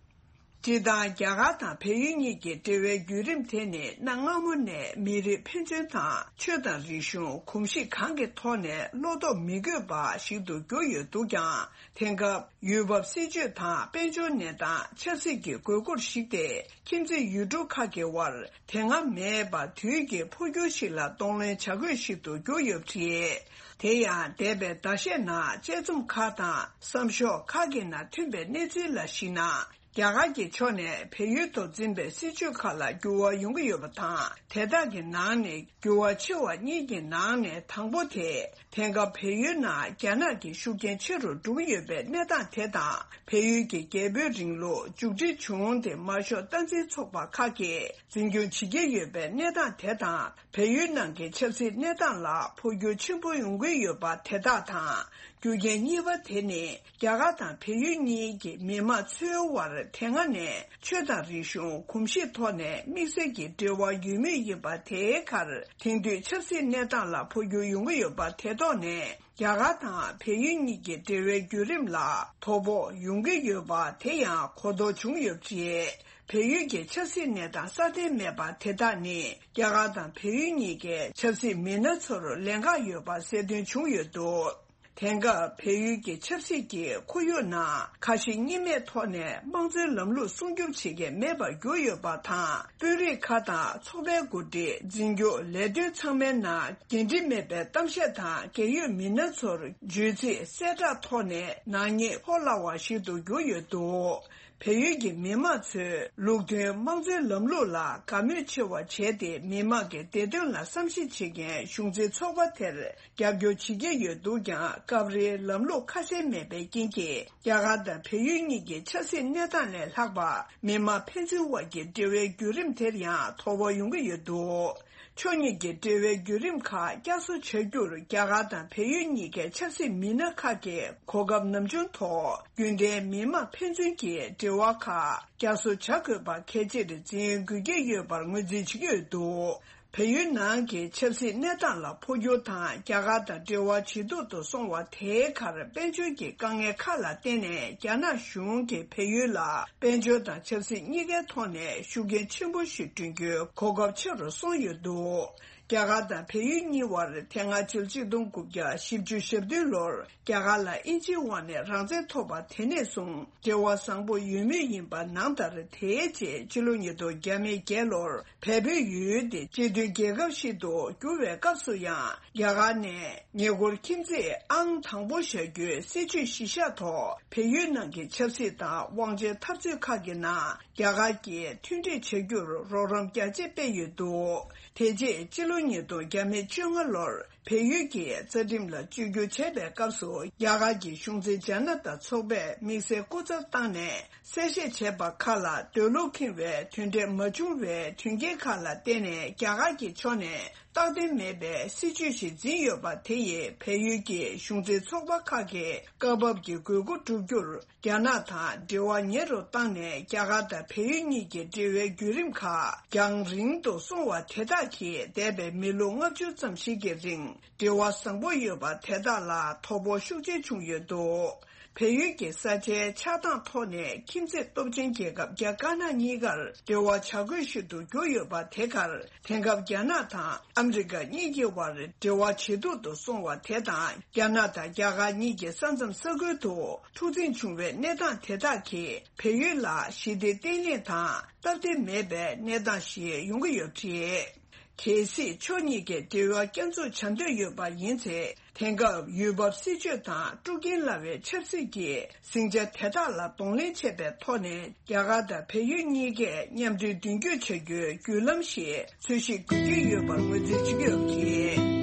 སྤྱིར་བཏང་རྒྱ་གར་དང་བལ་ཡུལ་གཉིས་ཀྱི་འབྲེལ་བའི་བརྒྱུད་རིམ་དེ་ནི་གནའ་སྔ་མོ་ནས་མི་རིགས་ཕན་ཚུན་དང་ཆོས་དང་རིག་གཞུང་གོམས་གཤིས་གང་གི་ཐོག་ནས་བློ་དོགས་མི་དགོས་པ་ཞིག་ཏུ་གྱུར་ཡོད་འདུག་ཀྱང་། དེང་སྐབས་ཡུལ་བབ་སྲིད་ཇུས་དང་དཔལ་འབྱོར་གནས་སྟངས་ཆབ་སྲིད་ཀྱི་དགོས་མཁོར་གཞིགས་ཏེ། ཁྱིམ་མཚེས་ཡུལ་གྲུ་ཁག་གི་དབར་དེ་སྔ་མེད་པ་དུས་ཀྱི་འཕོ་འགྱུར་ཞིག་ལ་གདོང་ལེན་བྱ་དགོས་ཤིག་ཏུ་གྱུར་ཡོད་པ་རེད། དེ་ཡང་འདས་པའི་ཟླ་ཤས་ནང་དཔྱད་རྩོམ་ཁག་དང་བསམ་ཤོག་ཁག་གི་ནང་ཐོན་པའི་གནས་ཚུལ་ལ་གཞིགས་ན། རྒྱ་གར་གྱི་ཕྱོགས་ནས་བལ་ཡུལ་དུ་འཛིན་པའི་སྲིད་ཇུས་ཁག་ལ་འགྱུར་བ་ཡོང་གི་ཡོད་པ་དང་། དེ་དག་གི་ནང་ནས་འགྱུར་བ་ཆེ་བ་གཉིས་ཀྱི་ནང་ནས་དང་པོ་དེ། དེང་སྐབས་བལ་ཡུལ་ནང་རྒྱ་ནག་གི་ཤུགས་རྐྱེན་ཆེ་རུ་འགྲོ་གི་ཡོད་པའི་གནས་སྟངས་དེ་དང་། བལ་ཡུལ་གྱི་རྒྱལ་པོའི་རིང་ལུགས་མཇུག་སྒྲིལ་བྱུང་སྟེ་དམར་ཤོག་སྟངས་འཛིན་ཚོགས་པ་ཁག་གིས་འཛིན་སྐྱོང་བྱེད་ཀྱི་ཡོད་པའི་གནས་སྟངས་དེ་དང་། བལ་ཡུལ་ནང་གི་ཆབ་སྲིད་གནས་སྟངས་ལ་འཕོ་འགྱུར་ཆེན་པོ་ཡོང་གི་ཡོད་པ་དེ་དག་དང་། རྒྱུ་རྐྱེན་གཉིས་པ་དེ་ནི། རྒྱ་གར་དང་བལ་ཡུལ་གཉིས་ཀྱི་མི་དམངས་ཚོའི་དབར་དེ་སྔ་ནས་ཆོས་དང་རིག་གཞུང་གོམས་གཤིས་ཐོག་ནས་དམིགས་བསལ་གྱི་འབྲེལ་བ་ཡོད་མུས་ཡིན་པ་དེའི་ཁར། དེང་དུས་ཆབ་སྲིད་གནས་སྟངས་ལ་འཕོ་འགྱུར་ཡོང་གི་ཡོད་པ་དེ་ཐོག་ནས། རྒྱ་གར་དང་བལ་ཡུལ་གཉིས་ཀྱི་འབྲེལ་བའི་བརྒྱུད་རིམ་ལ་དོ་ཕོག་ཡོང་གི་ཡོད་པ་དེ་ཡང་གོ་རྟོགས་བྱུང་ཡོད་པ་རེད། བལ་ཡུལ་གྱི་ཆབ་སྲིད་གནས་སྟངས་སྲ་བརྟན་མེད་པ་དེ་དག་ནི། རྒྱ་གར་དང་བལ་ཡུལ་གཉིས་ཀའི་ཆབ་སྲིད་མི་སྣ་ཚོར་ལན་ཁག་ཡོད་པ་གསལ་སྟོན་བྱུང་ཡོད་འདུག་དེང་སྐབས་བལ་ཡུལ་གྱི་ཆབ་སྲིད་ཀྱི་ཁོར་ཡུག་ནང་ཁ་ཞེ་གཉིས་མེད་ཐོག་ནས་དམངས་གཙོའི་ལམ་ལུགས་སྲུང་སྐྱོབ་བྱེད་མཁན་མེད་པར་གྱུར་ཡོད་པ་དང་། དཔོན་རིགས་ཁག་དང་ཚོགས་པའི་འགོ་ཁྲིད། འཛིན་སྐྱོང་ལས་དོན་ཚང་མའི་ནང་འགན་འཁྲི་མེད་པའི་གཏམ་བཤད་དང་། རྒས་ཡོལ་མི་སྣ་ཚོར་བརྗོད་ཚིག་གསལ་བསྒྲགས་ཐོག་ནས་ནག་ཉེས་ཕོག་སླ་བ་ཞིག་ཏུ་གྱུར་ཡོད་འདུག་བལ་ཡུལ་གྱི་མི་དམངས་ཚོས་ལུགས་མཐུན་དམངས་གཙོའི་ལམ་ལུགས་ལ་དགའ་མོས་ཆེ་བ་བྱས་ཏེ། མི་དམངས་ཀྱི་བདེ་དོན་ལ་བསམ་གཞིག་བྱེད་མཁན་གཞུང་འཛིན་ཚོགས་པ་དེར་རྒྱབ་སྐྱོར་བྱེད་ཀྱི་ཡོད་འདུག་ཀྱང་། སྐབས་རེའི་ལམ་ལུགས་ཁ་གསལ་མེད་པའི་རྐྱེན་གྱིས། རྒྱ་གར་དང་བལ་ཡུལ་གཉིས་ཀྱི་ཆབ་སྲིད་གནས་སྟངས་ལས་ལྷག་པ། མི་དམངས་ཕན་ཚུན་དབར་གྱི་འབྲེལ་བའི་བརྒྱུད་རིམ་དེར་ཡང་དོ་ཕོག་ཡོང་གི་ཡོད་འདུག་ཕྱོགས་གཉིས་ཀྱི་འབྲེལ་བའི་བརྒྱུད་རིམ་ཁག་བསྐྱར་གསོ་བྱ་རྒྱུར། རྒྱ་གར་དང་བལ་ཡུལ་གཉིས་ཀའི་ཆབ་སྲིད་མི་སྣ་ཁག་གིས་གོ་སྐབས་ནམ་བྱུང་ཐོག་རྒྱུན་ལྡན་མི་དམངས་ཕན་ཚུན་གྱི་འབྲེལ་བ་ཁག་བསྐྱར་གསོ་བྱ་དགོས་པ་གལ་ཆེར་འཛིན་དགོས་ཀྱི་ཡོད་པར་ངོས་འཛིན་བྱེད་ཀྱི་ཡོད་འདུག་བལ་ཡུལ་ནང་གི་ཆབ་སྲིད་གནས་སྟངས་ལ་འཕོ་འགྱུར་དང་། རྒྱ་གར་དང་འབྲེལ་བ་ཇེ་སྡུག་ཏུ་སོང་བ་དེའི་ཁར། དཔལ་འབྱོར་གྱི་དཀའ་ངལ་ཁག་ལ་བརྟེན་ནས། རྒྱ་ནག་གཞུང་གིས་བལ་ཡུལ་ལ་དཔལ་འབྱོར་དང་ཆབ་སྲིད་གཉིས་ཀའི་ཐོག་ནས་ཤུགས་རྐྱེན་ཆེན་པོ་ཞིག་བསྐྲུན་རྒྱུའི་གོ་སྐབས་ཆེ་རུ་སོང་ཡོད་འདུག་རྒྱ་གར་དང་བལ་ཡུལ་གཉིས་དབར་དེ་སྔ་ཕྱི་ལོ་ཆིག་སྟོང་དགུ་བརྒྱ་བཞི་བཅུ་ཞེ་བདུན་ལོར་རྒྱ་གར་ལ་དབྱིན་ཇིའི་འོག་ནས་རང་བཙན་ཐོབ་པ་དེ་ནས་བཟུང་འབྲེལ་བ་བཟང་པོ་ཡོད་མུས་ཡིན་པ་ནང་ལྟར། དེའི་རྗེས་ཕྱི་ལོ་ཉིས་སྟོང་བརྒྱ་མེད་བརྒྱད་ལོར་བལ་བོད་ཡུལ་དེ་སྤྱི་མཐུན་རྒྱལ་ཁབ་ཞིག་ཏུ་བསྒྱུར་བའི་སྐབས་སུ་ཡང་རྒྱ་གར་ནས་ཉེ་འཁོར་ཁྱིམ་མཚེས་ཨང་དང་པོ་བཞག་རྒྱུའི་སྲིད་ཇུས་གཞི་བཞག་ཐོག་བལ་ཡུལ་ནང་གི་ཆབ་སྲིད་དང་དབང་ཆའི་འཐབ་རྩོད་ཁག་གི་ནང་རྒྱ་གར་གྱིས་མཐུན་འགྲིག་བྱ་རྒྱུར་རོགས་རམ་རྒྱ་ཆེ་སྤེལ་ཡོད་འདུག་དེ་རྗེས་ཕྱི་ལོ་ཉིས་སྟོང་བརྒྱ་མེད་བཅོ་ལྔ་ལོར་བལ་ཡུལ་གྱི་རྩ་ཁྲིམས་ལ་བཅོས་བསྒྱུར་བྱས་པའི་སྐབས་སུ། རྒྱ་གར་གྱི་གཞུང་འཛིན་ཇ་ན་ཏ་ཚོགས་པས་དམིགས་བསལ་སྐུ་ཚབ་བཏང་ནས་གསལ་བཤད་བྱས་པ་ཁག་ལ། འདོད་བློ་ཁེངས་པའི་དོན་འབྲས་མ་བྱུང་བའི་དོན་རྐྱེན་ཁག་ལ་བརྟེན་ནས། རྒྱ་གར་གྱི་ཕྱོགས་ནས་རྟག་བརྟན་མེད་པའི་སྲིད་བྱུས་ཤིག་འཛིན་ཡོད་པ་དེ་ཡིས་བལ་ཡུལ་གྱི་གཞུང་འཛིན་ཚོགས་པ་ཁག་གིས་སྐབས་བབ་ཀྱི་དགོས་མཁོ་བསྒྲུབ་རྒྱུར། རྒྱ་ནག་དང་འབྲེལ་བ་ཉེ་རུ་བཏང་ནས། རྒྱ་གར་དང་བལ་ཡུལ་གཉིས་ཀྱི་འབྲེལ་བའི་བརྒྱུད་རིམ་ཁག་རྒྱང་རིང་དུ་སོང་བ་དེ་དག་གིས། འདས་པའི་མི་ལོ་ལྔ་བཅུ་ཙམ་ཞིག་གི་རིང་འབྲེལ་བ་བཟང་པོ་ཡོད་པ་དེ་དག་ལ་དོ་ཕོག་ཤུགས་ཆེ་བྱུང་ཡོད་འདུག་བལ་ཡུལ་གྱི་ས་ཆའི་ཆགས་སྟངས་ཐོག་ནས་ཁྱིམ་མཚེས་སྟོབས་ཆེན་རྒྱལ་ཁབ་རྒྱ་དཀར་ནག་གཉིས་ཀར་འབྲེལ་བ་བྱ་དགོས་ཤིག་ཏུ་གྱུར་ཡོད་པ་དེ་གར། དེང་སྐབས་རྒྱ་ནག་དང་ཨ་མི་རི་ཀ་གཉིས་ཀྱི་དབར་འབྲེལ་བ་ཇེ་སྡུག་ཏུ་སོང་བ་དེ་དང་། རྒྱ་ནག་དང་རྒྱ་གར་གཉིས་ཀྱི་ས་མཚམས་ས་ཁུལ་དུ་འཁྲུག་འཛིང་བྱུང་བའི་གནས་སྟངས་དེ་དག་གིས། བལ་ཡུལ་ལ་ཞི་བདེ་བརྟན་ལྷིང་དང་སྟབས་བདེ་མེད་པའི་གནས་སྟངས་ཤིག་ཡོང་གི་ཡོད་པ་རེད། གལ་སྲིད་ཕྱོགས་གཉིས་ཀས་འབྲེལ་བ་བསྐྱར་འཛུགས་བྱ་འདོད་ཡོད་པ་ཡིན་ཚེ། དེང་སྐབས་ཡུལ་བབ་སྲིད་བྱུས་དང་དཀྲུག་རྐྱེན་སླ་བའི་ཆབ་སྲིད་ཀྱི་ཟིང་ཆ་དེ་དག་ལ་གདོང་ལེན་བྱེད་པའི་ཐོག་ནས། རྒྱ་གར་དང་བལ་ཡུལ་གཉིས་ཀས་མཉམ་འབྲེལ་མདུན་སྐྱོད་བྱ་རྒྱུའི་བརྒྱུད་ལམ་ཞིག་འཚོལ་ཞིབ་དགོས་ཀྱི་ཡོད་པར་ངོས་འཛིན་བྱེད་ཀྱི་ཡོད་པ་རེད།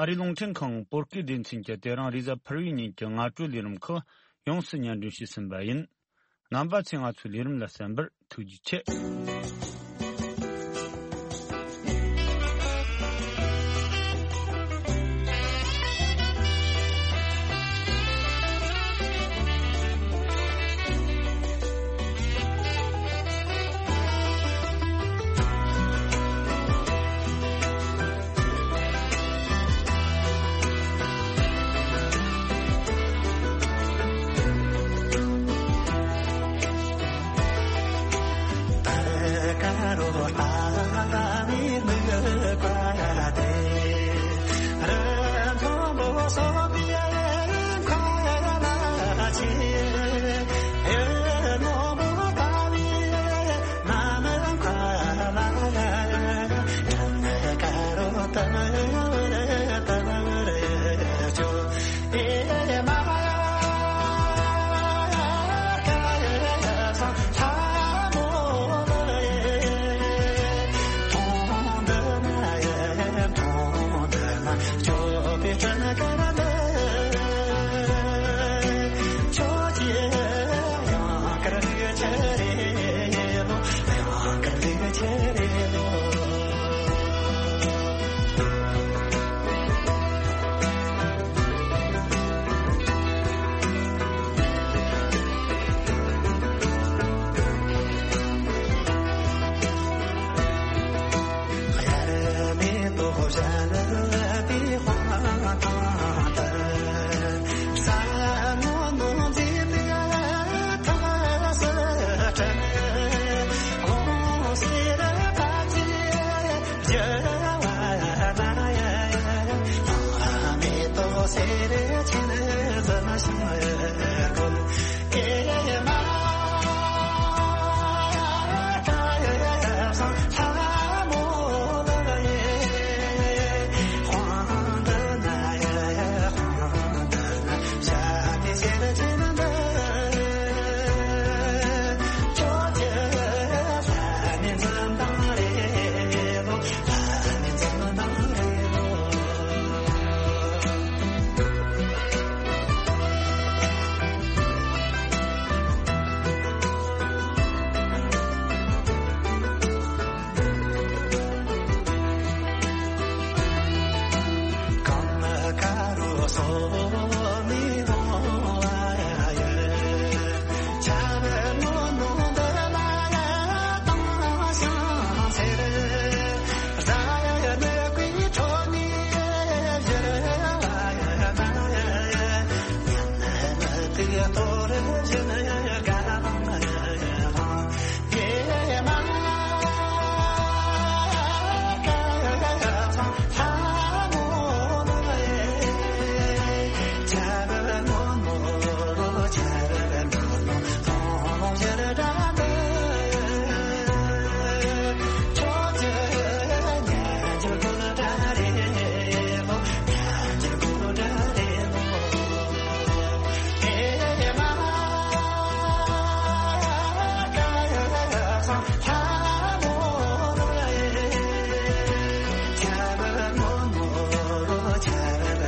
ཨ་རིའི་རླུང་འཕྲིན་ཁང་བོད་སྐད་སྡེ་ཚན་གྱིས་དེ་རིང་རེས་གཟའ་ཕུར་བུའི་ཉིན་གྱི་སྔ་དྲོའི་ལས་རིམ་ཁག་ཡོངས་སུ་སྙན་སྒྲོན་ཞུས་ཟིན་པ་ཡིན། རྣམ་པ་ཚོས་ང་ཚོའི་ལས་རིམ་ལ་གསན་པར་ཐུགས་རྗེ་ཆེ།